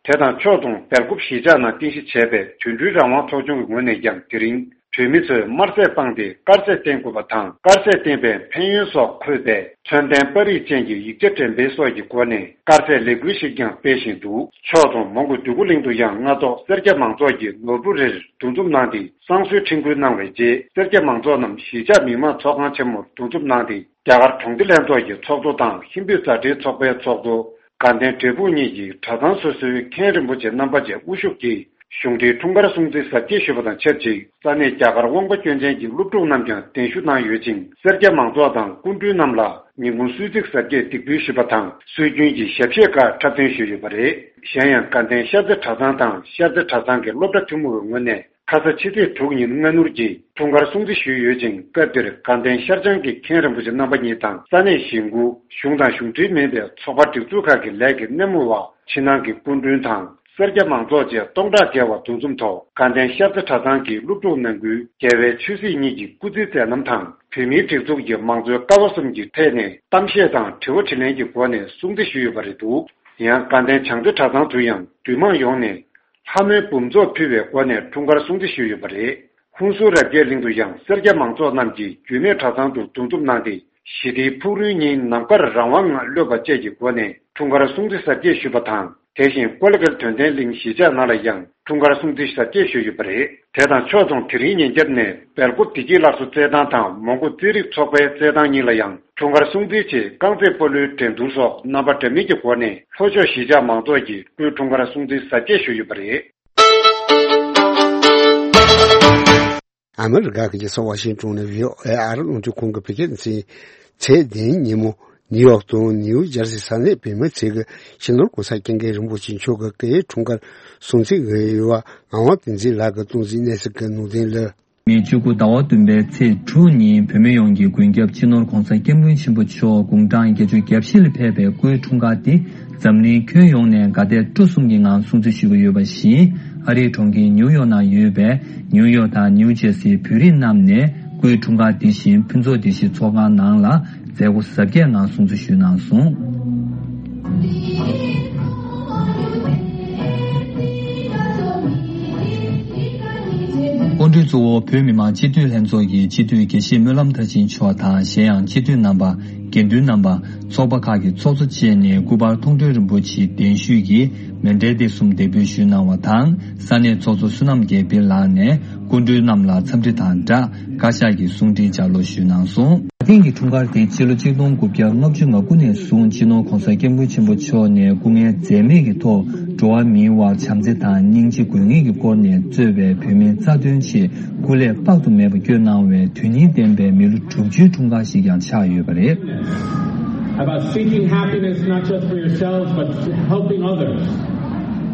དེ་དང་ཕྱོགས་མཚུངས་སྦེལ་ཀོབ་གཞིས་ཆགས་ནང་རྟེན་གཞི་བྱས་པའི་དུད་འགྲོའི་རང་དབང་ཚོགས་ཆུང་གི་ངོས་ནས་ཀྱང་དེ་རིང་། བོད་མི་ཚོས་དམར་ཟས་སྤངས་ཏེ་དཀར་ཟས་བསྟེན་དགོས་པ་དང་། དཀར་ཟས་བསྟེན་པའི་ཕན་ཡོན་སོགས་འཁོད་པའི་མཚོན་ལྡན་པར་རིས་ཅན་གྱི་ཡིག་ཆ་འགྲེམས་སྤེལ་སོགས་ཀྱི་སྒོ་ནས་དཀར་ཟས་ལས་འགུལ་ཞིག་ཀྱང་སྤེལ་བཞིན་འདུག་ཕྱོགས་མཚུངས་མོན་གྷོ་འདོད་རྒུ་གླིང་དུ་ཡང་སྔ་ཐོག་སེར་སྐྱ་མང་ཚོགས་ཀྱིས་ནོར་བུ་རེར་འདུ་འཛོམས་གནང་སྟེ་བསང་གསོལ་འཕྲིན་བསྐུལ་གནང་བའི་རྗེས། སེར་སྐྱ་མང་ཚོགས་རྣམས་གཞིས་ཆགས་མི་དམངས་ཚོགས་ཁང་ཆེན་མོར་འདུ་འཛོམས་གནང་སྟེ། རྒྱ་གར་གྲོང་སྡེ་ལྷན་ཚོགས་ཀྱི་ཚོགས་གཙོ་དང་ཧིན་བོད་མཛའ་འབྲེལ་ཚོགས་པའི་ཚོགས་གཙོ། དགའ་ལྡན་འབྲས་སྤུངས་གཉིས་ཀྱིས་གྲྭ་ཚང་སོ་སོའི་མཁན་རིན་པོ་ཆེ་རྣམ་པ་བཅས་དབུ་བཞུགས་ཀྱིས་གཞུང་འབྲེལ་འཁྲུངས་སྐར་སྲུང་བརྩི་གཟབ་རྒྱས་ཞུས་པ་དང་ཆབས་ཅིག་ས་གནས་རྒྱ་གར་དབང་པོ་སྐྱོན་ཅན་གྱི་སློབ་ཕྲུག་རྣམས་ཀྱང་གདན་ཞུ་གནང་ཡོད་ཅིང་། སེར་སྐྱ་མང་ཚོགས་དང་སྐུ་མགྲོན་རྣམས་ལ་ཉིན་གུང་གསོལ་ཚིགས་གཟབ་རྒྱས་འདེགས་འབུལ་ཞུས་པ་དང་། སྲོལ་རྒྱུན་གྱི་ཞབས་གཞས་ཁག་འཁྲབ་སྟོན་ཞུས་ཡོད་པ་རེད། གཞན་ཡང་དགའ་ལྡན་ཤར་རྩེ་གྲྭ་ཚང་དང་ཤར་རྩེ་གྲྭ་ཚང་གི་སློབ་གྲྭ་ཐུན་མོང་བའི་ངོས་ནས། ཁ་ས་ཕྱི་ཚེས་དྲུག་ཉིན་སྔ་སྣུར་གྱི་འཁྲུངས་སྐར་སྲུང་བརྩི་ཞུས་ཡོད་ཅིང་། སྐབས་དེར་དགའ་ལྡན་ཤར་བྱང་གི་མཁན་རིན་པོ་ཆེ་རྣམ་པ་གཉིས་དང་ས་གནས་གཞིས་འགོ། གཞུང་དང་གཞུང་འབྲེལ་མིན་པའི་ཚོགས་པ་སྒྲིག་འཛུགས་ཁག་གི་ལས་ཀྱི་སྣེ་མོ་བ། ཕྱི་ནང་གི་སྐུ་མགྲོན་དང་སེར་སྐྱ་མང་ཚོགས་བཅས་སྟོང་ཕྲག་བརྒལ་བ་འདུ་འཛོམས་ཐོག་དགའ་ལྡན་ཤར་རྩེ་གྲྭ་ཚང་གི་སློབ་ཕྲུག་ནང་ཁུལ་རྒྱལ་བའི་ཆོས་སྲིད་གཉིས་ཀྱི་སྐུ་ཚེའི་མཛད་རྣམ་དང་། བོད་མིའི་སྒྲིག་འཛུགས་ཀྱི་མང་གཙོའི་ཀ་བ་གསུམ་གྱི་ཐད་ནས་གཏམ་བཤད་དང་དྲི་བ་དྲིས་ལན་གྱི་སྒོ་ནས་སྲུང་བརྩི་ཞུས་ཡོད་པ་རེད་འདུག་ཡང་དགའ་ལྡན་བྱང་རྩེ་གྲྭ་ཚང་དུ་ཡང་འདུས་མང་ཡོངས་ནས། ལྷ་མོའི་འབུམ་ཚོགས་ཕུལ་བའི་སྒོ་ནས་འཁྲུངས་སྐར་སྲུང་བརྩི་ཞུས་ཡོད་པ་རེད། ཧུན་སུར་རབ་རྒྱས་གླིང་དུ་ཡང་སེར་སྐྱ་མང་ཚོགས་རྣམས་ཀྱིས་རྒྱུད་སྨད་གྲྭ་ཚང་དུ་འདུ་འཛོམས་གནང་སྟེ། ཞི་བདེའི་ཕུག་རོན་གཉིས་ནམ་མཁར་རང་དབང་ངང་གློད་པ་བཅས་ཀྱི་སྒོ་ནས་འཁྲུངས་སྐར་སྲུང་བརྩི་གཟབ་རྒྱས་ཞུས་པ་དང་ དེ་བཞིན་ཀོ་ལི་གྷལ་དོན་ལྡན་གླིང་གཞིས་ཆགས་ནང་ལ་ཡང་འཁྲུངས་སྐར་སྲུང་བརྩི་གཟབ་རྒྱས་ཞུས་ཡོད་པ་རེད། དེ་དང་ཕྱོགས་མཚུངས། དེ་རིང་ཉིན་རྒྱབ་ནས་སྦེལ་ཀོབ་བདེ་སྐྱིད་སླར་གསོ་རྩེད་ཐང་དང་མོན་གྷོ་རྩེད་རིགས་ཚོགས་པའི་རྩེད་ཐང་གཉིས་ལ་ཡང་འཁྲུངས་སྐར་སྲུང་བརྩིའི་ཆེད་རྐང་རྩེད་སྤོ་ལོའི་འགྲན་བསྡུར་སོགས་རྣམ་པ་འདྲ་མིན་གྱི་སྒོ་ནས་ལྷོ་ཕྱོགས་གཞིས་ཆགས་མང་ཚོགས་ཀྱིས་སྐུའི་འཁྲུངས་སྐར་སྲུང་བརྩི་གཟབ་རྒྱས་ཞུས་ཡོད་པ་རེད། ཨ་མི་རི་ཀ་གི་རྒྱལ་ས་ཝ་ཤིང་ཏོན་ནས་བྷི་ཨོ་ཨེ་ཨ་རི་རླུང་འཕྲིན་ཁང་གི་བོད་སྐད་སྡེ་ཚན། ཚེས་བདུན་ཉིན་མོ་ནིའུ་ཡོག་དང་ནིའུ་ཇར་སི་ས་གནས་བོད་མི་ཚོས་ཀྱི་སྤྱི་ནོར་༸གོང་ས་༸སྐྱབས་མགོན་རིན་པོ་ཆེ་མཆོག་གི་སྐུའི་འཁྲུངས་སྐར་སྲུང་བརྩི་གི་ཡོལ་བ་ངག་དབང་བསྟན་འཛིན་ལགས་ཀྱིས་གཏོང་གཟིགས་གནང་གསལ་གྱི་ནང་དོན་ལ། མེ་བཅུ་དགུ་ཟླ་བ་བདུན་པའི་ཚེས་དྲུག་ཉིན་བོད་མི་ཡོངས་ཀྱི་མགོན་སྐྱབས་སྤྱི་ནོར་༸གོང་ས་༸སྐྱབས་མགོན་ཆེན་པོ་མཆོག་དགུང་གྲངས་བརྒྱད་ཅུ་གྱ་བཞི་ལ་ཕེབས་པའི་སྐུའི་འཁྲུངས་སྐར་འདི་འཛམ་གླིང་ཁྱོན་ཡོངས་ནས་དགའ་དད་སྤྲོ་གསུམ་གྱི་ངང་སྲུང་བརྩི་ཞུ་གི་ཡོད་པ་བཞིན། ཨ་རིའི་གྲོང་ཁྱེར་ནིའུ་ཡོག་ནང་ཡོད་པའི་ནིའུ་ཡོག་དང་ནིའུ་ཇར་སིའི་བོད་རིགས་རྣམས་ནས་སྐུའི་འཁྲུངས་སྐར་འདི་བཞིན་ཕུན་ཚོགས་བདེ་སྐྱིད་ཚོགས་ཁང་ནང་ལ་མཛད་སྒོ་གཟབ་རྒྱས་ངང་སྲུང་བརྩི་ཞུས་གནང་སོང་། སྐུ་མགྲོན་གཙོ་བོ་བོད་མི་མང་སྤྱི་འཐུས་ལྷན་ཚོགས་ཀྱི་སྤྱི་འཐུས་དགེ་བཤེས་སྨོན་ལམ་མཐར་ཕྱིན་མཆོག་དང་། གཞན་ཡང་སྤྱི་འཐུས་རྣམ་པ། དགེ་འདུན་རྣམ་པ། ཚོགས་པ་ཁག་གི་ཚོགས་གཙོ་བཅས་ནས་སྐུ་པར་མཐོང་གྲོལ་རིན་པོ་ཆེའི་གདན་ཞུས་ཀྱིས་མཎྜལ་སྟེགས་གསུམ་འདེགས་འབུལ་ཞུས་གནང་བ་དང་། ས་གནས་ཚོགས་གཙོ་བསོད་ནམས་རྒྱལ་འཕེལ་ལགས་ནས་སྐུ་མགྲོན་རྣམས་ལ་འཚམས་འདྲི་དང་སྦྲགས་བཀའ་ཤག་གི་གསུང་འཕྲིན་ལྗགས་ཀློག་ཞུས་གནང་སོང་། ད་ཐེངས་ཀྱི་འཁྲུངས་སྐར་དེ་ཕྱི་ལོ་ཆིག་སྟོང་དགུ་བརྒྱ་ལྔ་བཅུ་ང་དགུ་ནས་བཟུང་སྤྱི་ནོར་༸གོང་ས་༸སྐྱབས་མགོན་ཆེན་པོ་མཆོག་ནས་སྐུ་ངལ་འཛེམས་མེད་ཀྱི་ཐོག་འགྲོ་བ་མིའི་དབར་བྱམས་བརྩེ་དང་སྙིང་རྗེ་དགོས་ངེས་ཀྱི་སྐོར་ནས་གཙོས་པའི་བོད་མིའི་རྩ་དོན་ཆེད་སྐུ་ལས་དཔག་ཏུ་མེད་པ་བསྐྱོན་གནང་བའི་དོན་སྙིང་ལྡན་པའི་མི་ལོ་དྲུག་ཅུའི་འཁྲུངས་སྐར་ཞིག་ཀྱང་ཆགས་ཡོད་པ་རེད། About seeking happiness not just for yourselves but helping others.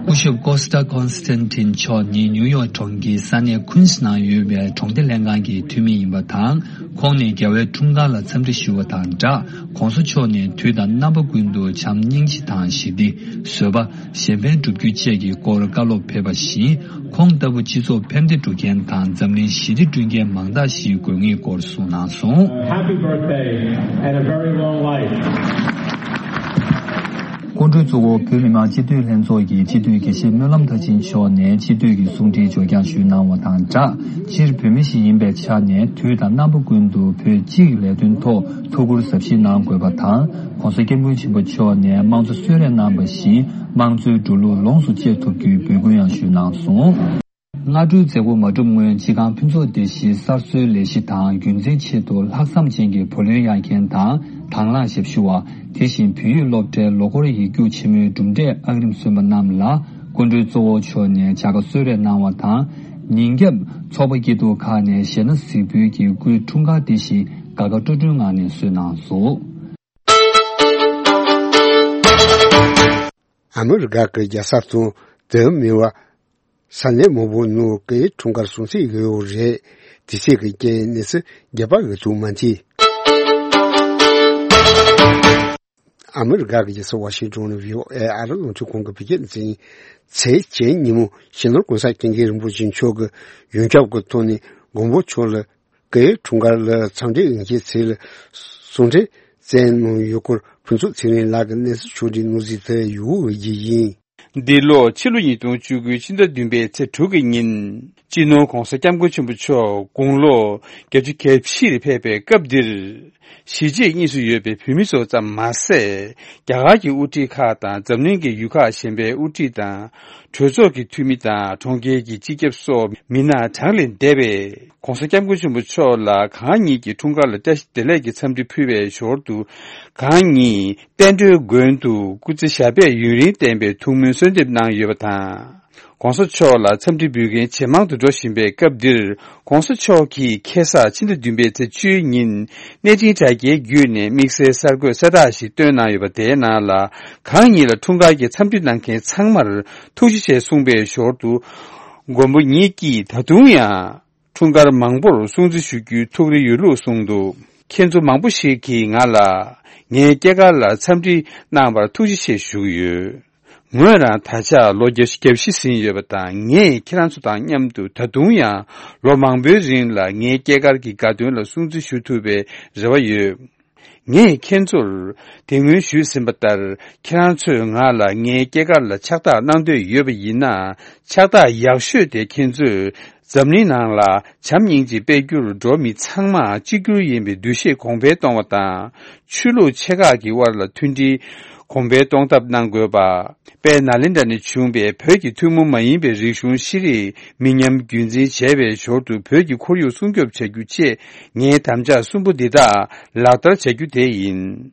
སྐུ་ཞབས་ཀོ་སི་ཏ་ཀོན་སི་ཏན་ཏིན་མཆོག་ནི་ནིའུ་ཡོག་གྲོང་ཁྱེར་ས་གནས་ཁུན་སི་ནང་ཡོད་པའི་གྲོང་སྡེ་ལྷན་ཁང་གི་འཐུས་མི་ཡིན་པ་དང་། ཁོང་ནས་རྒྱལ་བའི་འཁྲུངས་སྐར་ལ་འཚམས་འདྲི་ཞུ་བ་དང་སྦྲགས། ༸གོང་ས་མཆོག་ནས་དུས་དང་རྣམ་པ་ཀུན་ཏུ་བྱམས་སྙིང་རྗེ་དང་ཞི་བདེ། བཟོད་པ། གཞན་ཕན་བསྒྲུབ་རྒྱུ་བཅས་ཀྱི་སྐོར་བཀའ་སློབ་ཕེབས་པ་བཞིན། ཁོང་ལྟ་བུ་སྤྱི་ཚོགས་ཕན་བདེ་སྒྲུབ་མཁན་དང་འཛམ་གླིང་ཞི་བདེ་བསྐྲུན་མཁན་མང་དག་ཞིག་དགོས་ངེས་སྐོར་གསུངས་གནང་སོང་། Happy birthday and a very long life. སྐུ་མགྲོན་གཙོ་བོ་བོད་མི་མང་སྤྱི་འཐུས་ལྷན་ཚོགས་ཀྱི་སྤྱི་འཐུས་དགེ་བཤེས་སྨོན་ལམ་མཐར་ཕྱིན་མཆོག་ནས་སྤྱི་འཐུས་ཀྱི་གསུང་འཕྲིན་འབྱོར་འཁྱངས་ཞུས་གནང་བ་དང་སྦྲགས། སྤྱིར་བོད་མི་ཞིག་ཡིན་པའི་ཆ་ནས་དུས་དང་རྣམ་པ་ཀུན་ཏུ་བོད་སྤྱི་ཡི་ལས་དོན་ཐོག་ཐུགས་ཁུར་གཟབ་བཞེས་གནང་དགོས་པ་དང་། ༸གོང་ས་༸སྐྱབས་མགོན་ཆེན་པོ་མཆོག་ནས་དམངས་གཙོ་གསོལ་རས་གནང་བ་བཞིན། དམངས་གཙོའི་འགྲོ་ལུགས་ལོངས་སུ་སྤྱད་ཐུབ་རྒྱུའི་འབོད་སྐུལ་ཡང་ཞུས་གནང་སོང་། སྔ་དྲོའི་མཛད་སྒོ་མ་གྲུབ་སྔོན། སྤྱི་ཁང་ཕུན་ཚོགས་སྡེ་བཞིའི་གསར་བཟོའི་ལས་གཞི་དང་རྒྱུན་འཛིན་ཆེད་དུ་ལྷག་བསམ་ཅན་གྱི་བུ་ལོན་གཡར་མཁན་དང་། དང་བླངས་ཞབས་ཞུ་བ། དེ་བཞིན་བོད་ཡིག་སློབ་གྲྭའི་ལོ་འཁོར་ཡིག་རྒྱུགས་ཆེན་མོའི་གྲུབ་འབྲས་ཨང་རིམ་སོན་པ་རྣམས་ལ་སྐུ་མགྲོན་གཙོ་བོ་མཆོག་ནས་བྱ་དགའ་གསོལ་རས་གནང་བ་དང་། ཉིན་རྒྱབ་ཚོགས་པ་སྐྱིད་སྡུག་ཁག་ནས་གཞས་སྣ་གཟིགས་འབུལ་གྱིས་སྐུའི་འཁྲུངས་སྐར་འདི་བཞིན་དགའ་དགའ་སྤྲོ་སྤྲོའི་ངང་ནས་གསོལ་གནང་སོང་། ཨ་མི་རི་ཀ་གི་རྒྱལ་ས་དང་དེའི་མི་བ། ས་གནས་མང་པོའི་ནང་སྐུའི་འཁྲུངས་སྐར་སྲུང་བརྩི་ཡོད་རེད། དེ་ཚོ་གི་རྐྱེན་ནས་རྒྱ་བལ་ཡུལ་དུ་མ་མཐུད། ཨ་མི་རི་ཀ་གི་རྒྱལ་ས་ཝ་ཤིང་ཏོན་ནས་བྷི་ཨོ་ཨེ་ཨ་རི་རླུང་འཕྲིན་ཁང་གི་བོད་སྐད་སྡེ་ཚན། ཚེས་བཅུ་ཉིན་མོ་སྤྱི་ནོར་༸གོང་ས་༸སྐྱབས་མགོན་རིན་པོ་ཆེ་མཆོག་གིས་ཡོངས་ཁྱབ་ཀྱི་ཐོག་ནས་མགོན་པོ་མཆོག་ལ་སྐུའི་འཁྲུངས་སྐར་ལ་འཚམས་འདྲི་ཡོང་མཁན་ཚོ་ལ་གསུང་འཕྲིན་བསྩལ་གནང་ཡོད་སྐོར་ཕུན་ཚོགས་ཚེ་རིང་ལགས་ཀྱིས་གནས་ཚུལ་ཕྱོགས་སྒྲིག་གནང་གཟིགས་དེ་ཡུ་འོ་ཡི་ཡིན། འདི་ལོ་ཕྱི་ལོ་ཉིས་སྟོང་བཅུ་དགུ་ཕྱི་ཟླ་བདུན་པའི་ཚེས་དྲུག་གི་ཉིན། སྤྱི་ནོར་༸གོང་ས་༸སྐྱབས་མགོན་ཆེན་པོ་མཆོག་དགུང་ལོ་བརྒྱད་ཅུ་གྱ་བཞི་ལ་ཕེབས་པའི་སྐབས་འདིར། གཞིས་བྱེས་གཉིས་སུ་ཡོད་པའི་བོད་མི་ཚོ་ཙམ་མ་ཟད། རྒྱ་གར་གྱི་དབུ་ཁྲིད་ཁག་དང་འཛམ་གླིང་གི་ཡུལ་ཁག་གཞན་པའི་དབུ་ཁྲིད་དང་། གྲོས་ཚོགས་ཀྱི་འཐུས་མི་དང་གྲོང་ཁྱེར་གྱི་སྤྱི་ཁྱབ་སོགས་མི་སྣ་གྲངས་ལས་འདས་པས། ༸གོང་ས་༸སྐྱབས་མགོན་ཆེན་པོ་མཆོག་ལ་གང་ཉིད་ཀྱི་འཁྲུངས་སྐར་ལ་བཀྲ་ཤིས་བདེ་ལེགས་ཀྱི་འཚམས་འདྲི་ཕུལ་བའི་ཞོར་དུ། གང་ཉིད་བསྟན་འགྲོའི་མགོན་དུ་སྐུ་ཚེ་ཞབས་པད་ཡུན་རིང་བརྟན་པའི་ཐུགས་སྨོན་གསོལ་འདེབས་གནང་ཡོད་པ་དང་། ༸གོང་ས་མཆོག་ལ་འཚམས་འདྲི་འབུལ་མཁན་ཇེ་མང་དུ་འགྲོ་བཞིན་པའི་སྐབས་འདིར། ༸གོང་ས་མཆོག་གིས་ཁ་སང་ཕྱི་ཟླ་བདུན་པའི་ཚེས་བཅུའི་ཉིན་གནས་འཕྲིན་དྲ་རྒྱའི་བརྒྱུད་ནས་དམིགས་བསལ་གསར་འགོད་གསལ་བསྒྲགས་ཤིག་བཏོན་གནང་ཡོད་པ། དེའི་ནང་ལ། གང་ཉིད་ལ་འཁྲུངས་སྐར་གྱི་འཚམས་འདྲི་གནང་མཁན་ཚང་མར་ཐུགས་རྗེ་ཆེ་གསུངས་པའི་ཞོར་དུ། མགོན་པོ་ཉིད་ཀྱིས་ད་དུང་ཡང་། འཁྲུངས་སྐར་མང་པོར་སྲུང་བརྩི་ཞུ་རྒྱུའི་ཐུགས་རེ་ཡོད་ལུགས་གསུངས་འདུག་ཁྱེད་ཚོ་མང་པོ་ཞིག་གིས་ང་ལ་ངའི་སྐྱེས་སྐར་ལ་འཚམས་འདྲི་གནང་བར་ཐུགས་རྗེ་ཆེ་ཞུ་གི་ཡོད། ངོས་རང་ད་ཆ་ལོ་བརྒྱད་ཅུ་གྱ་བཞི་ཟིན་ཡོད་པ་དང་། ངས་ཁྱེད་རང་ཚོ་དང་མཉམ་དུ་ད་དུང་ཡང་ལོ་མང་པོའི་རིང་ལ་ངའི་སྐྱེས་སྐར་གྱི་དགའ་སྟོན་ལ་སྲུང་བརྩི་ཞུ་ཐུབ་པའི་རེ་བ་ཡོད། ངས་ཁྱེད་ཚོར་དེ་སྔོན་ཞུས་ཟིན་པ་ལྟར། ཁྱེད་རང་ཚོས་ང་ལ་ངའི་སྐྱེས་སྐར་ལ་ཕྱག་རྟགས་གནང་འདོད་ཡོད་པ་ཡིན་ན། ཕྱག་རྟགས་ཡག་ཤོས་དེ་ཁྱེད་ཚོས་འཛམ་གླིང་ནང་ལ་བྱམས་སྙིང་རྗེ་སྤེལ་རྒྱུར་འགྲོ་བ་མི་ཚང་མ་གཅིག་གྱུར་ཡིན་པའི་འདུ་ཤེས་གོང་འཕེལ་གཏོང་བ་དང་། ཆོས་ལུགས་ཆེ་ཁག་གི་དབར་ལ་མཐུན་སྒྲིལ་ གོང་འཕེལ་གཏོང་ཐབས་གནང་དགོས་པ། དཔལ་ནཱ་ལེནྡྲ་ནས་བྱུང་བའི་བོད་ཀྱི་ཐུན་མོང་མ་ཡིན་པའི་རིག་གཞུང་ཤེས་རིག་མི་ཉམས་རྒྱུན་འཛིན་བྱས་པའི་ཞོར་དུ་བོད་ཀྱི་ཁོར་ཡུག་སྲུང་སྐྱོབ་བྱ་རྒྱུ་བཅས་ངའི་དམ་བཅའ་གསུམ་པོ་འདི་དག་ལག་བསྟར་བྱ་རྒྱུ་དེ་ཡིན།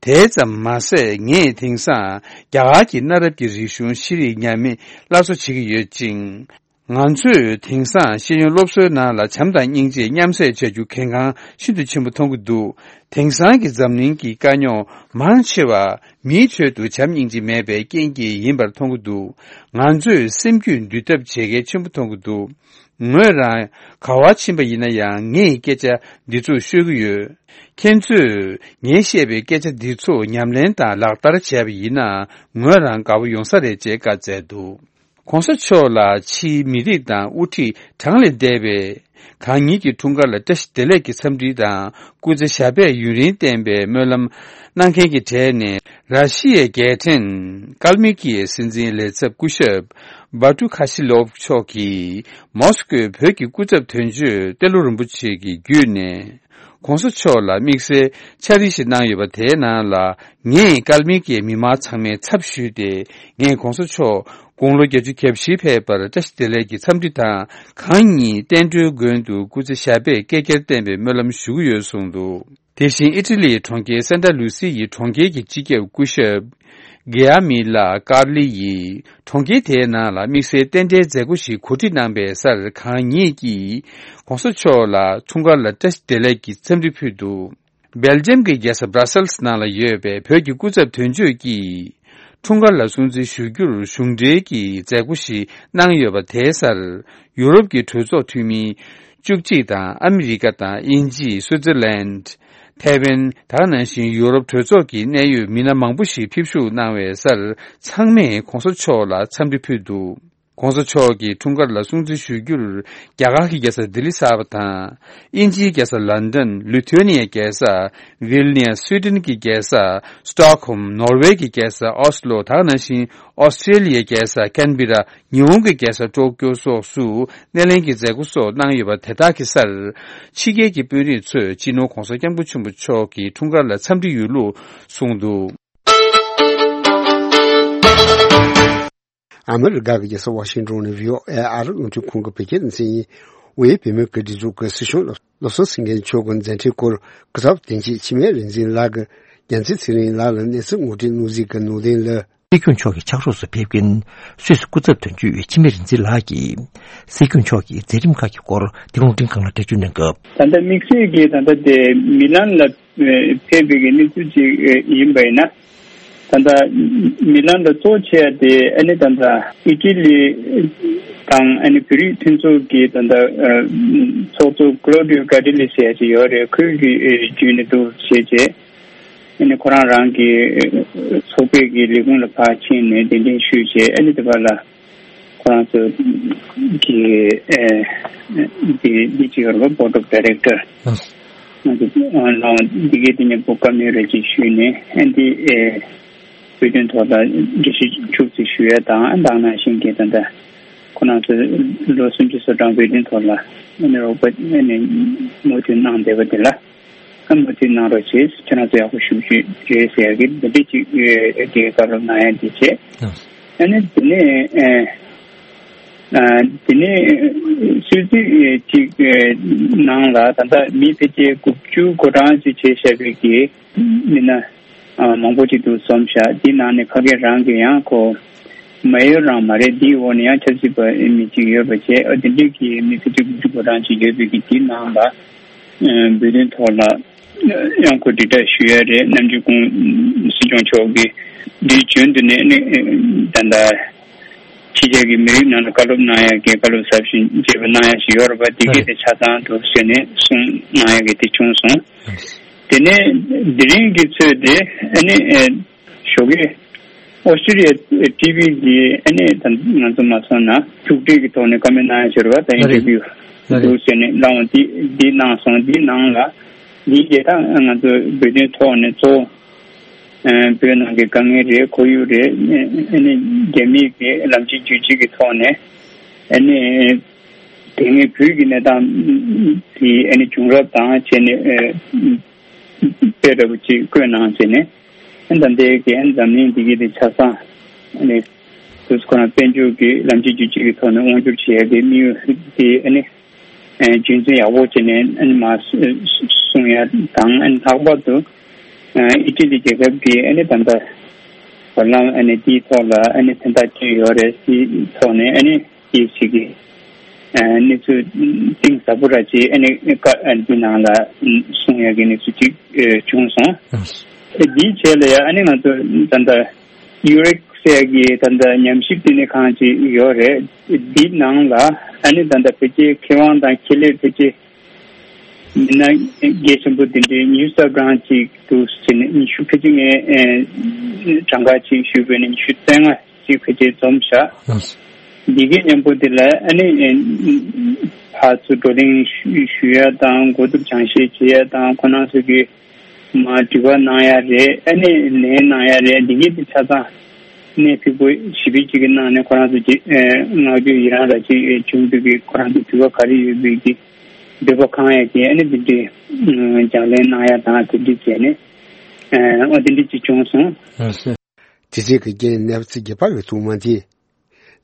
དེ་ཙམ་མ་ཟད། ངས་དེང་སང་རྒྱ་གར་གྱི་གནའ་རབས་ཀྱི་རིག་གཞུང་ཤེས་རིག་ཉམས་མེད་སླར་གསོ་བྱེད་ཀྱི་ཡོད་ཅིང་། ང་ཚོས་དེང་སང་ཤེས་ཡོན་སློབ་གསོའི་ནང་ལ་བྱམས་དང་སྙིང་རྗེ་མཉམ་བསྲེས་བྱ་རྒྱུ་གལ་འགངས་ཤིན་ཏུ་ཆེན་པོ་མཐོང་གི་འདུག། དེང་སང་གི་འཛམ་གླིང་གི་དཀའ་རྙོག་མང་ཆེ་བ་མིའི་ཁྲོད་དུ་བྱམས་སྙིང་རྗེ་མེད་པའི་རྐྱེན་གྱིས་ཡིན་པར་མཐོང་གི་འདུག། ང་ཚོས་སེམས་རྒྱུད་འདུལ་ཐབས་བྱེད་གལ་ཆེན་པོ་མཐོང་གི་འདུག། ངོས་རང་ག་བར་ཕྱིན་པ་ཡིན་ན་ཡང་། ངས་སྐད་ཆ་འདི་ཚོ་ཤོད་ཀྱི་ཡོད། ཁྱེད་ཚོས་ངས་བཤད་པའི་སྐད་ཆ་འདི་ཚོ་ཉམས་ལེན་དང་ལག་བསྟར་བྱས་པ་ཡིན་ན། ངོས་རང་དགའ་པོ་ཡོང་ས་རེད་ཅེས་བཀའ་སྩལ་འདུག། ྋགོང་ས་མཆོག་ལ་ཕྱིའི་མི་རིགས་དང་དབུ་ཁྲིད་གྲངས་ལས་འདས་པས་གང་ཉིད་ཀྱི་འཁྲུངས་སྐར་ལ་བཀྲ་ཤིས་བདེ་ལེགས་ཀྱི་འཚམས་འདྲི་དང་སྐུ་ཚེ་ཞབས་པད་ཡུན་རིང་བརྟན་པའི་སྨོན་ལམ་གནང་མཁན་གྱི་གྲས་ནས། ར་ཤི་ཡའི་རྒྱལ་ཕྲན་ཀལ་མི་ཀི་ཡའི་སྲིད་འཛིན་ལས་ཚབ་སྐུ་ཞབས་བྷ་ཏུ་ཁ་ཤི་ལོབ་མཆོག་གིས་མོ་སི་ཀོའི་བོད་ཀྱི་སྐུ་ཚབ་དོན་གཅོད་ཏེ་ལོ་རིན་པོ་ཆེ་གི་བརྒྱུད་ནས། ྋགོང་ས་མཆོག་ལ་དམིགས་བསལ་ཕྱག་བྲིས་ཤིག་གནང་ཡོད་པ། དེའི་ནང་ལ། ངས་ཀལ་མི་ཀིའི་མི་མང་ཚང་མའི་ཚབ་ཞུས་ཏེ། ངས་ྋགོང་ས་མཆོག་དགུང་ལོ་བརྒྱད་ཅུ་གྱ་བཞི་ཕེབས་པར་བཀྲ་ཤིས་བདེ་ལེགས་ཀྱི་འཚམས་འདྲི་དང་། གང་ཉིད་བསྟན་འགྲོའི་མགོན་དུ་སྐུ་ཚེ་ཞབས་པད་བསྐལ་བརྒྱར་བརྟན་པའི་སྨོན་ལམ་ཞུ་གི་ཡོད་གསུངས་འདུག། དེ་བཞིན་ཨི་ཊ་ལིའི་གྲོང་ཁྱེར་སན་ཏཱ་ལུ་སི་ཡི་གྲོང་ཁྱེར་གྱི་སྤྱི་ཁྱབ་སྐུ་ཞབས་གེ་ཨ་མི་ལ་ཀར་ལི་ཡིས། གྲོང་ཁྱེར་དེའི་ནང་ལ་དམིགས་བསལ་རྟེན་འབྲེལ་མཛད་སྒོ་ཞིག་གོ་སྒྲིག་གནང་པའི་སར། གང་ཉིད་ཀྱིས་ྋགོང་ས་མཆོག་ལ་འཁྲུངས་སྐར་ལ་བཀྲ་ཤིས་བདེ་ལེགས་ཀྱི་འཚམས་འདྲི་ཕུལ་འདུག། སྦེལ་ཇམ་གྱི་རྒྱལ་ས་སྦྲ་སེལ་སི་ནང་ལ་ཡོད་པའི་བོད་ཀྱི་སྐུ་ཚབ་དོན་གཅོད་ཀྱིས། འཁྲུངས་སྐར་ལ་སྲུང་བརྩི་ཞུ་རྒྱུར་གཞུང་འབྲེལ་གྱི་མཛད་སྒོ་ཞིག་གནང་ཡོད་པ། དེའི་སར་ཡུ་རོབ་ཀྱི་གྲོས་ཚོགས་འཐུས་མི་བཅུ་གཅིག་དང་། ཨ་མི་རི་ཀ་དང་། དབྱིན་ཇི། སུའི་ཙེར་ལན། ཐའེ་ཝན། ད་ག་ནང་བཞིན་ཡུ་རོབ་གྲོས་ཚོགས་ཀྱི་གནད་ཡོད་མི་སྣ་མང་པོ་ཞིག་ཕེབས་ཞུགས་གནང་བའི་སར། ཚང་མས་ྋགོང་ས་མཆོག་ལ་འཚམས་འདྲི་ཕུལ་འདུག། ྋགོང་ས་མཆོག་གི་འཁྲུངས་སྐར་ལ་སྲུང་བརྩི་ཞུ་རྒྱུར། རྒྱ་གར་གྱི་རྒྱལ་ས་ལྡི་ལི་གསར་པ་དང་། དབྱིན་ཇིའི་རྒྱལ་ས་ལན་ཌན། ལི་ཐུ་ཨེ་ནི་ཡའི་རྒྱལ་ས་ཝིལ་ནི་ཡ། སུའི་ཌེན་གྱི་རྒྱལ་ས་སི་ཊོག་ཧོམ། ནོར་ཝེ་གྱི་རྒྱལ་ས་ཨོ་སི་ལོ། ད་ག་ནང་བཞིན་ཨོ་སི་ཀྲེ་ལི་ཡའི་རྒྱལ་ས་ཀན་བི་ར། ཉི་ཧོང་གི་རྒྱལ་ས་ཀྲོ་ཀྱོ་སོགས་སུ་སྣེ་ལེན་གྱི་མཛད་སྒོ་སོགས་གནང་ཡོད་པ། དེ་དག་གི་སར་ཕྱི་རྒྱལ་གྱི་དཔོན་རིགས་ཚོས་སྤྱི་ནོར་ྋགོང་ས་ྋསྐྱབས་མགོན་ཆེན་པོ་མཆོག་གི་འཁྲུངས་སྐར་ལ་འཚམས་འདྲི་ཡོད་ལུགས་གསུངས་འདུག། ཨ་མི་རི་ཀ་གི་རྒྱལ་ས་ཝ་ཤིང་ཏོན་ནས་བྷི་ཨོ་ཨེ་ཨ་རི་རླུང་འཕྲིན་ཁང་གི་བོད་སྐད་སྡེ་ཚན་ཡིན། དབུས་བོད་མིའི་སྒེར་སྒྲིག་འཛུགས་ཀྱི་སྲིད་སྐྱོང་བློ་བཟང་སེང་གེ་མཆོག་གི་མཛད་འཕྲིན་སྐོར་སྐུ་ཚབ་དོན་གཅོད་འཆི་མེད་རིག་འཛིན་ལགས་ཀྱིས་རྒྱལ་མཚན་ཚེ་རིང་ལགས་ལ་གནས་ཚུལ་ངོ་སྤྲོད་གནང་གཟིགས་ཀྱི་ནང་དོན་ལ། སྲིད་སྐྱོང་མཆོག་གི་ཕྱག་རོགས་སུ་ཕེབས་མཁན་སུད་སི་སྐུ་ཚབ་དོན་གཅོད་འཆི་མེད་རིག་འཛིན་ལགས་ཀྱིས་སྲིད་སྐྱོང་མཆོག་གི་མཛད་རིམ་ཁག་གི་སྐོར་དེ་རིང་རླུང་འཕྲིན་ཁང་ལ་འགྲེལ་བརྗོད་གནང་སྐབས། ད་ལྟ་དམིགས་བསལ་གྱིས་ད་ལྟ་དེ་མི་ལན་ལ་ཕེབས་པའི་གི་གནས་ཚུལ་ཅིག་ཡིན་པ་ཡིན་ན། ད་ལྟ་མི་ལན་ལ་གཙོ་ཆེ་བ་དེ་ཨ་ནི་ད་ལྟ་ཨི་ཊ་ལི་དང་ཨ་ནི་བོད་རིགས་མཐུན་ཚོགས་ཀྱི་ད་ལྟ་ཚོགས་གཙོ་ཀློ་ཌིའོ་ཀ་ཏི་ལི་ཟེར་ཡ་ཅིག་ཡོད་རེད། ཁོས་གི་བརྒྱུད་ནས་འདུག་བྱས་རྗེས། ཨ་ནི་ཁོ་རང་རང་གི་ཚོགས་པའི་གི་ལས་ཁུངས་ལ་ཕར་ཕྱིན་ནས་གདན་འདྲེན་ཞུས་རྗེས། ཨ་ནི་དེ་བར་ལ་ཁོ་རང་ཚོ་གི་ཨེ་འདི་འདི་ཅིག་ཡོད་རེད་པ། Board of Director། ང་ཚོ་ལ་འདི་གའི་དེ་ཉིད་པོ་བཀའ་མོལ་རེ་ཅིག་ཞུས་ནས། ཨ་འདི་ཨེ་བོད་དོན་ཐོག་ལ་འགྲེལ་བཤད་ཕྱོགས་ཅིག་ཞུ་ཡ་དང་། ཨ་ནི་ད་ག་ནང་བཞིན་གི་ད་ལྟ་ཁོ་རང་ཚོ་ལོ་སུམ་ཅུ་སོ་གྲངས་བོད་དོན་ཐོག་ལ་ཨ་ནི་རོགས་པ་ཨ་ནི་མོས་མཐུན་གནང་བསྡད་པ་དེ་ལ། ཨ་མ་དེ་གནང་རོགས་བྱེད། ཁྱེད་རང་ཚོ་ཡག་པོ་ཞུ་རྒྱུ་རེད་ཟེར་ཡག་གི་འདི་འདྲས་ཅིག་ཨེ་དེ་བཀའ་སློབ་གནང་ཡ་འདི་བྱས། ཨ་ནི་དེ་ནས་ཨེ་ཨ་དེ་ནས་སྲིད་ཇུས་ཅིག་ཨེ་ནང་ལ་ད་ལྟ་མི་ཕལ་ཆེར་དགུ་བཅུ་གོ་གྲངས་ཅིག་བྱས་བཞག་པའི་གི་མི་སྣ་ཨ་མང་པོ་ཅིག་འདུག་བསམ་བཞག། དེ་ནང་ནས་ཕ་གི་རང་གི་ཡང་ཁོ་མ་ཡོད་རང་མ་རེད། དེའི་འོག་ནས་ཡང་ཆབ་སྲིད་པ་མི་གཅིག་ཡོད་པ་བྱས། ཨ་དེ་འདྲས་ཀྱི་མི་ཕལ་ཆེར་དགུ་བཅུ་གོ་གྲངས་ཅིག་ཡོད་པའི་གི་དེ་ནང་ལ། ཨ་བོད་དོན་ཐོག་ལ་ཡང་ཁོ་དྲིལ་བསྒྲགས་ཞུ་ཡ་རེད། ནམ་རྒྱུན་ཁོང་སྲིད་སྐྱོང་མཆོག་གིས་འདིའི་རྒྱུན་དུ་ནས་ནི་ད་ལྟ་ཕྱི་རྒྱལ་གྱི་མི་རིགས་ནང་ལ་བཀའ་སློབ་གནང་ཡ་གི་བཀའ་སློབ་ཟབ་ཞིང་རྒྱས་པ་གནང་ཡ་ཞིག་ཡོད་རེད་པ། དེ་གས་དེ་ཆ་ཚང་དུ་བཟོས་ནས་གསུང་གནང་ཡ་གི་དེ་བྱུང་སོང་། དེ་ནས་དེ་རིང་གི་ཚོད་དེ་ཨ་ནི་ཨེ་ཞོགས་ཀས་ཨོ་སི་ཀྲི་ལི་ཡ་ཊི་བི་གི་ཨ་ནི་ད་ང་ཚོ་མ་སོང་ན་ཐུག་འཕྲད་ཀྱི་ཐོག་ནས་བཀའ་མོལ་གནང་ཡ་ཞིག་རེད་པ། ད་ཨིན་ཊར་བིའུ་འདུག་ཟེར་ནས་གནང་བ་འདི་འདི་གནང་སོང་། འདི་ནང་ལ་འདི་གས་ད་ང་ཚོ་བོད་དོན་ཐོག་ནས་གཙོ་བོ་ཨ་བོད་ནང་གི་དཀའ་ངལ་རེད། ཁོར་ཡུག་རེད། ཨ་ནི་རྒྱ་མིའི་གི་ལམ་ཕྱིན་རྒྱུད་ཕྱིན་གི་ཐོག་ནས་ཨ་ནི་དེ་སྔའི་བོད་ཀྱི་གནས་སྟངས་དེ་ཨ་ནི་བྱུང་རབས་དང་བྱས་ནས་ཨ་དཔེ་འདྲ་པོ་ཅིག་བཀོད་གནང་བྱས་ནས། ཨ་ནི་ད་ལྟའི་གི་ཨ་ནི་འཛམ་གླིང་འདི་གི་དེ་ཆ་ཚང་ཨ་ནི་དུས་ཁོ་རང་དཔལ་འབྱོར་གྱི་ལམ་ཆེན་བརྒྱུད་སྤྱོད་ཀྱི་ཐོག་ནས་དབང་སྒྱུར་བྱེད་ཡ་གི་དམིགས་ཡུལ་དེ་ཨ་ནི་ཨ་རྒྱུན་འཛིན་ཡག་པོ་བྱས་ནས་ཨ་ནི་མར་སྲུང་ཡ་དང་། ཨ་ནི་ལྷག་པར་དུ་ཨ་ཨི་ཊ་ལི་རྒྱལ་ཁབ་ཀྱིས་ཨ་ནི་ད་ལྟ་བར་ལམ་ཨ་ནི་དེའི་ཐོག་ལ་ཨ་ནི་མཚན་རྟགས་བཅོས་ཡོད་རེད། དེའི་ཐོག་ནས་ཨ་ནི་དེའི་ཞིག་གི་ཨ་གནས་ཚུལ་གཏིང་ཟབ་པོ་ར་ཅིག་ཨ་ནི་ཀ་ཨ་འདི་ནང་ལ་གསུང་ཡ་གི་གནས་ཚུལ་ཅིག་ཨ་བྱུང་སོང་། ཨ་འདིའི་རྗེས་ལ་ཡ་ཨ་ནི་ང་ཚོ་ད་ལྟ་ཡུ་རེག་ཟེར་གི་ད་ལྟ་ཉམས་ཞིབ་བསྟི་གནས་ཁང་ཅིག་ཡོད་རེད། འདི་ནང་ལ་ཨ་ནི་ད་ལྟ་ཕལ་ཆེར་མཁས་དབང་དང་ཁེ་ལས་ཕལ་ཆེར་མི་སྣ་གལ་ཆེན་པོ་དེ་འདྲའི་ཉི་ཤུ་རྩ་གྲངས་ཅིག་འདུག་ཟེར་ནས། ཉི་ཤུ་ཕལ་ཆེར་ངས་ཨེ་གྲངས་ཀ་ཅིག་ཞུས་པ་ཡིན་ན་ཉི་ཤུ་རྩ་ལྔ་ཅིག་ཕལ་ཆེར་འཛོམས་ཤག་འདི་གའི་མཉམ་པོ་དེ་ལ་ཨ་ནི་ཨེ་ཕར་ཚུར་བགྲོ་གླེང་ཞུ་ཞུ་ཡ་དང་། གོ་བསྡུར་སྦྱང་བཤད་བྱེད་ཡ་དང་། ཁོ་རང་ཚོ་གི་མར་དྲི་བ་གནང་ཡ་རེད། ཨ་ནི་ལན་གནང་ཡ་རེད། འདི་གའི་དེ་ཆ་ཚང་གནས་ཕུལ་པོ་ཞིབ་ཕྲ་ཅིག་གི་ནང་ནས་ཁོ་རང་ཚོ་ཅིག་ཨེ་མངགས་བཅོལ་ཡི་རང་ར་ཅིག་ཨེ་བྱུང་འདུག་གི། ཁོ་རང་ཚོ་དྲི་བ་ག་རེ་ཡོད་པའི་གི་འདོད་པ་ཁེངས་ཡ་གི་ཨ་ནི་དེ་འདྲའི་ཨ་སྦྱང་ལན་གནང་ཡ་དང་། དེ་འདྲ་བྱས་ནས་ཨ་འོ་དེ་འདྲ་ཅིག་བྱུང་སོང་། ཨ་སེ། དེ་རྗེས་ཀྱི་རྒན་ནེ་ཚི་རྒྱལ་པ་ཡོད་ཐུག་མ་དེ།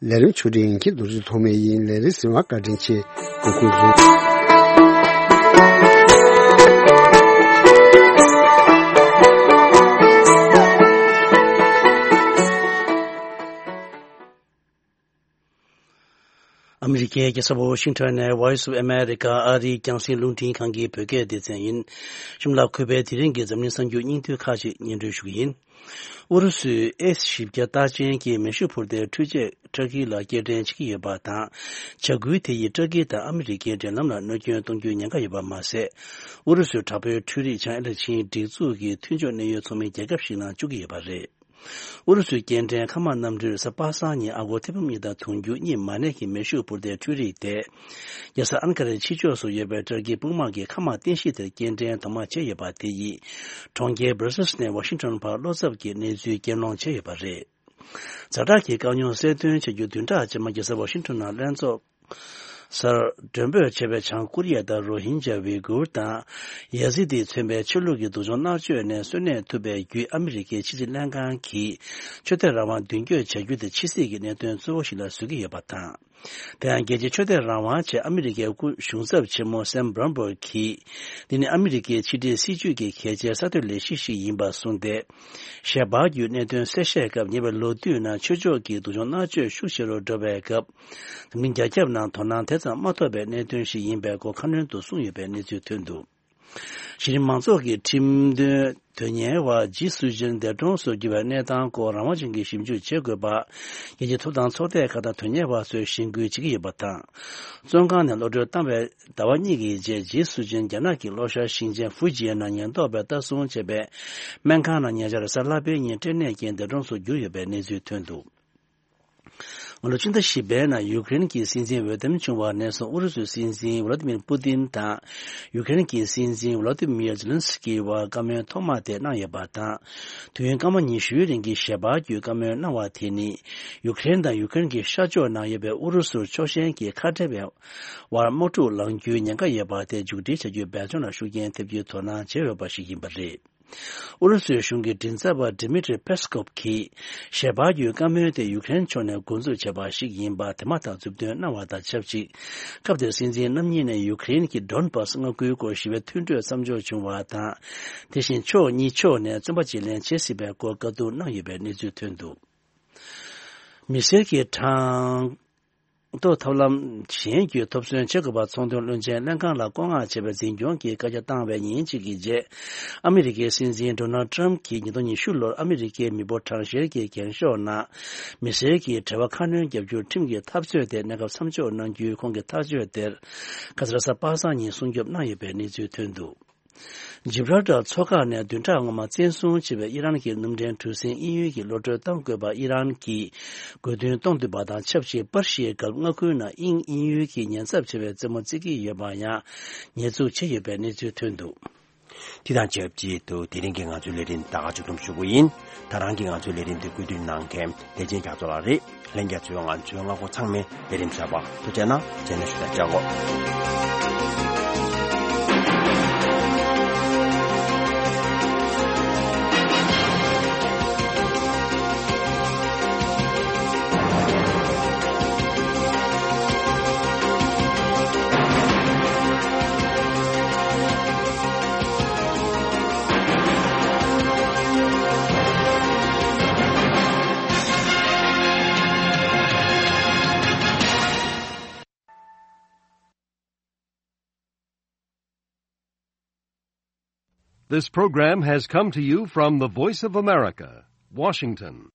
ལས་རིམ་ཆུ་འབྲིང་གི་རྡོ་རྗེ་ཐོགས་མེད་ཡིན། ལས་རིམ་གཟིགས་པར་བཀའ་དྲིན་ཆེ། གུས་བཀུར་ཞུ། ཨ་མི་རི་ཀའི་རྒྱལ་ས་ཝ་ཤིང་ཊོན་ནས་Voice of America ཨ་རིའི་རྒྱང་སྲིང་རླུང་འཕྲིན་ཁང་གི་བོད་སྐད་སྡེ་ཚན་ཡིན། གཤམ་ལ་གུས་པས་དེ་རིང་གི་འཛམ་གླིང་གསར་འགྱུར་སྙིང་བསྡུས་ཁག་ཅིག་སྙན་སྒྲོན་ཞུ་གི་ཡིན། ཨུ་རུ་སུས་ཨེ་བཞི་བརྒྱ་རྟགས་ཅན་གྱི་མེ་ཤུགས་འཕུར་མདེལ་འཕྲུལ་ཆས་ཏུར་ཀི་ལ་སྐྱེལ་འདྲེན་བྱེད་ཀྱི་ཡོད་པ་དང་། བྱ་འགུལ་དེ་ཡིས་ཏུར་ཀི་དང་ཨ་མི་རི་ཀའི་འབྲེལ་ལམ་ལ་གནོད་སྐྱོན་གཏོང་རྒྱུའི་ཉེན་ཁ་ཡོད་པ་མ་ཟད། ཨུ་རུ་སུའི་དྲག་པོའི་འཕྲུལ་རིག་བྱང་ཨེ་ལེ་ཆིན་སྒྲིག་འཛུགས་ཀྱི་མཐུན་ཕྱོགས་གནད་ཡོད་ཚོགས་མི་རྒྱལ་ཁབ་ཞིག་ནང་བཅུག་གི་ཡོད་པ་རེད། ཨུ་རུ་སུའི་སྐྱེལ་འདྲེན་མཁའ་དམག་གནམ་གྲུས་གཟའ་པ་སངས་ཉིན་ཨ་སྒོར་ཐེར་འབུམ་གཉིས་དང་དུང་ཕྱུར་གཉིས་མ་གནས་ཀྱི་མེ་ཤུགས་འཕུར་མདེལ་འཕྲུལ་རིག་དེ། རྒྱལ་ས་ཨན་ཀ་རའི་ཕྱི་ཕྱོགས་སུ་ཡོད་པའི་ཏུར་ཀིའི་དཔུང་དམག་གི་མཁའ་དམག་རྟེན་གཞི་དེར་སྐྱེལ་འདྲེན་དོན་དམ་བྱས་ཡོད་པ་དེ་ཡིས། གྲོང་ཁྱེར་སྦྲ་སེལ་སི་ནས་ཝ་ཤིང་ཊོན་བར་བློ་འཚབ་ཀྱི་གནས་ཚུལ་རྒྱས་སློང་བྱས་ཡོད་པ་རེད། ཛ་དྲག་གི་དཀའ་རྙོག་གསལ་སྟོན་བྱ་རྒྱུ་བདུན་ཕྲག་རྗེས་མ་རྒྱལ་ས་ཝ་ཤིང་ཊོན་ནང་ལྷན་ཚོགས་སར་མགྲོན་འབོད་བྱས་པའི་བྱང་ཀོ་རི་ཡ་དང་རོ་ཧིན་ཇཱ་ཝི་གུར་དང་ཡ་ཟི་དི་མཚོན་པའི་ཆོས་ལུགས་ཀྱི་སྡུག་སྦྱོང་མནར་གཅོད་ནས་གསོན་གནས་ཐུབ་པའི་བརྒྱུད། ཨ་མི་རི་ཀའི་ཕྱི་སྲིད་ལྷན་ཁང་གིས་ཆོས་དད་རང་དབང་མདུན་སྐྱོད་བྱ་རྒྱུ་དེ་ཕྱི་སྲིད་ཀྱི་གནད་དོན་གཙོ་བོ་ཞིག་ལ་བཟོ་གི་ཡོད་པ་དང་། དེ་ཡང་རྒྱལ་སྤྱིའི་ཆོས་དད་རང་དབང་ཆེད་ཨ་མི་རི་ཀའི་སྐུ་གཞུང་ཚབ་ཆེན་མོ་སེམ་བྷྲོན་བྷོར་གྱིས། འདི་ནི་ཨ་མི་རི་ཀའི་ཕྱི་འབྲེལ་སྲིད་ཇུས་ཀྱི་གལ་ཆེའི་གསར་གཏོད་ལས་གཞི་ཞིག་ཡིན་པར་གསུངས་ཏེ། ཞལ་པར་བརྒྱུད་གནད་དོན་གསལ་བཤད་སྐབས། ཉེ་བའི་ལོ་དུས་ནང་ཆོས་ཕྱོགས་ཀྱི་སྡུག་སྦྱོང་མནར་གཅོད་ཤུགས་ཆེ་རུ་འགྲོ་བའི་སྐབས། འཛམ་གླིང་རྒྱ་ཁྱབ་ནང་དོ་སྣང་དེ་ཙམ་མ་ཐོབ་པའི་གནད་དོན་ཞིག་ཡིན་པའི་སྐོར་ཁ་སྣོན་དུ་གསུངས་ཡོད་པའི་གནས་ཚུལ་ཐོན་འདུག། གཞི་རིམ་མང་ཚོགས་ཀྱི་ཁྲིམས་དོན་དོན་གཉེར་བ་ཇི་སུ་ཅིན་འདས་གྲོངས་སུ་གྱུར་བའི་གནས་སྟངས་སྐོར་རང་དབང་ཅན་གྱིས་ཞིབ་འཇུག་བྱེད་དགོས་པ། རྒྱལ་སྤྱིའི་ཐོབ་ཐང་ཚོགས་སྡེ་ཁག་དང་དོན་གཉེར་བ་ཚོས་གཞེན་སྐུལ་བྱེད་ཀྱི་ཡོད་པ་དང་། བཙོན་ཁང་ནས་གློད་གྲོལ་བཏང་བའི་ཟླ་བ་གཉིས་ཀྱི་རྗེས། ཇི་སུ་ཅིན་རྒྱ་ནག་གི་ལྷོ་ཤར་ཞིང་ཆེན་ཧྥུ་ཇི་ཡན་ནང་ཉེན་རྟོག་པས་ལྟ་སྲུང་བྱས་པའི་སྨན་ཁང་ནང་ཉེ་ཆར་གཟའ་ལྷག་པའི་ཉིན་སྐྲན་ནད་ཀྱིས་འདས་གྲོངས་སུ་གྱུར་ཡོད་པའི་གནས་ཚུལ་ཐོན་འདུག། སྔ་ལོ་ཕྱི་ཟླ་བཞི་པའི་ནང་ཡུ་ཀེ་རེན་གྱི་སྲིད་འཛིན་འོས་འདེམས་བྱུང་བ་ནས་བཟུང་ཨུ་རུ་སུའི་སྲིད་འཛིན་ཝ་ལ་ཏི་མིར་པུ་ཏིན་དང་ཡུ་ཀེ་རེན་གྱི་སྲིད་འཛིན་ཝ་ལ་ཏི་མིར་ཛེ་ལན་སི་ཀི་བར་བཀའ་མོལ་ཐོག་མ་དེ་གནང་ཡོད་པ་དང་། དུས་ཡུན་སྐར་མ་ཉི་ཤུའི་རིང་གི་ཞལ་པར་བརྒྱུད་བཀའ་མོལ་གནང་བ་དེ་ནི་ཡུ་ཀེ་རེན་དང་ཡུ་ཀེ་རེན་གྱི་ཤར་ཕྱོགས་ནང་ཡོད་པའི་ཨུ་རུ་སུར་ཕྱོགས་ཞེན་གྱི་ཁ་བྲལ་བའི་དབར་དམག་འཁྲུག་ལངས་རྒྱུའི་ཉེན་ཁ་ཡོད་པ་དེ་མཇུག་སྒྲིལ་བྱ་རྒྱུའི་འབད་བརྩོན་ལ་ཤུགས་རྐྱེན་ཐེབས་རྒྱུའི་དོ་སྣང་བྱས་ཡོད་པ་ཞིག་ཡིན་པ་རེད། ཨུ་རུ་སུའི་གཞུང་གི་མགྲིན་ཚབ་པ་ཌི་མི་ཏྲི་པེ་སི་ཀོབ་ཀྱིས་ཞལ་པར་བརྒྱུད་བཀའ་མོལ་དེ་ཡུ་ཀེ་རེན་ཕྱོགས་ནས་འགོ་འཛུགས་བྱས་པ་ཞིག་ཡིན་པ་དེ་མ་ཐག་མཛུབ་སྟོན་གནང་བ་དང་ཆབས་ཅིག། སྐབས་དེར་སྲིད་འཛིན་རྣམ་གཉིས་ནས་ཡུ་ཀེ་རེན་གྱི་ཌོན་བྷ་སི་མངའ་ཁུལ་སྐོར་ཞི་བའི་མཐུན་གྲོས་མཚམས་འཇོག་བྱུང་བ་དང་། དེ་བཞིན་ཕྱོགས་གཉིས་ཕྱོགས་ནས་བཙོན་པ་གཅིག་ལེན་བྱེད་སྲིད་པའི་སྐོར་བཀའ་བསྡུར་གནང་ཡོད་པའི་གནས་ཚུལ་ཐོན་འདུག། མི་སེར་གྱི་གྲངས་ཐོ་ཐབས་ལམ་གཞན་བརྒྱུད་ཐོབ་ཚོད་བྱེད་དགོས་པ་ཚོང་དོན་བློན་ཆེན་ལྷན་ཁང་ལ་བཀོད་མངགས་བྱས་པའི་འཛིན་སྐྱོང་གི་བཀའ་རྒྱ་བཏང་བའི་ཉིན་གཅིག་གི་རྗེས། ཨ་མི་རི་ཀའི་སྲིད་འཛིན་ཌོ་ནལ་ཊམ་གྱིས་ཉིས་སྟོང་ཉི་ཤུ་ལོར་ཨ་མི་རི་ཀའི་མི་འབོར་གྲངས་བཤེར་གྱི་འགེངས་ཤོག་ནང་མི་སེར་གྱི་འབྲེལ་བ་ཁ་སྣོན་རྒྱབ་རྒྱུར་ཁྲིམས་ཀྱི་འཐབ་རྩོད་དེ་གནས་སྐབས་མཚམས་འཇོག་གནང་རྒྱུའི་ཁོང་གི་ཐག་གཅོད་དེར། ཁ་སང་གཟའ་པ་སངས་ཉིན་སྲུང་སྐྱོབ་གནང་ཡོད་པའི་གནས་ཚུལ་ཐོན་འདུག། ཇིབ་རལ་ཊར་མཚོ་འགག་ནས་བདུན་ཕྲག་སྔོན་མ་བཙན་བཟུང་བྱས་པའི་ཨི་རན་གྱི་གནམ་གྲུའི་གྲུ་གཟིངས་དབྱིན་ཡུལ་གྱི་གློད་གྲོལ་གཏོང་དགོས་པ་ཨི་རན་གྱིས་དགོས་འདུན་གཏོང་འདུག་པ་དང་ཆབས་ཅིག་པར་ཤིའི་གྷལཕ་མངའ་ཁུལ་ནང་དབྱིན་དབྱིན་ཡུལ་གྱི་ཉེན་ཚབས་ཆེ་བའི་རྩེད་མོ་རྩེ་གི་ཡོད་པ་ཡང་ཉེས་འཛུགས་བྱས་ཡོད་པའི་གནས་ཚུལ་ཐོན་འདུག། དེ་དང་ཆབས་ཅིག་ཏུ་དེ་རིང་གི་ང་ཚོའི་ལས་རིམ་ད་ག་མཇུག་བསྡོམས་ཞུ་རྒྱུ་ཡིན། ད་རང་གིས་ང་ཚོའི་ལས་རིམ་དེ་བཀོད་སྒྲིག་གནང་མཁན་བདེ་ཆེན་རྒྱ་མཚོ་ལགས་རེད། ལྷན་རྒྱས་ཚོས་ང་ཚོའི་ལྔ་པོ་ཚང་མས་ལས་རིམ་གསར་པ་ཐུགས་རྗེ་གནང་། རྗེས་ནས་ཞུ་དག་བྱ་གོ། This program has come to you from the Voice of America, Washington.